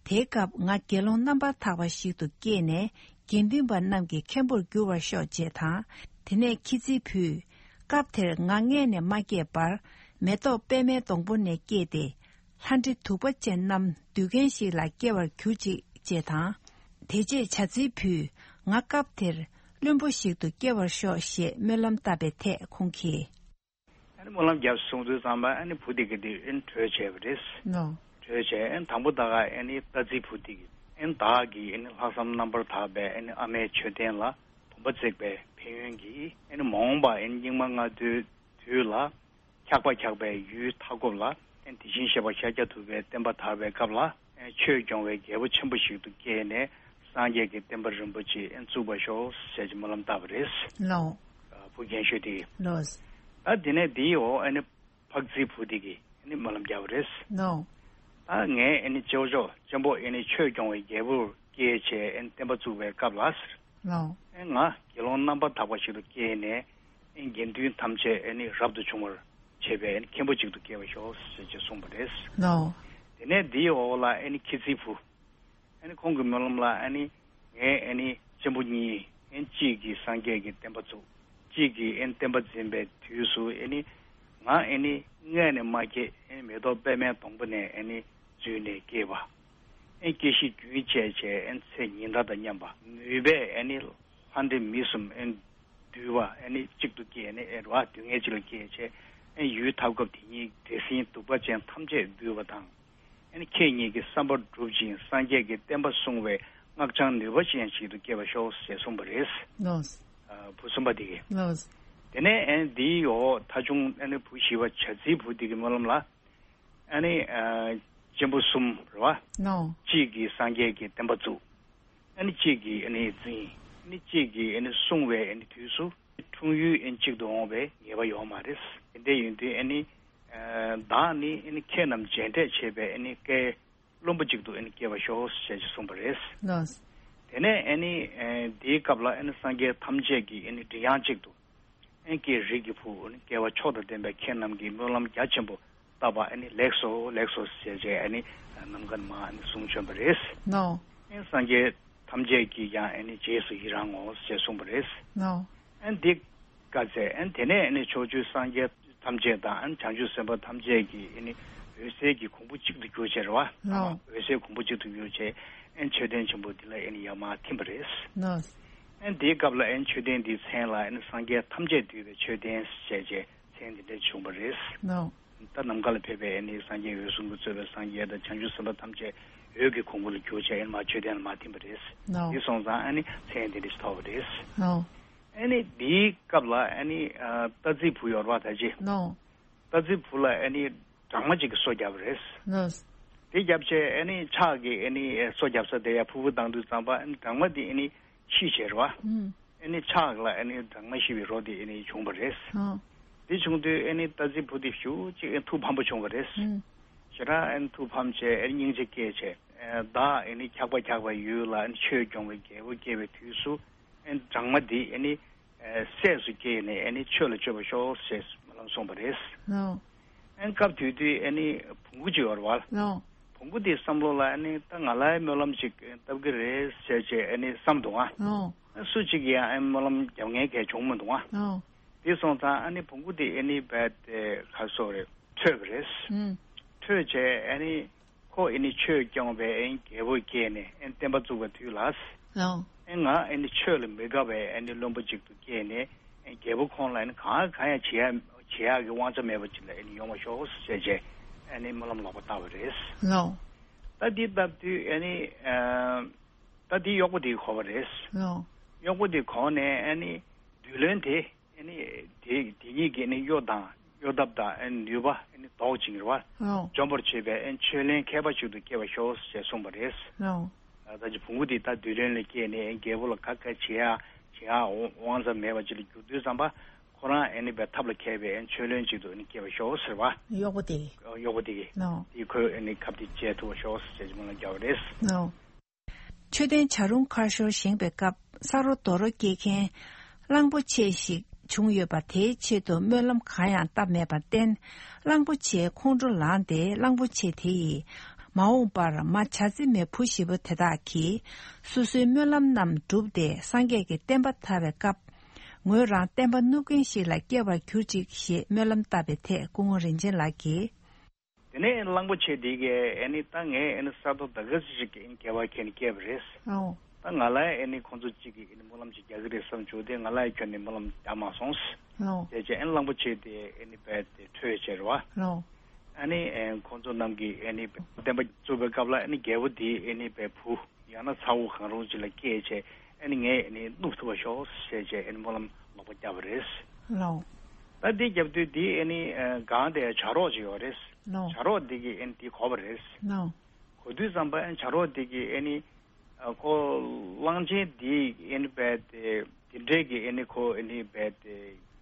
དེའི་སྐབས་ང་དགེ་སློང་རྣམ་པར་དག་པ་ཞིག་ཏུ་སྐྱེས་ནས་དགེ་འདུན་པ་རྣམས་ཀྱི་མཁན་པོར་འགྱུར་བར་ཤོག་ཅེས་དང་། དེ་ནས་ཁྱི་རྫིའི་བུས། སྐབས་དེར་ང་མངལ་ནས་མ་སྐྱེས་པར་མེ་ཏོག་པད་མའི་སྡོང་པོ་ནས་སྐྱེས་ཏེ། ལྷ་འདྲེ་གདུག་པ་ཅན་རྣམས་འདུལ་མཁན་ཞིག་ལ་སྐྱེ་བར་གྱུར་ཅིག་ཅེས་དང་། དེ་རྗེས་བྱ་རྫིའི་བུས་ང་སྐབས་དེར་བློན་པོ་ཞིག་ཏུ་སྐྱེ་བར་ཤོག་ཞེས་སྨོན་ལམ་བཏབ་པའི་ཐད་ཁོང་གིས། ཨ་ནི་སྨོན་ལམ་རྒྱབ་སོང་དུས་ཙམ་པ་ཨ་ནི་བུ་དེ་ག་དེ་ཨ་ནི་བྲོས་བྱས་པ་རེད། ནོ། བྲོས་བྱས་ཨ་ནི་དང་པོ་ད་ག་ཨ་ནི་རྟ་རྫི་བུ་དེ་གིས་ཨ་ནི་བདག་གིས་ཨ་ནི་ལྷག་བསམ་རྣམ་པར་དག་པའི་ཨ་ནི་ཨ་མའི་མཆོད་རྟེན་ལ་བུམ་པ་བརྩེགས་པའི་ཕན་ཡོན་གྱིས་ཨ་ནི་མ་འོངས་པ་ཨ་ནི་སྙིགས་མ་ལྔ་བདོའི་དུས་ལ། འཁྱག་པ་འཁྱག་པའི་ཡུལ་མཐའ་འཁོབ་ལ། དེ་བཞིན་གཤེགས་པ་ཤཱཀྱ་ཐུབ་པའི་བསྟན་པ་དར་བའི་སྐབས་ལ། ཆོས་སྐྱོང་བའི་རྒྱལ་པོ་ཆེན་པོ་ཞིག་ཏུ་སྐྱེས་ནས་སངས་རྒྱས་ཀྱི་བསྟན་པ་རིན་པོ་ཆེ་བཙུགས་པར་ཤོག་ཟེར་གྱི་སྨོན་ལམ་བཏབ་པ་རེད། ལོ། བུ་རྒན་ཤོས་དེ། ལོ། ད་དེ་ནས་དེའི་འོག་ཨ་ནི་འཕགས་རྫིའི་བུ་དེ་གིས་ཨ་ནི་སྨོན་ལམ་བརྒྱབ་པ་རེད། ལོ། ད་ངས་ཨ་ནི་སྐྱེ་བོ་ཅོག་ཅན་པོ་ཨ་ནི་ཆོས་སྐྱོང་བའི་རྒྱལ་པོར་སྐྱེས་བྱས་ཨ་ནི་བསྟན་པ་བཙུགས་པའི་སྐབས་ལ། ལོ། ཨེ་ང་དགེ་སློང་རྣམ་པར་དག་པ་ཞིག་ཏུ་སྐྱེས་ནས་ཨེ་དགེ་འདུན་ཐམས་ཅད་ཨེ་ནི་རབ་ཏུ་བྱུང་བར་བྱེད་པའི་ཨེ་ནི་མཁན་པོ་ཅིག་ཏུ་སྐྱེ་བར་ཤོག་ཟེར་ཅེས་གསུངས་པ་རེད། ལོ། དེ་ནས་དེའི་འོག་ལ་ཨེ་ནི་ཁྱི་རྫིའི་བུ། ཨེ་ནི་ཁོང་གི་སྨོན་ལམ་ལ་ཨེ་ནི་ངས་ཨེ་ནི་གཅེན་པོ་གཉིས་ཨེ་ནི་གཅིག་གིས་སངས་རྒྱས་ཀྱི་བསྟན་པ་བཙུགས། གཅིག་གིས་ཨེ་ནི་བསྟན་པ་འཛིན་པའི་དུས་སུ་ཨེ་ནི་ང་ཨེ་ནི་མངལ་ནས་མ་སྐྱེས་ཨེ་ནི་མེ་ཏོག་པད་མའི་སྡོང་པོ་ནས་ཨེ་ནི་འཛུལ་ནས་སྐྱེས་པ། ཨེ་སྐྱེ་ཤི་རྒྱུན་བཅད་བྱས་ཨེ་ཚེ་ཉི་ཟླ་དང་མཉམ་པ། ནུས་པས་ཨེ་ནི་ལྷ་འདྲེ་མི་གསུམ་ཨེ་འདུལ་བ་ཨེ་ནི་གཅིག་ཏུ་སྐྱེས་ནས་ཨེ་རུ་བ་སྡུག་བསྔལ་གཅིག་ལ་སྐྱེས་བྱས་ཨེ་ཡུལ་མཐའ་འཁོབ་དེ་ཉིད་འདྲེ་སྲིན་གདུག་པ་ཅན་ཐམས་ཅད་འདུལ་བ་དང་། ཨེ་ནི་ཁྱེད་ཉིད་ཀྱི་བསམ་པ་འགྲུབ་ཅིང་སངས་རྒྱས་ཀྱི་བསྟན་པ་སྲུང་བའི་ སྔགས་འཆང་ནུས་པ་ཅན་ཞིག་ཏུ་སྐྱེ་བར་ཤོག་ཅེས་གསུངས་པ་རེད། ལགས། ཨ། བུ་གསུམ་པ་དེ་གིས། ལགས། དེ་ནས་ཨ་ནི་འདིའི་འོག་ཐ་ཆུང་ཨ་ནི་བུ་བཞི་པ་བྱ་ཚིལ་བུ་དེ་གི་སྨོན་ལམ་ལ། ཨ་ནི་ཨ་གཅེན་པོ་གསུམ་རེད་བ། ལགས། གཅིག་གིས་སངས་རྒྱས་ཀྱི་བསྟན་པ་བཙུགས། ཨ་ནི་གཅིག་གིས་ཨ་ནི་འཛིན། ཨ་ནི་གཅིག་གིས་ཨ་ནི་སྲུང་བའི་ཨ་ནི་དུས་སུ། འཁྲུངས་ཡུལ་ཨ་ནི་གཅིག་ཏུ་འོང་བའི་ངེས་པ་ཡོད་མ་རེད། དེ་འདྲ་ཡིན་དུས་ཨ་ནི་ཨ་བདག་ནི་ཨ་ནི་ཁྱེད་རྣམས་མཇལ་འཕྲད་བྱེད་པའི་ཨ་ནི་བཀའི་བློན་པོ་གཅིག་ཏུ་ཨ་ནི་སྐྱེ་བར་ཤོག་ཅེས་གསུངས་པ་རེད། ལགས། དེ་ནས་ཨ་ནི་ཨ་འདིའི་སྐབས་ལ་ཨ་ནི་སངས་རྒྱས་ཐམས་ཅད་ཀྱི་ཨ་ནི་མགྲིན་དབྱངས་གཅིག་ཏུ། ཨེ་ཀྱེ་རིགས་ཀྱི་བུ། ཨེ་རྒྱལ་བ་མཆོག་དང་ལྡན་པའི་ཁྱེད་རྣམས་ཀྱིས་སྨོན་ལམ་རྒྱ་ཆེན་པོ་བཏབ་པ། ཨེ་ནི་ལེགས་སོ་ལེགས་སོ་ཞེས་བྱས་ཨེ་ནི་ནམ་མཁའ་ནས་མར་ཨེ་ནི་གསུང་བྱོན་པ་རེད། ལགས། ཨེ་སངས་རྒྱས་ཐམས་ཅད་ཀྱིས་ཀྱང་ཨེ་ནི་རྗེས་སུ་ཡི་རང་ངོ་ཞེས་གསུངས་པ་རེད། ལགས། ཨེ་འདི་སྐབས་ཚེ་ཨེ་དེ་ནས་ཨེ་ནི་ཕྱོགས་བཅུའི་སངས་རྒྱས་ཐམས་ཅད་དང་ཨེ་བྱང་ཆུབ་སེམས་དཔའ་ཐམས་ཅད་ཀྱིས་ཨེ་ནི་འོད་ཟེར་གྱི་གོང་བུ་གཅིག་ཏུ་གྱུར་བྱས་རེད་བ། ལགས། འོད་ཟེར་གོང་བུ་གཅིག་ཏུ་གྱུར་བྱས་ཨེ་མཆོད་རྟེན་ཆེན་པོ་འདི་ལ་ཨེ་ནི་ཡར་མར་ཐིམ་པ་རེད། ལགས། ཨེ་འདིའི་སྐབས་ལ་ཨེ་མཆོད་རྟེན་འདིའི་མཚན་ལ་ཨེ་ནི་སངས་རྒྱས་ཐམས་ཅད་འདུས་པའི་མཆོད་རྟེན་ཞེས་བྱས་མཚན་འདི་འདྲ་བྱུང་བ་རེད། ལགས། ད་ནམ་མཁའ་ལ་ཕེབས་པའི་ཨེ་ནི་སངས་རྒྱས་འོད་སྲུང་གིས་གཙོས་པའི་སངས་རྒྱས་དང་བྱང་ཆུབ་སེམས་དཔའ་ཐམས་ཅད་འོད་ཀྱི་གོང་བུ་ལ་གྱུར་བྱས་ཨེ་ནི་མར་མཆོད་རྟེན་ལ་མར་ཐིམ་པ་རེད། ལགས། འདི་སོང་ཙང་ཨེ་ནི་མཚན་འདི་འདྲ་ཞིག་ཐོབ་པ་རེད། ལགས། ཨེ་ནི་འདིའི་སྐབས་ལ་ཨེ་ནི་ཨ་རྟ་རྫི་བུ་ཡོད་རེད་བ་ད་ཅི། ལགས། རྟ་རྫི་བུ་ལ་ཨེ་ནི་སྦྲང་མ་གཅིག་གིས་སོ་བརྒྱབ་པ་རེད། ལགས། དེ་བརྒྱབ་བྱས་ཨེ་ནི་ཕྱག་གིས་ཨེ་ནི་སོ་བརྒྱབ་ས་དེ་ཡར་ཕུར་བུ་བཏང་དུས་ཙམ་པ་ཨེ་ནི་སྦྲང་མ་དེ་ཨེ་ནི་ཤི་བྱས་རེད་བ། ཨུམ། ཨེ་ནི་ཕྱག་ལ་ཨེ་ནི་སྦྲང་མ་ཤི་བའི་རོ་དེ་ཨེ་ནི་བྱུང་བ་རེད། ཨོ། དེ་བྱུང་དུས་ཨེ་ནི་རྟ་རྫི་བུ་དེ་ཞེ་པོ་ཅིག་ཨེ་ཐུགས་ཕམ་པོ་བྱུང་བ་རེད། ཨུམ། ཞེ་དྲག་ཨེ་ནི་ཐུགས་ཕམ་བྱས་ཨེ་ནི་སྙིང་རྗེ་སྐྱེས་བྱས། ཨེ་བདག་ཨེ་ནི་འཁྱག་པ་འཁྱག་པའི་ཡུལ་ལ་ཨེ་ནི་ཆོས་སྐྱོང་བའི་རྒྱལ་པོ་སྐྱེས་པའི་དུས་སུ། ཨེ་སྦྲང་མ་འདི་ཨེ་ནི་ཨེ་སྲས་སུ་སྐྱེས་ནས་ཨེ་ནི་ཆོས་ལ་སྤྱོད་པར་ཤོག་ཅེས་སྨོན་ལམ་གསུངས་པ་རེད། ལགས། ཨེ་སྐབས་དེ་དུས་ཨེ་ནི་བོང་གུ་ཅིག་ཡོད་རེད་བ། ལགས། བོང་གུ་དེའི་བསམ་བློ་ལ་ཨེ་ནི་ད་ང་ལ་སྨོན་ལམ་ཅིག་བཏབ་ཀྱི་རེད་ཟེར་བྱས་ཨེ་ནི་བསམ་འདུག་ཨ། ལགས། ཨེ་སུ་གཅིག་གིས་ཡང་ཨེ་སྨོན་ལམ་རྒྱབ་མཁན་གལ་བྱུང་མི་འདུག་ཨ། ལགས། དེ་སོང་ཙང་ཨེ་ནི་བོང་གུ་དེ་ཨེ་ནི་རྦད་དེ་ག་སོ་རེད་ཁྲོས་པ་རེད། ཨུམ། ཁྲོས་བྱས་ཨེ་ནི། ཁོ་ཨེ་ནི་ཆོས་སྐྱོང་བའི་ཨེ་ནི་རྒྱལ་པོ་སྐྱེས་ནས་ཨེ་ནི་བསྟན་པ་བཙུགས་པའི་དུས་ལ། ལགས། ཨེ་ང་ཨེ་ནི་ཆོས་ལ་མི་དགའ་བའི་ཨེ་ནི་བློན་པོ་ཅིག་ཏུ་སྐྱེས་ནས་ཨེ་རྒྱལ་པོ་ཁོང་ལ་ཨེ་ནི་གང་གང་ཡང་བྱེད་ཡ་བྱེད་ཡག་གི་དབང་ཆ་མེད་པ་ཅིག་ལ་ཨེ་ནི་ཡོང་བ་ཤོག་ཟེར་བྱས་ཨེ་ནི་སྨོན་ལམ་ལོག་པ་བཏབ་པ་རེད། ལགས། ད་འདི་བཏབ་དུས་ཨེ་ནི་ཨ་ད་འདི་གཡོག་པོ་དེ་གིས་གོ་བ་རེད། ལགས། གཡོག་པོ་དེ་གོ་ནས་ཨེ་ནི་བདུད་བློན་དེ། ཨེ་ནི་དེ་དེ་གཉིས་ཀྱི་ཨེ་ནི་གཡོ་དང་གཡོ་ཐབས་དང་ཨེ་ནི་ནུས་པ་ཨེ་ནི་ལྡོག་ཅིང་རེད་བ། ལགས། འཇོམས་པར་བྱེད་པའི་ཨེ་ནི་ཆོས་གླིང་མཁས་པ་ཞིག་ཏུ་སྐྱེ་བར་ཤོག་ཅེས་གསུངས་པ་རེད། ལགས། ད་ཅི་བོང་གུ་དེ་ད་བདུད་བློན་ལ་སྐྱེས་ནས་ཨེ་ནི་རྒྱལ་པོ་ལ་ག་ག་བྱེད་ཡ་བྱེད་ཡ་དབང་ཆ་མེད་པ་ཅིག་ལ་གྱུར་དུས་ཙམ་པ་ཁོ་རང་ཨེ་ནི་བའི་ཐབས་ལ་མཁས་པའི་ཨེ་ནི་ཆོས་བློན་ཅིག་ཏུ་ཨེ་ནི་སྐྱེ་བར་ཤོག་ཟེར་བ། གཡོག་པོ་དེ། གཡོག་པོ་དེ་གིས། ལགས། དེ་ཁོས་ཨེ་ནི་ཁབ་དེ་བཅད་ཐུབ་པར་ཤོག་ཅེས་སྨོན་ལམ་བརྒྱབ་པ་རེད། ལགས། མཆོད་རྟེན་བྱ་རུང་ཁ་ཤོར་བཞེངས་པའི་སྐབས་ས་རོ་རྡོ་རོ་སྐྱེལ་མཁན་གླང་པོ་ཆེ་ཞིག་བྱུང་ཡོད་པ་དེའི་ཆེད་དུ་སྨོན་ལམ་གང་ཡང་བཏབ་མེད་པར་བརྟེན། གླང་པོ་ཆེའི་ཁོང་ཁྲོ་ལངས་ཏེ་གླང་པོ་ཆེ་དེ་ཡིས་མ་འོངས་པར་མ་བྱ་རྫི་མའི་བུ་བཞི་པོ་དེ་དག་གིས་སོ་སོའི་སྨོན་ལམ་རྣམས་འགྲུབ་སྟེ་སངས་རྒྱས་ཀྱི་བསྟན་པ་དར་བའི་སྐབས། ངོས་རང་བསྟན་པ་བསྣུབ་མཁན་ཞིག་ལ་སྐྱེ་བར་གྱུར་ཅིག་ཞེས་སྨོན་ལམ་བཏབ་པའི་ཐད་སྐུ་ངོ་རིན་ཆེན་ལགས་ཀྱིས། དེ་ནས་གླང་པོ་ཆེ་དེ་གས་ཨེ་ནི་ད་ངས་ཨེ་ནི་ས་རྡོ་ད་ག་ཟིག་ཅིག་གི་ཨེ་ནི་སྐྱེ་བ་ཁྱེར་ནས་སྐྱེས་པ་རེད། ཨོ། ད་ང་ལ་ཨེ་ནི་ཁོང་ཚོ་གཅིག་གིས་ཨེ་ནི་སྨོན་ལམ་ཅིག་རྒྱག་གི་རེད་བསམ་བྱུང་སྟེ་ང་ལ་ཁྱོན་ནས་སྨོན་ལམ་རྒྱག་མ་སོང་། ཨོ། དེ་རྗེས་ཨེ་ནི་གླང་པོ་ཆེ་དེ་ཨེ་ནི་རྦད་དེ་ཁྲོས་བྱས་རེད་བ། ཨོ། ཨ་ནི་ཨེ་ཁོང་ཚོ་རྣམས་ཀྱིས་ཨེ་ནི་བསྟན་པ་བཙུགས་པའི་སྐབས་ལ་ཨེ་ནི་རྒྱལ་པོ་དེ་ཨེ་ནི་རྦད་བུ། ཡང་ན་ཚ་བོ་གང་རུང་ཅིག་ལ་སྐྱེས་བྱས་ཨ་ནི་ངས་ཨ་ནི་བསྣུབ་ཐུབ་པ་ཤོག་ཟེར་བྱས་ཨ་ནི་སྨོན་ལམ་ལོག་པ་བརྒྱབ་པ་རེད། ལའོ། ད་འདི་བརྒྱབ་དུས་འདི་ཨ་ནི་ཨ་སྒང་དེ་བྱ་རོག་ཅིག་ཡོད་རེད། ལའོ། བྱ་རོག་འདི་གིས་ཨ་ནི་འདི་གོ་བ་རེད། ལའོ། གོ་དུས་ཙམ་པ་ཨ་ནི་བྱ་རོག་འདི་གིས་ཨ་ནི་ཨ་ཁོ་གླང་ཆེན་འདི་ཨ་ནི་རྦད་དེ་འདི་འདྲའི་གི་ཨ་ནི་ཁོ་ཨ་ནི་རྦད་དེ་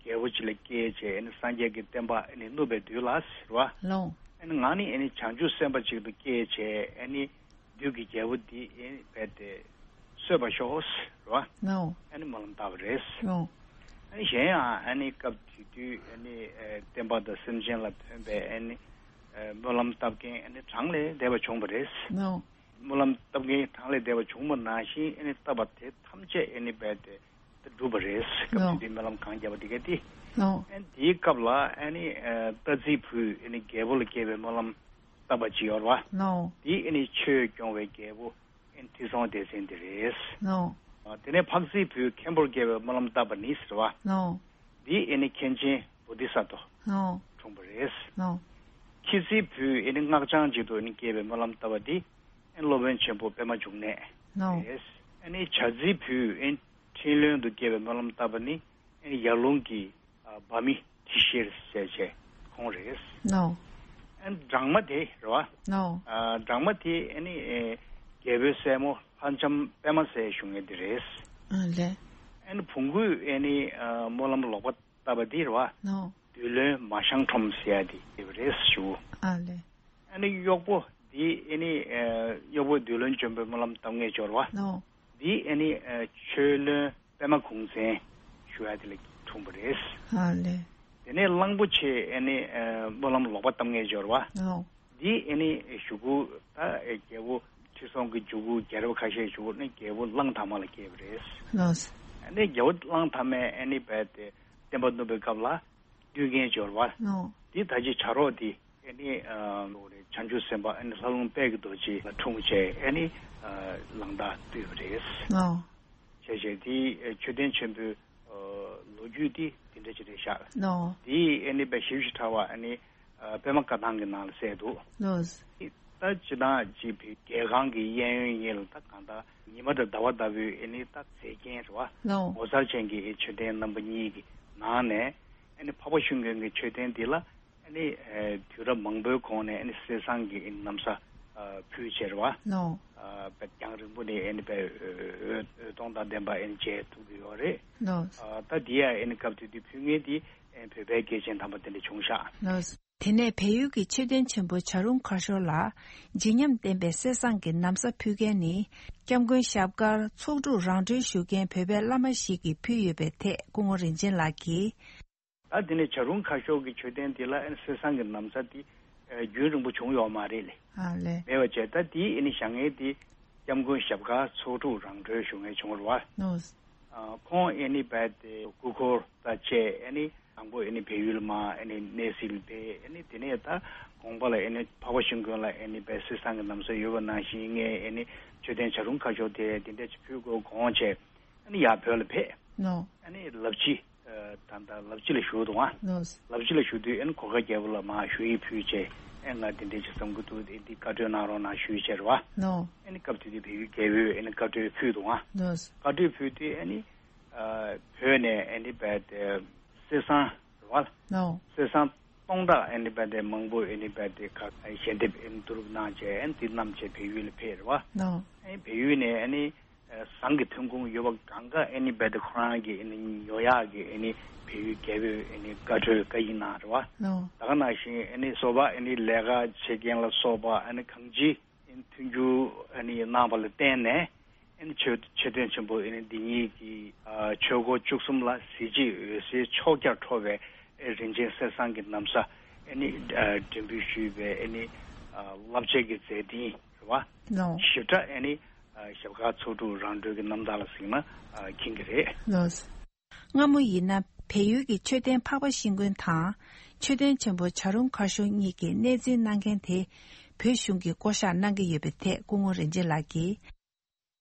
རྒྱལ་པོ་ཅིག་ལ་སྐྱེས་བྱས་ཨ་ནི་སངས་རྒྱས་ཀྱི་བསྟན་པ་ཨ་ནི་བསྣུབས་པའི་དུས་ལ་ཟེར་བ། ལའོ། ཨ་ནི་ང་ནི་ཨ་ནི་བྱང་ཆུབ་སེམས་དཔའ་ཅིག་ཏུ་སྐྱེས་བྱས་ཨ་ནི། བདུད་ཀྱི་རྒྱལ་པོ་འདི་ཨེ་རྦད་དེ་གསོད་པར་ཤོག་ཟེར་བ། ནའོ། ཨ་ནི་སྨོན་ལམ་བཏབ་པ་རེད། ནའོ། ཨ་ནི་གཞན་ཡང་ཨ་ནི་སྐབས་དེ་དུས་ཨ་ནི་ཨེ་བསྟན་པ་དང་སེམས་ཅན་ལ་ཕན་པའི་ཨ་ནི་ཨེ་སྨོན་ལམ་བཏབ་མཁན་ཨ་ནི་གྲངས་ལས་འདས་པ་བྱུང་བ་རེད། ནའོ། སྨོན་ལམ་བཏབ་མཁན་གྲངས་ལས་འདས་པ་བྱུང་བ་ནང་བཞིན་ཨ་ནི་བཏབ་པ་དེ་ཐམས་ཅད་ཨ་ནི་རྦད་དེ་འགྲུབ་པ་རེད། སྐབས་དེ་དུས་སྨོན་ལམ་གང་བརྒྱབ་པ་དེ་ག་དེ། ནའོ། ཨ་ནི་དེའི་སྐབས་ལ་ཨ་ནི་ཨེ་རྟ་རྫིའི་བུས་ཨ་ནི་རྒྱལ་པོ་ལ་སྐྱེས་པའི་སྨོན་ལམ་བཏབ་པ་ཅིག་ཡོད་རེད་བ། ནའོ། དེ་ཨ་ནི་ཆོས་སྐྱོང་བའི་རྒྱལ་པོ། ཨེ་ཁྲི་སྲོང་ལྡེ་བཙན་དེ་རེད། ནའོ། དེ་ནས་ཕག་རྫིའི་བུས་མཁན་པོར་སྐྱེ་བའི་སྨོན་ལམ་བཏབ་པ་ནི་ཟེར་བ། ནའོ། འདི་ཨེ་ནི་མཁན་ཆེན་བོ་དྷི་ས་ཏྭ། ནའོ། འཁྲུངས་པ་རེད། ནའོ། ཁྱི་རྫིའི་བུས་ཨེ་ནི་སྔགས་འཆང་ཅིག་ཏུ་ཨེ་ནི་སྐྱེ་བའི་སྨོན་ལམ་བཏབ་པ་འདི་ཨེ་ནི་སློབ་དཔོན་ཆེན་པོ་པདྨ་འབྱུང་གནས། ནོ། རེད། ཨ་ནི་བྱ་ཚིག་བུས་ཨེ་ནི་འཕྲིན་ལྷུན་དུ་བསྐྱེད་པའི་སྨོན་ལམ་བཏབ་པ་ནི་ཨེ་ནི་ཡར་ཀླུང་གི་ཨ་འབར་མི་དྲི་ཤེར་ཟེར་བྱས་ཁོང་རེད། ནོ། ཨ་ནི་སྦྲང་མ་དེ་རེད་བ། ནོ། ཨ་སྦྲང་མ་དེ་ཨ་ནི་ཨེ་རྒྱལ་པོའི་སྲས་མོ་ལྷ་ལྕམ་པད་མ་ཟེར་བཞུགས་མཁན་དེ་རེད། ཨ་ལས། ཨ་ནི་བོང་གུས་ཨ་ནི་ཨ་སྨོན་ལམ་ལོག་པ་བཏབ་པ་དེ་རེད་བ། ནོ། བདུད་བློན་མ་ཤང་ཁྲོམ་ཟེར་ཡ་དེ་ཡོད་པ་རེད་ཞུ། ཨ་ལས། ཨ་ནི་གཡོག་པོ་འདི་ཨ་ནི་ཨ་གཡོག་པོ་བདུད་བློན་འཇོམས་པའི་སྨོན་ལམ་བཏབ་མཁན་འབྱོར་བ། ནོ། འདི་ཨ་ནི་ཨ་ཆོས་བློན་པད་མ་གུང་བཙན་ཞུ་ཡ་དེ་ལ་འཁྲུངས་པ་རེད། ཨ་ལས། དེ་ནས་གླང་པོ་ཆེ་ཨ་ནི་ཨ་སྨོན་ལམ་ལོག་པ་བཏབ་མཁན་འབྱོར་བ། ནོ། འདི་ཨ་ནི་གཞུག་གུ་ད་རྒྱལ་པོ་ཁྲི་སྲོང་གི་མཇུག་གུ་རྒྱལ་རབས་ཁ་ཤས་གཞུག་གུ་ནི་རྒྱལ་པོ་གླང་དར་མ་ལ་སྐྱེས་པ་རེད། ལགས། ཨ་ནི་རྒྱལ་པོ་གླང་དར་མས་ཨ་ནི་རྦད་དེ་བསྟན་པ་བསྣུབས་པའི་སྐབས་ལ་བཏུལ་མཁན་འབྱོར་བ། ནོ། འདི་ད་ཅི་བྱ་རོག་འདི་ཨ་ནི་ཨ་བྱང་ཆུབ་སེམས་དཔའ་ཨ་ནི་ལྷ་ལུང་དཔལ་གྱི་རྡོ་རྗེ་ལ་འཁྲུངས་བྱས་ཨ་ནི་ཨ་གླང་དར་བཏུལ་བ་རེད། ནོ། བྱས་བྱས་དེ་མཆོད་རྟེན་ཆེན་པོའི་ལོ་རྒྱུས་དེ་དེ་འདྲ་ཅིག་རེད་ཤག་ནོ། དེ་ཨ་ནི་དཔེ་ཞིབ་ཞིབ་ཕྲ་བ་ཨ་ནི་པད་མ་བཀའ་ཐང་གི་ནང་ལ་གསལ་འདུག་ནོ། ད་སྤྱིར་བཏང་ཅིག་བོད་རྒྱལ་ཁང་གི་གཡས་གཡོན་གཉིས་ལ་ད་གང་ལྟར་ཉི་མ་དང་ཟླ་བ་ལྟ་བུའི་ཨ་ནི་ད་མཛེས་རྒྱན་རེད་བ། ནོ། ངོ་མཚར་ཅན་གྱི་མཆོད་རྟེན་རྣམ་པ་གཉིས་ཀྱི་ནང་ནས་ཨ་ནི་འཕགས་པ་ཤིང་ཀུན་གྱི་མཆོད་རྟེན་འདི་ལ། ཨ་ནི་ཨ་དུས་རབས་མང་པོའི་གོང་ནས་ཨ་ནི་གསེར་ཟངས་ཀྱི་ཨ་ནི་ན་བཟའ་ཨ་ཕུལ་བྱས་རེད་བ། ནོ། ཨ་དཔེ་རྒྱང་རིང་པོ་ནས་ཨ་ནི་དཔེ་འོད་འོད་སྟོང་དང་ལྡན་པ་ཨ་ནི་མཇལ་ཐུབ་ཀྱི་ཡོད་རེད། ནོ། ཨ་ད་འདི་ཡང་ཨ་ནི་སྐབས་དེ་དུས་ཕུལ་མཁན་དེ་ཨ་ནི་བོད་པའི་སྐྱེས་ཆེན་དམ་པ་དེ་འདྲ་བྱུང་ཤག་ནོ། དེ་ནས་བལ་ཡུལ་གྱི་མཆོད་རྟེན་ཆེན་པོ་བྱ་རུང་ཁ་ཤོར་ལ་བརྗིད་ཉམས་ལྡན་པའི་གསེར་ཟངས་ཀྱི་ན་བཟའ་ཕུལ་མཁན་ནི་སྐྱབས་མགོན་ཞབས་དཀར་ཚོགས་དྲུག་རང་གྲོལ་ཞུ་མཁན་བོད་པའི་བླ་མ་ཞིག་གིས་ཕུལ་ཡོད་པའི་ཐད་སྐུ་ངོ་རིན་ཆེན་ལགས་ཀྱིས། ད་དེ་ནས་བྱ་རུང་ཁ་ཤོར་གྱི་མཆོད་རྟེན་དེ་ལ་ཨ་ནི་གསེར་ཟངས་ཀྱི་ན་བཟའ་དེ་ཨ་རྒྱུན་རིང་པོ་བྱུང་ཡོད་མ་རེད་ལེ། ཨ་ལས། མེད་པ་བྱས་ད་དེ་ཨ་ནི་བཞག་མཁན་དེ་སྐྱབས་མགོན་ཞབས་དཀར་ཚོགས་དྲུག་རང་གྲོལ་ཞུ་མཁན་བྱུང་བ་རེད་བ། ནོ། ཨ་ཁོང་ཨ་ནི་རྦད་དེ་སྐུ་འཁོར་དང་བཅས་ཨ་ནི་དང་པོ་ཨ་ནི་བལ་ཡུལ་མར་ཨ་ནི་གནས་གཟིགས་ལ་ཕེབས། ཨ་ནི་དེ་ནས་ད་དགོངས་པ་ལ་ཨ་ནི་འཕགས་པ་ཤིང་ཀུན་ལ་ཨ་ནི་རྦད་གསེར་ཟངས་ཀྱི་ན་བཟའ་ཡོད་པ་ནང་བཞིན་ངས་ཨ་ནི་མཆོད་རྟེན་བྱ་རུང་ཁ་ཤོར་དེ་དེ་འདྲ་ཅིག་ཕུལ་དགོས་དགོངས་བྱས། ཨ་ནི་ཡར་བོད་ལ་ཕེབས། ནོ། ཨ་ནི་ལབ་ཕྱི་ཨ་ད་ལྟ་ལབ་ཕྱི་ལ་བཞུགས་འདུག་ཨ། ནོ། ལབ་ཕྱི་ལ་བཞུགས་དུས་ཨ་ནི་གོ་དཀར་རྒྱལ་པོ་ལ་མར་ཞུ་ཡིག་ཕུལ་བྱས་ཨ་ང་འདི་འདྲ་ཅིག་བསམ་གྱི་འདུག་འདི་བཀའ་འཁྲོལ་གནང་རོགས་གནང་ཞུས་བྱས་རེད་བ། ནོ། ཨ་ནི་སྐབས་དེ་དུས་བལ་ཡུལ་རྒྱལ་པོས་ཨ་ནི་བཀའ་འཁྲོལ་ཕུལ་འདུག་ཨ། ནོ། བཀའ་འཁྲོལ་ཕུལ་དུས་ཨ་ནི་ཨ་བོད་ནས་ཨ་ནི་རྦད་དེ་གསེར་ཟངས་རེད་བ། ནོ། གསེར་ཟངས་སྟོང་ཕྲག་ཨ་ནི་རྦད་དེ་མང་པོ་ཨ་ནི་རྦད་དེ་ག་ཞལ་འདེབས་ཨ་ནི་བསྡུ་རུབ་གནང་བྱས་ཨ་ནི་འདི་བསྣམས་བྱས་བལ་ཡུལ་ལ་ཕེབས་རེད་བ། ནོ། ཨ་ནི་བལ་ཡུལ་ནས་ཨ་ནི། ཨ་ཟངས་ཀྱི་ཐོན་ཁུངས་ཡོད་པ་གང་ག་ཨ་ནི་རྦད་དེ་ཁོ་རང་གིས་ཨ་ནི་ཉོ་ཡག་གི་ཨ་ནི་བལ་ཡུལ་རྒྱལ་པོས་ཨ་ནི་བཀའ་འཁྲོལ་བཀའ་ཡིག་གནང་རེད་བ། ལོ། ད་ག་ནང་བཞིན་ཨ་ནི་སོ་པ་ཨ་ནི་ལས་ཀ་བྱེད་མཁན་ལ་སོགས་པ་ཨ་ནི་གང་ཅི་ཨ་ནི་མཐུན་འགྱུར་ཨ་ནི་གནང་བ་ལ་བརྟེན་ནས་ཨ་ནི་མཆོད་མཆོད་རྟེན་ཆེན་པོ་ཨ་ནི་འདི་ཉིད་ཀྱི་ཨ་ཆོས་འཁོར་བཅུ་གསུམ་ལ་གཟི་བརྗིད་འོད་ཟེར་ཕྱོགས་བརྒྱར་འཕྲོ་བའི་ཨ་རིན་ཆེན་གསེར་ཟངས་ཀྱི་ན་བཟའ་ཨ་ནི་ཨ་འགྲེམས་སྤེལ་ཞུས་པའི་ཨ་ནི་ཨ་རླབས་ཆེན་གྱི་མཛད་འཕྲིན་རེད་བ། ལོ། ཞིབ་ཕྲ་ཨ་ནི། ཞབས་དཀར་ཚོགས་དྲུག་རང་གྲོལ་གྱི་རྣམ་ཐར་ལ་གཟིགས་ན་མཁྱེན་གྱི་རེད། ལགས། སྔ་མོ་ཡིན་ན་བལ་ཡུལ་གྱི་མཆོད་རྟེན་འཕགས་པ་ཤིང་ཀུན་དང་། མཆོད་རྟེན་ཆེན་པོ་བྱ་རུང་ཁ་ཤོར་གཉིས་ཀྱི་གནས་འཛིན་གནང་མཁན་དེ་བོད་གཞུང་གིས་བསྐོ་གཞག་གནང་གི་ཡོད་པའི་ཐད་སྐུ་ངོ་རིན་ཆེན་ལགས་ཀྱིས།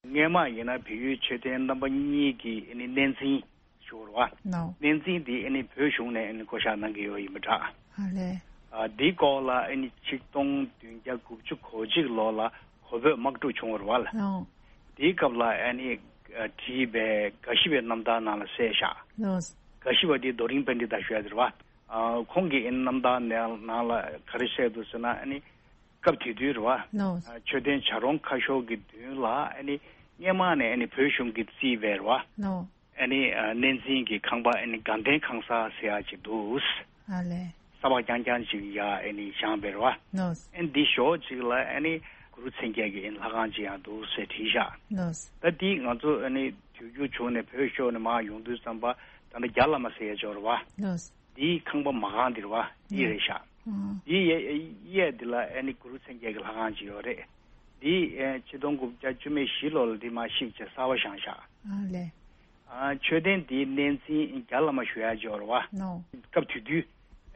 སྔས་མ་ཡིན་ན་བལ་ཡུལ་མཆོད་རྟེན་རྣམ་པ་གཉིས་ཀྱི་གནས་འཛིན་ཞུ་བ་རེད་བ། ནོ། གནས་འཛིན་དེ་ཨ་ནི་བོད་གཞུང་ནས་ཨ་ནི་བསྐོ་གཞག་གནང་གི་ཡོད་ཡིན་པ་འདྲ། ཨ་ལས། ཨ་འདིའི་སྐོར་ལ་ཨ་ནི་ཆིག་སྟོང་བདུན་བརྒྱ་དགུ་བཅུ་གོ་གཅིག་ལོ་ལ་གོ་བོད་དམག་འཁྲུག་བྱུང་བ་རེད་བ། ཨོ། དེའི་སྐབས་ལ་ཨ་ནི་ཨ་བྲིས་པའི་དགའ་ཞི་བའི་རྣམ་ཐར་ནང་ལ་གསལ་བཞག་ལོ། དགའ་ཞི་བ་འདི་རྡོ་རིང་པཎྜི་ཏ་ཞུ་ཡ་དེ་རེད་བ། ཨ་ཁོང་གི་ཨ་ནི་རྣམ་ཐར་ནང་ལ་ག་རེ་བཤད་འདུག་ཟེར་ན་ཨ་ནི་སྐབས་དེ་དུས་རེད་བ། ལོ། ཨ་མཆོད་རྟེན་བྱ་རུང་ཁ་ཤོར་གྱི་མདུན་ལ་ཨ་ནི་སྔས་མ་ནས་ཨ་ནི་བོད་གཞུང་གིས་བརྩིས་པའི་རེད་བ། ལོ། ཨ་ནི་ཨ་གནས་འཛིན་གྱི་ཁང་པ་ཨ་ནི་དགའ་ལྡན་ཁང་གསར་ཟེར་ཡག་ཅིག་འདུག་ཨ་ལས། ས་ཕག་རྐྱང་རྐྱང་ཅིག་ཡ་ཨ་ནི་བཞེངས་པའི་རེད་བ། ལོ། ཨ་ནི་འདི་ཞོགས་ཅིག་ལ་ཨ་ནི་གུ་རུ་མཚན་བརྒྱད་ཀྱི་ཨ་ནི་ལྷ་ཁང་ཅིག་ཡང་འདུག་ཟེར་བྲིས་བཞག་ལོ། ད་འདི་ང་ཚོ་ཨ་ནི་དུས་འགྱུར་བྱུང་ནས་བོད་ཤོར་ནས་མར་ཡོང་དུས་ཙམ་པ་ད་ལྟ་རྒྱ་བླ་མ་ཟེར་ཡ་ཅིག་ཡོད་རེད་བ། ལོ། འདིའི་ཁང་པ་མ་གང་འདི་རེད་བ། འདི་རེད་ཤག་ཨང་། འདིའི་གཡས་གཡས་འདི་ལ་ཨ་ནི་གུ་རུ་མཚན་བརྒྱད་ཀྱི་ལྷ་ཁང་ཅིག་ཡོད་རེད། འདི་ཨ་ཆིག་སྟོང་དགུ་བརྒྱ་བཅུ་མེད་བཞི་ལོ་ལ་འདི་མར་བཤིག་བྱས་གསར་པ་བཞེངས་ཤག་ཨ་ལས། ཨ་མཆོད་རྟེན་འདིའི་གནས་འཛིན་རྒྱ་བླ་མ་ཞུ་ཡ་ཅིག་ཡོད་རེད་བ། ནོ། སྐབས་དེ་དུས་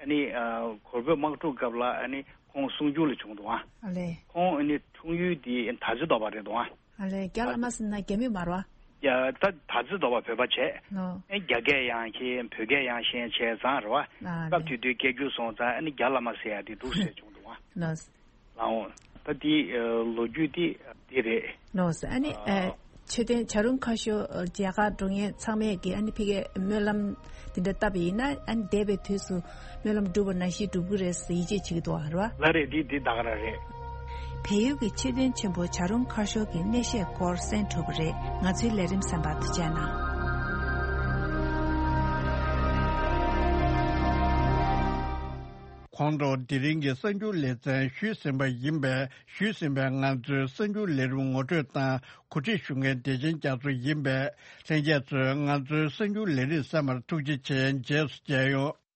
ཨ་ནི་ཨ་གོ་བོད་དམག་འཁྲུག་སྐབས་ལ་ཨ་ནི་ཁོང་གསུང་སྒྱུར་ལ་བྱུང་འདུག་ཨ། ཨ་ལས། ཁོང་ཨ་ནི་འཁྲུངས་ཡུལ་འདི་དར་རྩེ་རྡོ་པ་རེད་འདུག་ཨ། ཨ་ལས། རྒྱ་བླ་མ་ཟེར་ན་རྒྱ་མི་མ་རེད་བ། ཡ་ད་དར་རྩེ་རྡོ་པ་བོད་པ་བྱས། ལོ། ཨེ་རྒྱ་སྐད་ཡང་ཤེས་བོད་སྐད་ཡང་ཤེས་བྱས་ཙང་རེད་བ། ཨ་སྐབས་ལས། དེ་དུས་སྐད་སྒྱུར་སོང་ཙང་ཨ་ནི་རྒྱ་བླ་མ་ཟེར་ཡ་དེ་འདུག་ཟེར་བྱུང་འདུག་བ། ལོ། ལའོ། ཨ་དེ་ལོ་རྒྱུས་དེ་དེ་རེད། ལགས་སོ། ཨ་ནི་ཨ། ཆོས་དོན་བྱ་རུང་ཁ་ཤོར་རྒྱ་གར་འགྲོ་མཁན་ཚང་མས་ཀྱི་ཨ་ནི་ཕ་གིའི་སྨོན་ལམ་དེ་འདྲ་བཏབ་པ་ཡིན་ན། ཨ་ནི་འདས་པའི་དུས་སུ་སྨོན་ལམ་འགྲུབ་པ་ནང་བཞིན་འགྲུབ་ཀྱི་རེད་ཟེར་ཡིད་ཆེས་བྱེད་ཀྱི་འདུག་ཨ། རེད་བ། ལགས་རེད། དེ་དེ་ད་ག་རང་རེད། བལ་ཡུལ་གྱི་ཆོས་དོན་ཆེན་པོ་བྱ་རུང་ཁ་ཤོར་གྱི་གནས་བཤད་སྐོར་གསན་གྲུབ་པ་རེད། ང་ཚོའི་ལས་རིམ་གསན་པར་ཐུགས་རྗེ་གནང་། ཁོང་ཚོ་དེ་རིང་གི་གསར་འགྱུར་ལེ་ཚན་ཞུས་ཟིན་པ་ཡིན་པས། ཞུས་ཟིན་པའི་ང་ཚོའི་གསར་འགྱུར་ལས་རིམ་ངོ་སྤྲོད་དང་གོ་སྒྲིག་ཞུ་མཁན་བདེ་ཆེན་རྒྱ་མཚོ་ཡིན་པས། ལྷན་རྒྱས་ཚོས་ང་ཚོའི་གསར་འགྱུར་ལས་རིམ་གསན་པར་ཐུགས་རྗེ་ཆེ། རྗེས་སུ་མཇལ་ཡོང་།